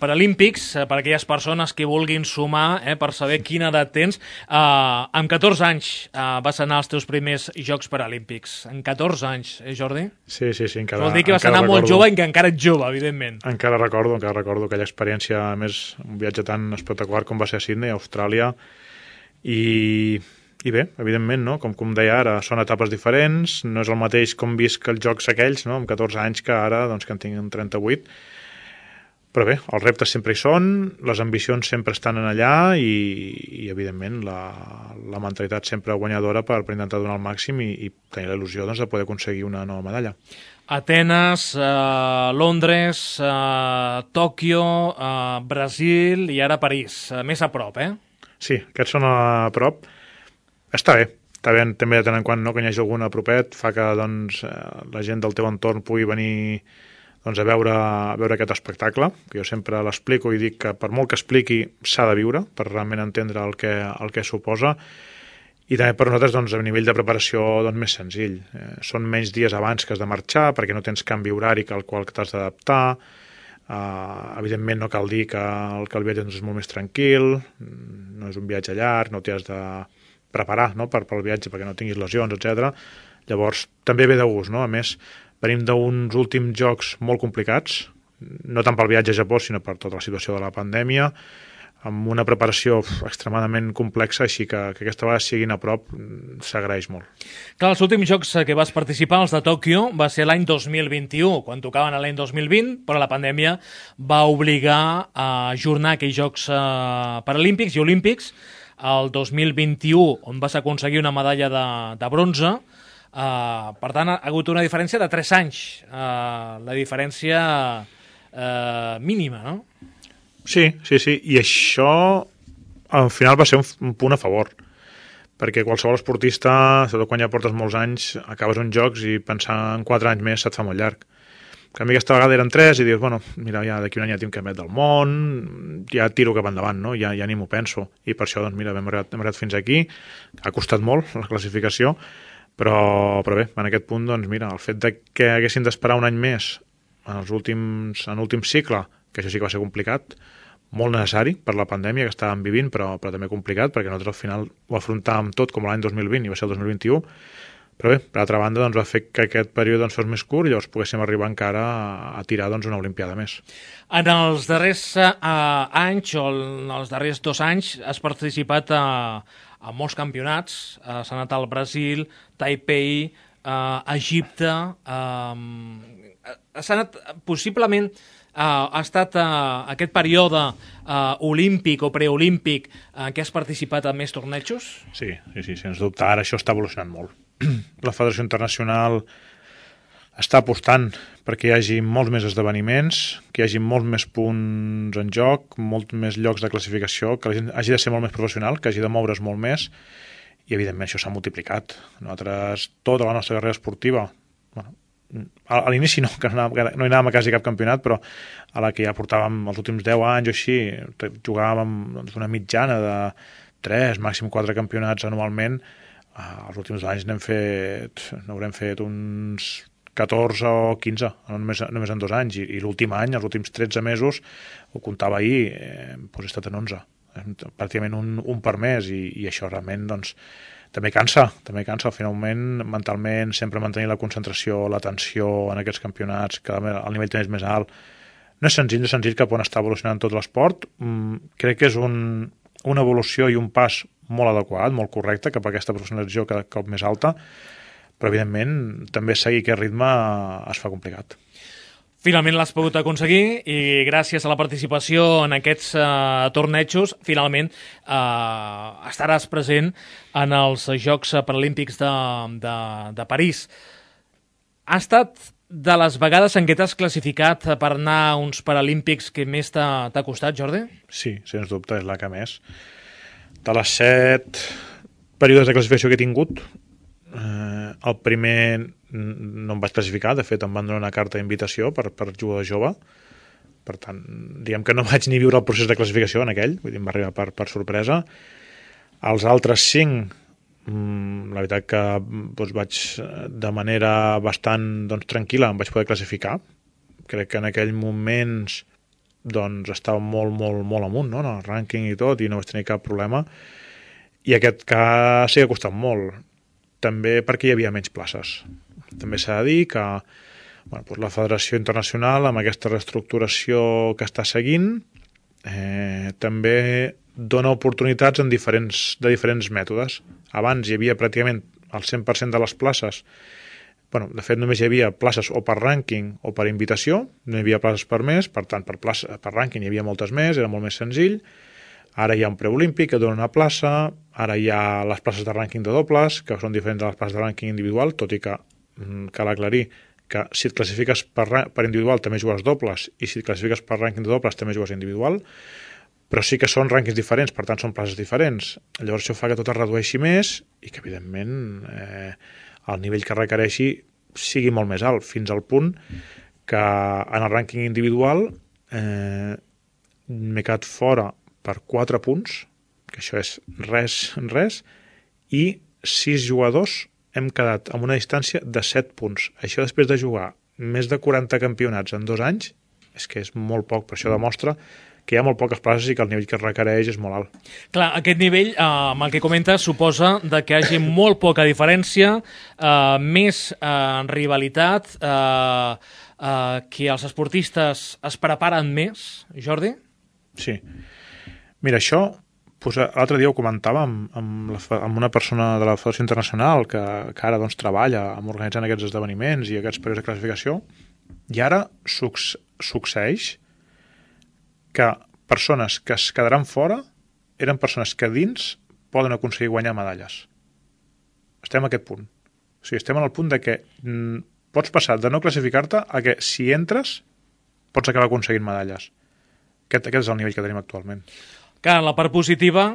B: Paralímpics, eh, per aquelles persones que vulguin sumar, eh, per saber quina edat tens. Eh, amb catorze anys eh, vas anar als teus primers Jocs Paralímpics. En catorze anys, eh, Jordi?
D: Sí, sí, sí. Encara,
B: Vol dir que vas anar
D: recordo,
B: molt jove i que encara ets jove, evidentment.
D: Encara recordo, encara recordo aquella experiència, a més, un viatge tan espectacular com va ser a Sydney, a Austràlia, i... I bé, evidentment, no? com, com deia ara, són etapes diferents, no és el mateix com visc els jocs aquells, no? amb catorze anys, que ara, doncs, que en tinc trenta-vuit. Però bé, els reptes sempre hi són, les ambicions sempre estan en allà i, i evidentment, la, la mentalitat sempre guanyadora per, per intentar donar el màxim i, i tenir la il·lusió doncs, de poder aconseguir una nova medalla.
B: Atenes, eh, Londres, eh, Tòquio, eh, Brasil i ara París. Eh, més a prop, eh?
D: Sí, aquests són a prop. Està bé, està bé també de tant en quant no, que hi hagi algun a propet, fa que doncs, la gent del teu entorn pugui venir doncs, a, veure, a veure aquest espectacle, que jo sempre l'explico i dic que per molt que expliqui s'ha de viure, per realment entendre el que, el que suposa, i també per nosaltres doncs, a nivell de preparació doncs, més senzill. Eh, són menys dies abans que has de marxar, perquè no tens canvi horari al qual t'has d'adaptar. Uh, evidentment no cal dir que el, que el viatge doncs, és molt més tranquil, no és un viatge llarg, no t'hi has de preparar no? per, pel viatge perquè no tinguis lesions, etcètera. Llavors, també ve de gust, no? A més, venim d'uns últims jocs molt complicats, no tant pel viatge a Japó, sinó per tota la situació de la pandèmia, amb una preparació extremadament complexa, així que, que aquesta vegada siguin a prop s'agraeix molt.
B: Clar, els últims jocs que vas participar, els de Tòquio, va ser l'any dos mil vint-i-u, quan tocaven l'any dos mil vint, però la pandèmia va obligar a ajornar aquells jocs eh, paralímpics i olímpics el dos mil vint-i-u, on vas aconseguir una medalla de, de bronze. Uh, per tant, ha hagut una diferència de tres anys. Uh, la diferència uh, mínima, no?
D: Sí, sí, sí. I això, al final, va ser un, un punt a favor. Perquè qualsevol esportista, sobretot quan ja portes molts anys, acabes uns jocs i pensar en quatre anys més se't fa molt llarg. En canvi, aquesta vegada eren tres i dius, bueno, mira, ja d'aquí un any ja tinc campionat del món, ja tiro cap endavant, no? Ja, ja ni m'ho penso. I per això, doncs, mira, hem arribat, hem arribat fins aquí. Ha costat molt la classificació, però, però bé, en aquest punt, doncs, mira, el fet de que haguessin d'esperar un any més en els últims, en l'últim cicle, que això sí que va ser complicat, molt necessari per la pandèmia que estàvem vivint, però, però també complicat, perquè nosaltres al final ho afrontàvem tot com l'any dos mil vint i va ser el dos mil vint-i-u, però bé, per altra banda, doncs, va fer que aquest període doncs, fos més curt i llavors poguéssim arribar encara a, a tirar doncs, una olimpiada més.
B: En els darrers uh, anys, o en els darrers dos anys, has participat a, a molts campionats. Uh, s'ha anat al Brasil, Taipei, uh, Egipte... Uh, s'ha anat, possiblement, uh, ha estat uh, aquest període uh, olímpic o preolímpic en uh, què has participat a més tornejos?
D: Sí, sí, sí, sens dubte. Ara això està evolucionant molt. La Federació Internacional està apostant perquè hi hagi molts més esdeveniments, que hi hagi molts més punts en joc, molts més llocs de classificació, que la gent hagi de ser molt més professional, que hagi de moure's molt més, i evidentment això s'ha multiplicat. Nosaltres, tota la nostra carrera esportiva, bueno, a l'inici no, que no, anàvem, no hi anàvem a quasi cap campionat, però a la que ja portàvem els últims deu anys o així, jugàvem doncs, una mitjana de tres, màxim quatre campionats anualment. Els últims anys n'hem fet, n'haurem fet uns catorze o quinze, només, només en dos anys, i, i l'últim any, els últims tretze mesos, ho comptava ahir, eh, doncs he estat en onze, pràcticament un, un per mes, i, i això realment doncs, també cansa, també cansa, finalment, mentalment, sempre mantenir la concentració, l'atenció en aquests campionats, que el nivell també és més alt. No és senzill, no és senzill cap on està evolucionant tot l'esport, mm, crec que és un, una evolució i un pas molt adequat, molt correcte, cap a aquesta professionalització cada cop més alta, però evidentment també seguir aquest ritme es fa complicat.
B: Finalment l'has pogut aconseguir i gràcies a la participació en aquests uh, tornejos, finalment uh, estaràs present en els Jocs Paralímpics de, de, de París. Ha estat de les vegades en què t'has classificat per anar a uns Paralímpics que més t'ha costat, Jordi?
D: Sí, sens dubte, és la que més. De les set períodes de classificació que he tingut, eh, el primer no em vaig classificar, de fet em van donar una carta d'invitació per, per jugador jove, per tant, diguem que no vaig ni viure el procés de classificació en aquell, vull dir, em va arribar per, per sorpresa. Els altres cinc Mm, la veritat que doncs, vaig de manera bastant doncs, tranquil·la em vaig poder classificar. Crec que en aquells moments doncs, estava molt, molt, molt amunt, no? En el rànquing i tot, i no vaig tenir cap problema. I aquest cas sí que ha costat molt, també perquè hi havia menys places. També s'ha de dir que bueno, doncs la Federació Internacional, amb aquesta reestructuració que està seguint, eh, també dona oportunitats en diferents, de diferents mètodes. Abans hi havia pràcticament el cent per cent de les places. Bueno, de fet, només hi havia places o per rànquing o per invitació, no hi havia places per més, per tant, per, plaça, per rànquing hi havia moltes més, era molt més senzill. Ara hi ha un preolímpic que dona una plaça, ara hi ha les places de rànquing de dobles, que són diferents de les places de rànquing individual, tot i que cal aclarir que si et classifiques per, per individual també jugues dobles i si et classifiques per rànquing de dobles també jugues individual, però sí que són rànquings diferents, per tant són places diferents. Llavors això fa que tot es redueixi més i que evidentment eh, el nivell que requereixi sigui molt més alt, fins al punt que en el rànquing individual eh, m'he quedat fora per quatre punts, que això és res, res, i sis jugadors hem quedat amb una distància de set punts. Això després de jugar més de quaranta campionats en dos anys, és que és molt poc, per això demostra que hi ha molt poques places i que el nivell que es requereix és molt alt.
B: Clar, aquest nivell, eh, amb el que comentes, suposa de que hi hagi molt poca diferència, eh, més eh, rivalitat, eh, eh, que els esportistes es preparen més, Jordi?
D: Sí. Mira, això, pues, l'altre dia ho comentava amb, amb, la, amb una persona de la Federació Internacional que, que ara doncs, treballa amb organitzant aquests esdeveniments i aquests períodes de classificació, i ara suc succeeix que persones que es quedaran fora eren persones que dins poden aconseguir guanyar medalles. Estem a aquest punt. O sigui, estem al punt de que mm, pots passar de no classificar-te a que si entres pots acabar aconseguint medalles. Aquest, aquest és el nivell que tenim actualment.
B: Clar, la part positiva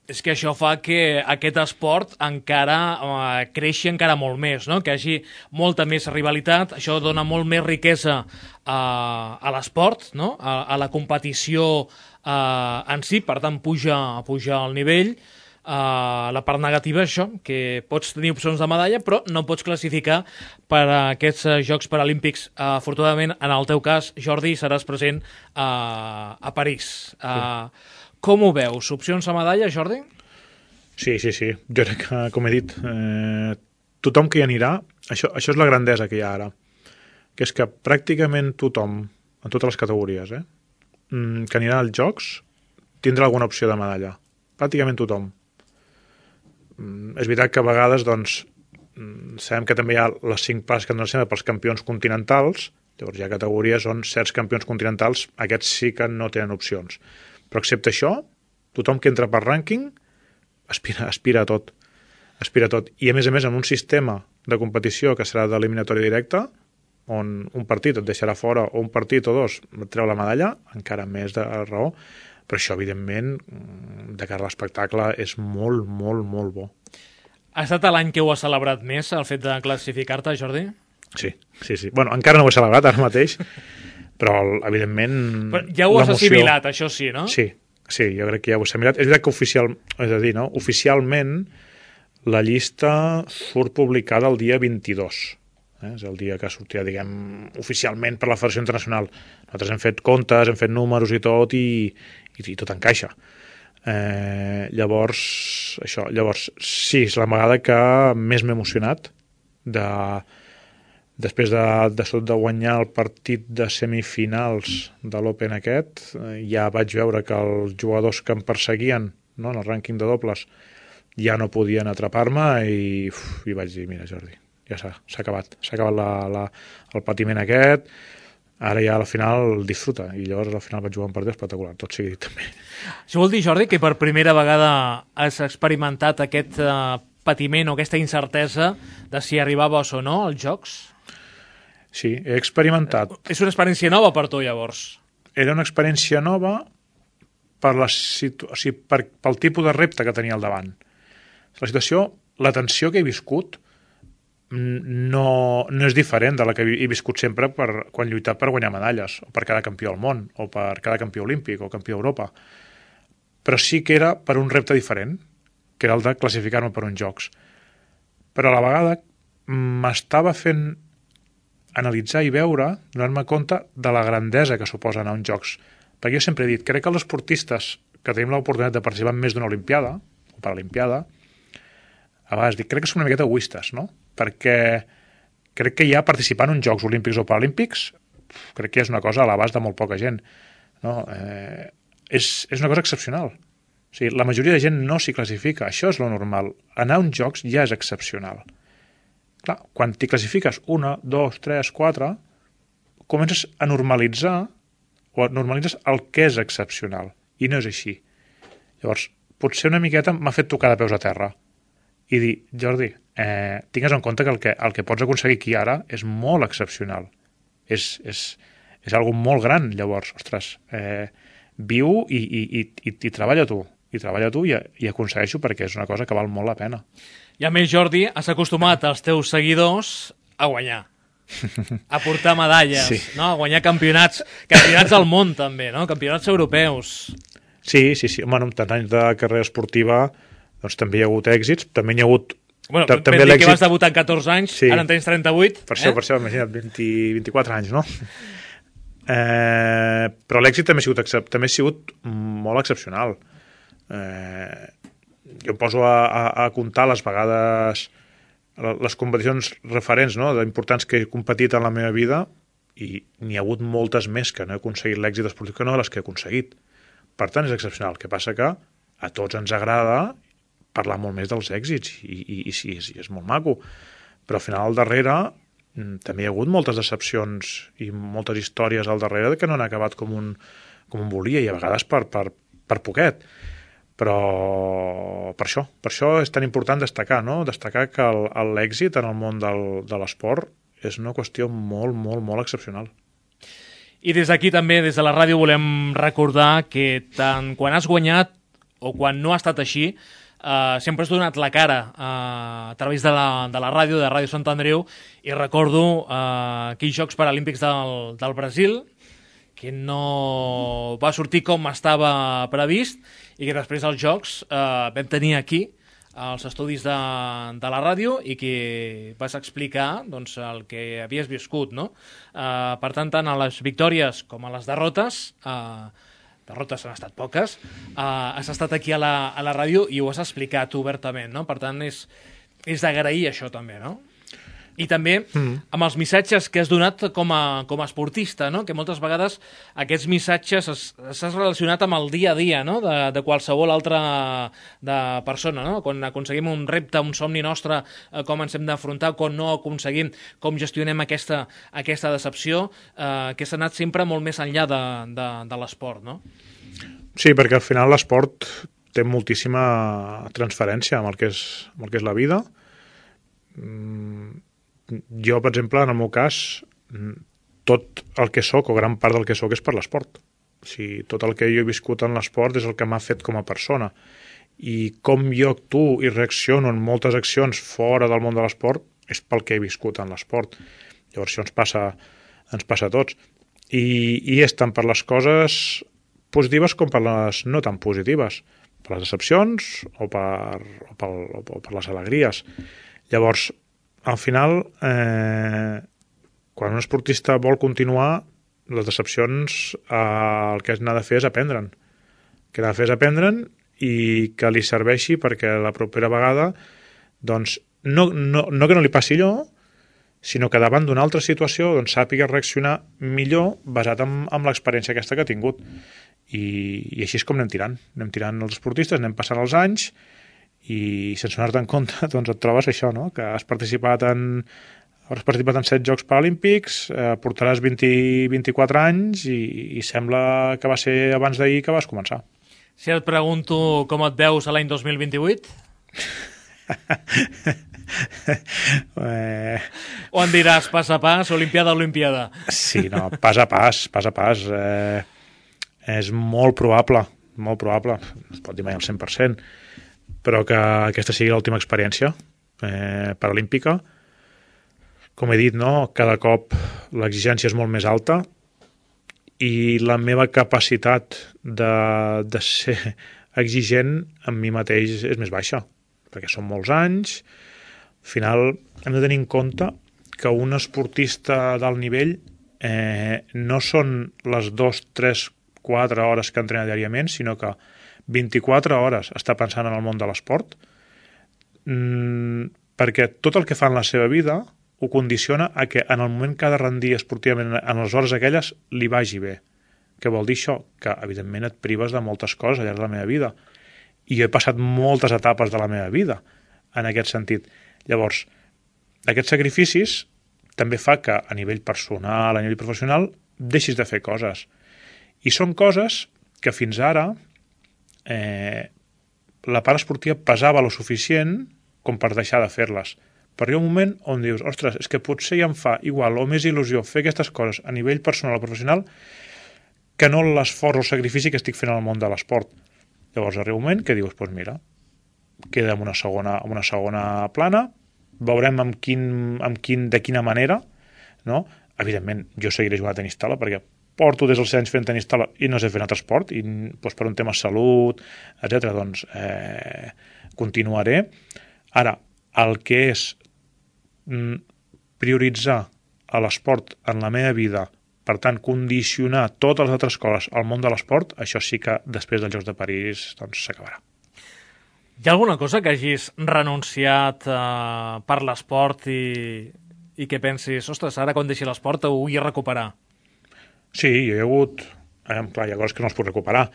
B: és que això fa que aquest esport encara eh, creixi encara molt més, no? Que hi hagi molta més rivalitat, això dona molt més riquesa eh, a l'esport, no? a, a la competició eh, en si, per tant puja, puja el nivell. Uh, la part negativa és això, que pots tenir opcions de medalla però no pots classificar per a aquests uh, Jocs Paralímpics. Uh, afortunadament, en el teu cas, Jordi, seràs present uh, a París. Uh, sí. Com ho veus? Opcions a medalla, Jordi?
D: Sí, sí, sí. Jo crec que, com he dit, eh, tothom que hi anirà, això, això és la grandesa que hi ha ara, que és que pràcticament tothom, en totes les categories, eh, que anirà als Jocs, tindrà alguna opció de medalla. Pràcticament tothom. És veritat que a vegades doncs, sabem que també hi ha les cinc places que han de ser pels campions continentals, llavors hi ha categories on certs campions continentals, aquests sí que no tenen opcions. Però excepte això, tothom que entra per rànquing aspira, aspira a tot. Aspira a tot. I a més a més, en un sistema de competició que serà d'eliminatòria directa, on un partit et deixarà fora o un partit o dos et treu la medalla, encara més de raó. Però això, evidentment, de cara a l'espectacle, és molt, molt, molt bo.
B: Ha estat l'any que ho has celebrat més, el fet de classificar-te, Jordi?
D: Sí, sí, sí. Bueno, encara no ho he celebrat ara mateix, però, evidentment...
B: Però ja ho has assimilat, això sí, no?
D: Sí, sí, jo crec que ja ho he assimilat. És veritat que oficial, és a dir, no? Oficialment la llista surt publicada el dia vint-i-dos. Eh? És el dia que sortirà, diguem, oficialment per la Federació Internacional. Nosaltres hem fet comptes, hem fet números i tot, i, i, i tot encaixa. Eh, llavors, això, llavors, sí, és la vegada que més m'he emocionat de, després de, de, de guanyar el partit de semifinals de l'Open aquest, eh, ja vaig veure que els jugadors que em perseguien, no, en el rànquing de dobles ja no podien atrapar-me i, uf, i vaig dir, mira, Jordi, ja s'ha acabat, s'ha acabat la, la, el patiment aquest, ara ja al final disfruta, i llavors al final vaig jugar un partit espectacular, tot sigui dit també.
B: Això vol dir, Jordi, que per primera vegada has experimentat aquest uh, patiment o aquesta incertesa de si arribaves o no als Jocs?
D: Sí, he experimentat.
B: És una experiència nova per tu, llavors?
D: Era una experiència nova per la situ... o sigui, per, pel tipus de repte que tenia al davant. La situació, la tensió que he viscut no, no és diferent de la que he viscut sempre per, quan he lluitat per guanyar medalles, o per cada campió al món, o per cada campió olímpic o campió d'Europa. Però sí que era per un repte diferent, que era el de classificar-me per uns jocs. Però a la vegada m'estava fent analitzar i veure, donar-me compte de la grandesa que suposa anar a uns jocs. Perquè jo sempre he dit, crec que els esportistes que tenim l'oportunitat de participar en més d'una olimpiada, o paralimpiada, a vegades dic, crec que som una miqueta egoistes, no? Perquè crec que ja participar en uns Jocs Olímpics o Paralímpics crec que és una cosa a l'abast de molt poca gent. No? Eh, és, és una cosa excepcional. O sigui, la majoria de gent no s'hi classifica. Això és lo normal. Anar a uns jocs ja és excepcional. Clar, quan t'hi classifiques una, dos, tres, quatre, comences a normalitzar o normalitzes el que és excepcional. I no és així. Llavors, potser una miqueta m'ha fet tocar de peus a terra i dir, Jordi, eh, tingues en compte que el, que el que pots aconseguir aquí ara és molt excepcional. És, és, és algo molt gran, llavors, ostres, eh, viu i, i, i, i, i treballa tu, i treballa tu i, i aconsegueixo perquè és una cosa que val molt la pena.
B: I a més, Jordi, has acostumat els teus seguidors a guanyar, a portar medalles, sí. No? A guanyar campionats, campionats del món també, no? Campionats europeus.
D: Sí, sí, sí. Bueno, amb tants anys de carrera esportiva doncs també hi ha hagut èxits, també hi ha hagut...
B: Bueno, vam dir que vas debutar amb catorze anys, sí. Ara en tens trenta-vuit.
D: Per això, eh? per això, imagina't, vint, vint-i-quatre anys, no? Eh, però l'èxit també ha sigut, també ha sigut molt excepcional. Eh, jo em poso a, a, a comptar les vegades, les competicions referents, no?, d'importants que he competit en la meva vida, i n'hi ha hagut moltes més que no he aconseguit l'èxit esportiu que no de les que he aconseguit. Per tant, és excepcional. El que passa que a tots ens agrada parlar molt més dels èxits, i, i, i sí, és, és molt maco. Però al final, al darrere, també hi ha hagut moltes decepcions i moltes històries al darrere que no han acabat com un, com un volia, i a vegades per, per, per poquet. Però per això, per això és tan important destacar, no? Destacar que l'èxit en el món del, de l'esport és una qüestió molt, molt, molt excepcional.
B: I des d'aquí també, des de la ràdio, volem recordar que tant quan has guanyat o quan no ha estat així, eh, sempre has donat la cara eh, a través de la, de la ràdio, de Ràdio Sant Andreu, i recordo eh, aquells Jocs Paralímpics del, del Brasil, que no va sortir com estava previst, i que després dels Jocs eh, vam tenir aquí als estudis de, de la ràdio, i que vas explicar doncs, el que havies viscut, no? Eh, per tant, tant a les victòries com a les derrotes, eh, derrotes han estat poques, eh, has estat aquí a la, a la ràdio i ho has explicat obertament, no? Per tant, és, és d'agrair això també, no? I també mm. amb els missatges que has donat com a, com a esportista, no? Que moltes vegades aquests missatges s'has relacionat amb el dia a dia, no? de, de qualsevol altra de persona, no? Quan aconseguim un repte, un somni nostre, eh, com ens hem d'afrontar, quan no aconseguim, com gestionem aquesta, aquesta decepció, eh, que s'ha anat sempre molt més enllà de, de, de l'esport, no?
D: Sí, perquè al final l'esport té moltíssima transferència amb el que és, amb el que és la vida. Mm, jo, per exemple, en el meu cas, tot el que sóc, o gran part del que sóc, és per l'esport. O sigui, tot el que jo he viscut en l'esport és el que m'ha fet com a persona. I com jo actuo i reacciono en moltes accions fora del món de l'esport és pel que he viscut en l'esport. Llavors això ens passa, ens passa a tots. I, i és tant per les coses positives com per les no tan positives. Per les decepcions o per, o per, o per les alegries. Llavors, al final, eh, quan un esportista vol continuar, les decepcions, eh, el que n'ha de fer és aprendre'n. El que n'ha de fer és aprendre'n i que li serveixi perquè la propera vegada, doncs, no, no, no que no li passi allò, sinó que davant d'una altra situació doncs, sàpiga reaccionar millor basat en, en l'experiència aquesta que ha tingut. I, i així és com anem tirant. Anem tirant els esportistes, anem passant els anys, i sense donar-te en compte doncs et trobes això, no? Que has participat en has participat en set Jocs Paralímpics, eh, portaràs vint, vint-i-quatre anys i, i sembla que va ser abans d'ahir que vas començar.
B: Si et pregunto com et veus a l'any dos mil vint-i-vuit? eh... O em diràs pas a pas, olimpiada a olimpiada?
D: Sí, no, pas a pas, pas a pas. Eh, és molt probable, molt probable, no es pot dir mai al cent per cent, però que aquesta sigui l'última experiència eh, paralímpica. Com he dit, no? Cada cop l'exigència és molt més alta i la meva capacitat de, de ser exigent amb mi mateix és més baixa, perquè són molts anys. Al final hem de tenir en compte que un esportista d'alt nivell eh, no són les dos, tres, quatre hores que entrena diàriament, sinó que vint-i-quatre hores està pensant en el món de l'esport, mm, perquè tot el que fa en la seva vida ho condiciona a que en el moment que ha de rendir esportivament en les hores aquelles li vagi bé. Què vol dir això? Que evidentment et prives de moltes coses al llarg de la meva vida. I jo he passat moltes etapes de la meva vida en aquest sentit. Llavors, aquests sacrificis també fa que a nivell personal, a nivell professional, deixis de fer coses. I són coses que fins ara eh, la part esportiva pesava lo suficient com per deixar de fer-les. Però hi ha un moment on dius, ostres, és que potser ja em fa igual o més il·lusió fer aquestes coses a nivell personal o professional que no l'esforç o el sacrifici que estic fent al món de l'esport. Llavors arriba un moment que dius, doncs mira, queda en una segona, en una segona plana, veurem amb quin, amb quin, de quina manera, no? Evidentment, jo seguiré jugant a tenis taula perquè porto des dels anys fent tenis taula i no sé fer un altre esport, i doncs, per un tema de salut, etcètera, doncs eh, continuaré. Ara, el que és mm, prioritzar a l'esport en la meva vida, per tant, condicionar totes les altres coses al món de l'esport, això sí que després dels Jocs de París doncs, s'acabarà.
B: Hi ha alguna cosa que hagis renunciat eh, per l'esport i, i que pensis, ostres, ara quan deixi l'esport ho vull recuperar?
D: Sí, hi ha hagut... Eh, clar, hi ha coses que no els puc recuperar.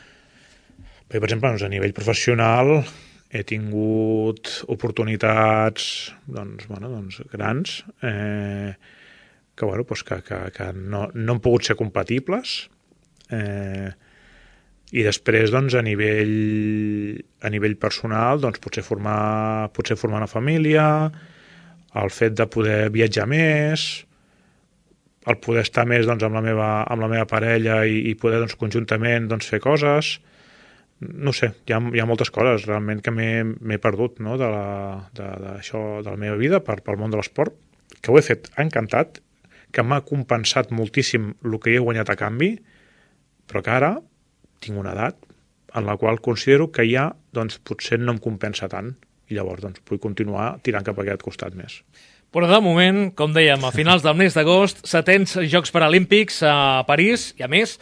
D: Perquè, per exemple, doncs, a nivell professional he tingut oportunitats doncs, bueno, doncs, grans eh, que, bueno, doncs, que, que, que no, no han pogut ser compatibles. Eh, I després, doncs, a nivell, a nivell personal, doncs, potser formar, potser formar una família, el fet de poder viatjar més, el poder estar més doncs, amb, la meva, amb la meva parella i, i poder doncs, conjuntament doncs, fer coses. No sé, hi ha, hi ha moltes coses realment que m'he perdut, no? de, la, de, de, això, de la meva vida per, pel món de l'esport, que ho he fet encantat, que m'ha compensat moltíssim el que he guanyat a canvi, però que ara tinc una edat en la qual considero que ja doncs, potser no em compensa tant i llavors doncs, vull continuar tirant cap a aquest costat més.
B: Però de moment, com dèiem, a finals del mes d'agost, setens Jocs Paralímpics a París, i a més,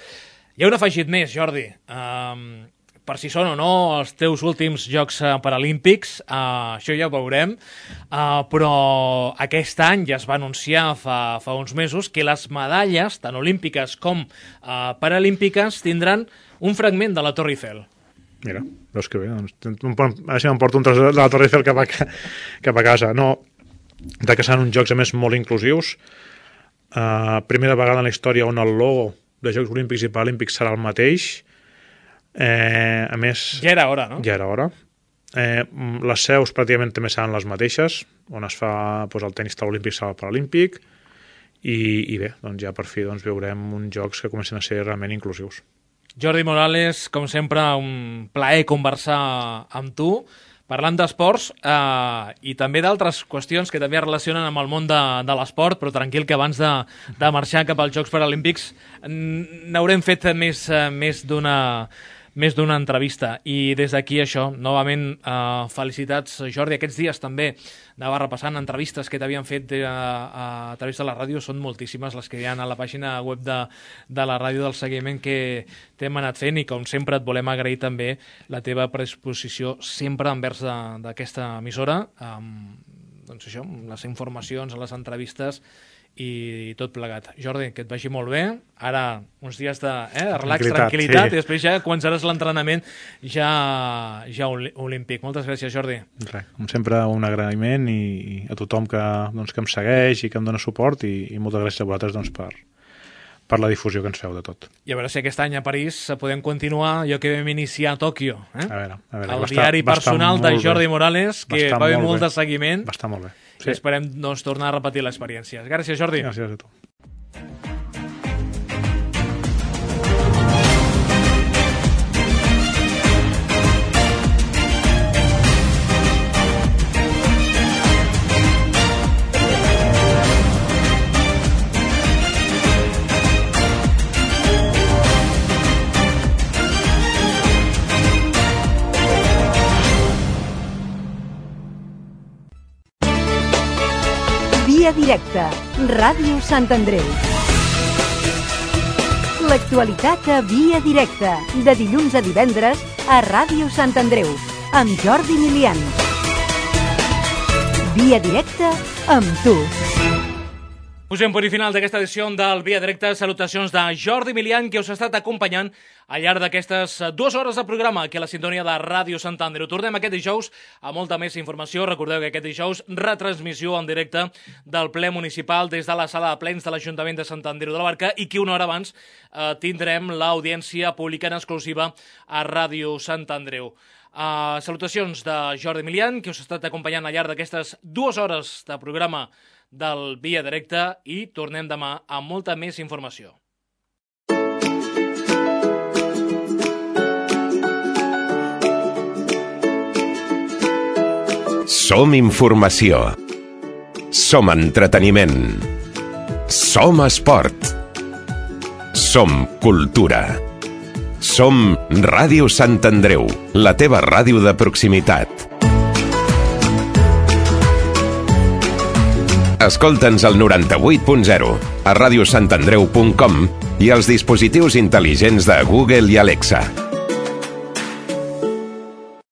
B: hi ha un afegit més, Jordi. Um, per si són o no els teus últims Jocs Paralímpics, uh, això ja ho veurem, uh, però aquest any ja es va anunciar fa, fa uns mesos que les medalles, tant olímpiques com uh, paralímpiques, tindran un fragment de la Torre Eiffel.
D: Mira, veus que bé, doncs, ara sí m'emporto un tros de la Torre Eiffel cap a, cap a casa. No, de que seran uns jocs, a més, molt inclusius. Uh, primera vegada en la història on el logo de Jocs Olímpics i Paralímpics serà el mateix. Eh, a més...
B: Ja era hora, no?
D: Ja era hora. Eh, les seus pràcticament també seran les mateixes, on es fa doncs, el tenis taula olímpic serà el paralímpic, i, i bé, doncs ja per fi doncs, veurem uns jocs que comencen a ser realment inclusius.
B: Jordi Morales, com sempre, un plaer conversar amb tu, parlant d'esports eh, i també d'altres qüestions que també es relacionen amb el món de, de l'esport, però tranquil que abans de, de marxar cap als Jocs Paralímpics n'haurem fet més, més d'una més d'una entrevista. I des d'aquí això, novament, eh, felicitats, Jordi. Aquests dies també anava repassant entrevistes que t'havien fet de, a, a través de la ràdio. Són moltíssimes les que hi ha a la pàgina web de, de la ràdio, del seguiment que t'hem anat fent, i com sempre et volem agrair també la teva predisposició sempre envers d'aquesta emissora, amb, doncs això, amb les informacions, les entrevistes i tot plegat. Jordi, que et vagi molt bé. Ara uns dies de eh, relax, tranquil·litat, tranquil·litat sí. I després ja començaràs l'entrenament ja, ja olímpic. Moltes gràcies, Jordi.
D: Res, com sempre, un agraïment i, i a tothom que, doncs, que em segueix i que em dona suport, i, i moltes gràcies a vosaltres doncs, per, per la difusió que ens feu de tot.
B: I a veure si aquest any a París podem continuar allò que vam iniciar a Tòquio. Eh?
D: A veure, a veure,
B: el
D: va
B: diari
D: estar,
B: personal de Jordi
D: bé.
B: Morales, que va haver molt, molt de seguiment.
D: Va estar molt bé.
B: Sí. I esperem doncs, tornar a repetir l'experiència. Gràcies, Jordi.
D: Gràcies a tu.
C: Via Directa, Ràdio Sant Andreu. L'actualitat a Via Directa, de dilluns a divendres a Ràdio Sant Andreu, amb Jordi Milian. Via Directa amb tu.
B: Posem punt i final d'aquesta edició del Via Directa. Salutacions de Jordi Milian, que us ha estat acompanyant al llarg d'aquestes dues hores de programa aquí a la sintonia de Ràdio Sant Andreu. Tornem aquest dijous a molta més informació. Recordeu que aquest dijous retransmissió en directe del ple municipal des de la sala de plens de l'Ajuntament de Sant Andreu de la Barca, i que una hora abans eh, tindrem l'audiència pública en exclusiva a Ràdio Sant Andreu. Uh, salutacions de Jordi Milian, que us ha estat acompanyant al llarg d'aquestes dues hores de programa del Via Directa, i tornem demà amb molta més informació.
A: Som informació. Som entreteniment. Som esport. Som cultura. Som Ràdio Sant Andreu, la teva ràdio de proximitat. Escolta'ns al noranta-vuit punt zero, a radiosantandreu punt com i als dispositius intel·ligents de Google i Alexa.